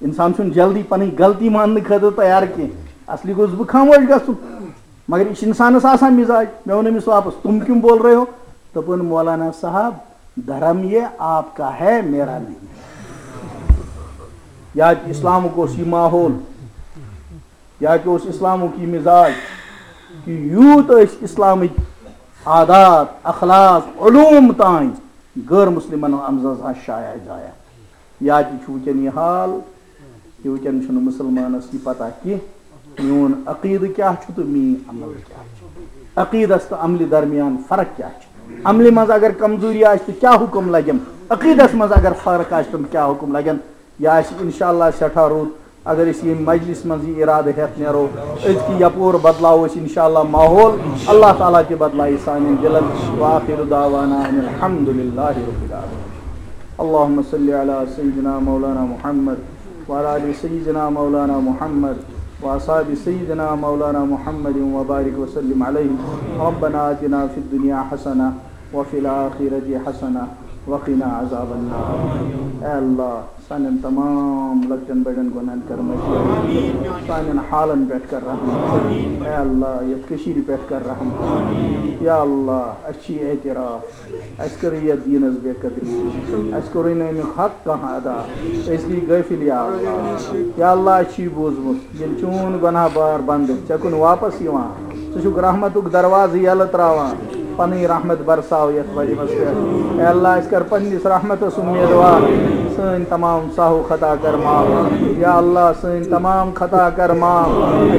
انسان چھُنہٕ جلدی پنٕنۍ غلطی ماننہٕ خٲطرٕ تیار کینٛہہ۔ اصلی گوٚژھ بہٕ خاموش گژھُن۔ مگر یہِ چھُ انسانس آسان مزاج۔ مےٚ ووٚن أمِس واپس، "تم کیوں بول رہے ہو؟" دوٚپُن، "مولانا صاحب، دھرم یہ آپ کا ہے، میرا نہیں۔" یا کہِ اسلامُک اوس یہِ ماحول، یا کہِ اوس اسلامُک یہِ مزاج کہِ یوٗت ٲسۍ اسلامٕکۍ عادات، اخلاق، علوم تام غٲر مسلمن اندازس شایع زایع۔ یا تہِ چھُ وٕنکیٚن یہِ حال کہِ وٕنکیٚن چھُنہٕ مُسلمانس یہِ پتہ کینٛہہ، میون عقیدٕ کیٛاہ چھُ تہٕ میٲنۍ عمل کیٛاہ چھِ۔ عقیدس تہٕ عملہِ درمیان فرق کیٛاہ چھِ؟ عملہِ منٛز اگر کمزوری آسہِ تہٕ کیٛاہ حُکم لگن؟ عقیدس منٛز اگر فرق آسہِ تہٕ کیٛاہ حُکم لگن؟ یہِ آسہِ انشاءاللہ سٮ۪ٹھاہ رُت اگر أسۍ ییٚمہِ مجلس منٛز یہِ ارادٕ ہٮ۪تھ نیرو، أزکہِ یپور بدلاوو أسۍ انشاءاللہ ماحول، اللہ تعالیٰ تہِ بدلایہِ سانٮ۪ن دِلن۔ وآخر دعوانا ان الحمد للہ رب العالمین۔ اللهم صل على سيدنا مولانا محمد وعلى آل سيدنا مولانا محمد وأصحاب سيدنا مولانا محمد وبارك وسلم عليهم۔ ربنا آتنا في الدنيا حسنة وفي الآخرة حسنة وقنا عذاب النار۔ اے اللہ، سانٮ۪ن تمام لۄکٹٮ۪ن بڑٮ۪ن گۄناہن کر مغفرت۔ سانٮ۪ن حالن پٮ۪ٹھ کر رحم۔ اے اللہ، یتھ کٔشیٖرِ پٮ۪ٹھ کر رحم۔ یا اللہ، اسہِ چھِ یہِ اعتراف، اسہِ کٔر یتھ دیٖنس بے قدری، اسہِ کوٚرُے نہٕ امیُک حق کانٛہہ ادا، أسۍ گٔے غٲفل۔ یا اللہ، یا اللہ، اسہِ چھُ یہِ بوٗزمُت، ییٚلہِ چون گۄناہ بار بندٕ ژےٚ کُن واپس یِوان، ژٕ چھُکھ رحمتُک دروازٕ یَلہٕ ترٛاوان، پنٕنۍ رحمت برساو یَتھ مجمعس پٮ۪ٹھ۔ اے اللہ، أسۍ کر پننِس رحمتس امیدوار، سٲنۍ تمام ساہو خطا کر معاف۔ یا اللہ، سٲنۍ تمام خطا کر معاف۔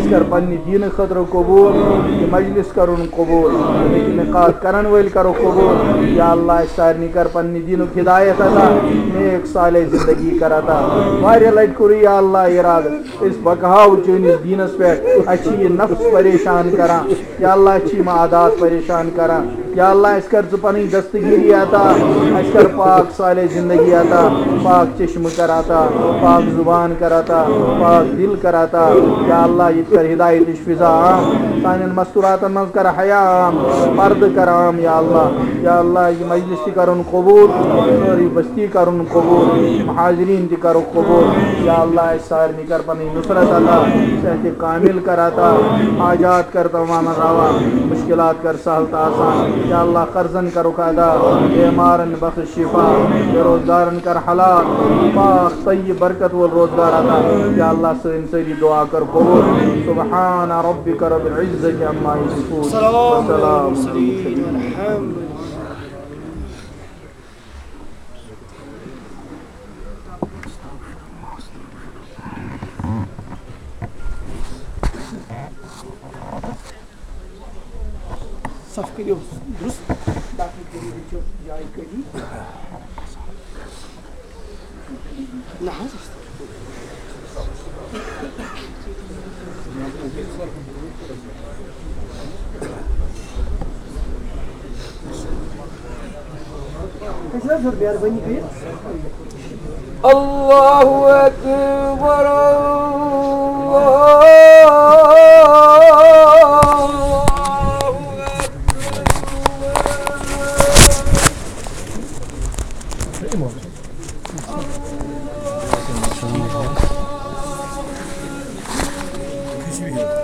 أسۍ کر پننہِ دیٖنہٕ خٲطرٕ قبوٗل، یہِ مجلس کرُن قبوٗل، اَمِکۍ نقاط کرن وٲلۍ کرو قبوٗل۔ یا اللہ، أسۍ سارنٕے کر پننہِ دیٖنُک ہدایت عطا، نیک صالح زندگی کر عطا۔ واریاہ لٹہِ کوٚرُے یا اللہ ارادٕ، أسۍ بکہاو چٲنِس دیٖنس پٮ۪ٹھ، اَسہِ چھِ یہِ نفس پریشان کران۔ یا اللہ، اَسہِ چھِ یِم عادات پریشان کران۔ یا اللہ، اَسہِ کر ژٕ پنٕنۍ دستگیری عطا، اَسہِ کر پاک صالح زندگی عطا، پاک چشمہٕ کر عطا، پاک زبان کر عطا، پاک دل کر عطا۔ یا اللہ، ییٚتہِ کر ہدایتٕچ فضا عام، سانٮ۪ن مستوراتن منٛز کر حیا عام، پردٕ کر عام۔ یا اللہ، یا اللہ، یہِ مجلس تہِ کرُن قبوٗل، سٲرٕے بستی کرُن قبوٗل، یِم حاضریٖن تہِ کرُکھ قبوٗل۔ یا اللہ، اَسہِ سارنٕے کر پنٕنۍ نصرت عطا، صحت کامل کر عطا، حاجات کر تمام روا، مشکلات کر سہل تہٕ آسان۔ یا اللہ، قرضن کرُکھ ادا، بیمارن بخش شفا، بے روزگارن کر حلال، پاک طیب برکت وول روزگار عطا۔ یا اللہ، سٲنۍ سٲری دعا کر قبول۔ سبحان ربک رب العزة عما یصفون۔ سلام وسلام علی المرسلین۔ الحمد للہ۔ صف کٔرِو درست، باقٕے کٔرِو ییٚتہِ جایہِ کٔرِو۔ نہ حظ۔ أسۍ حظ ہیوٚر مہربٲنی کٔرِتھ۔ اللہ اکبر، اللہ اکبر۔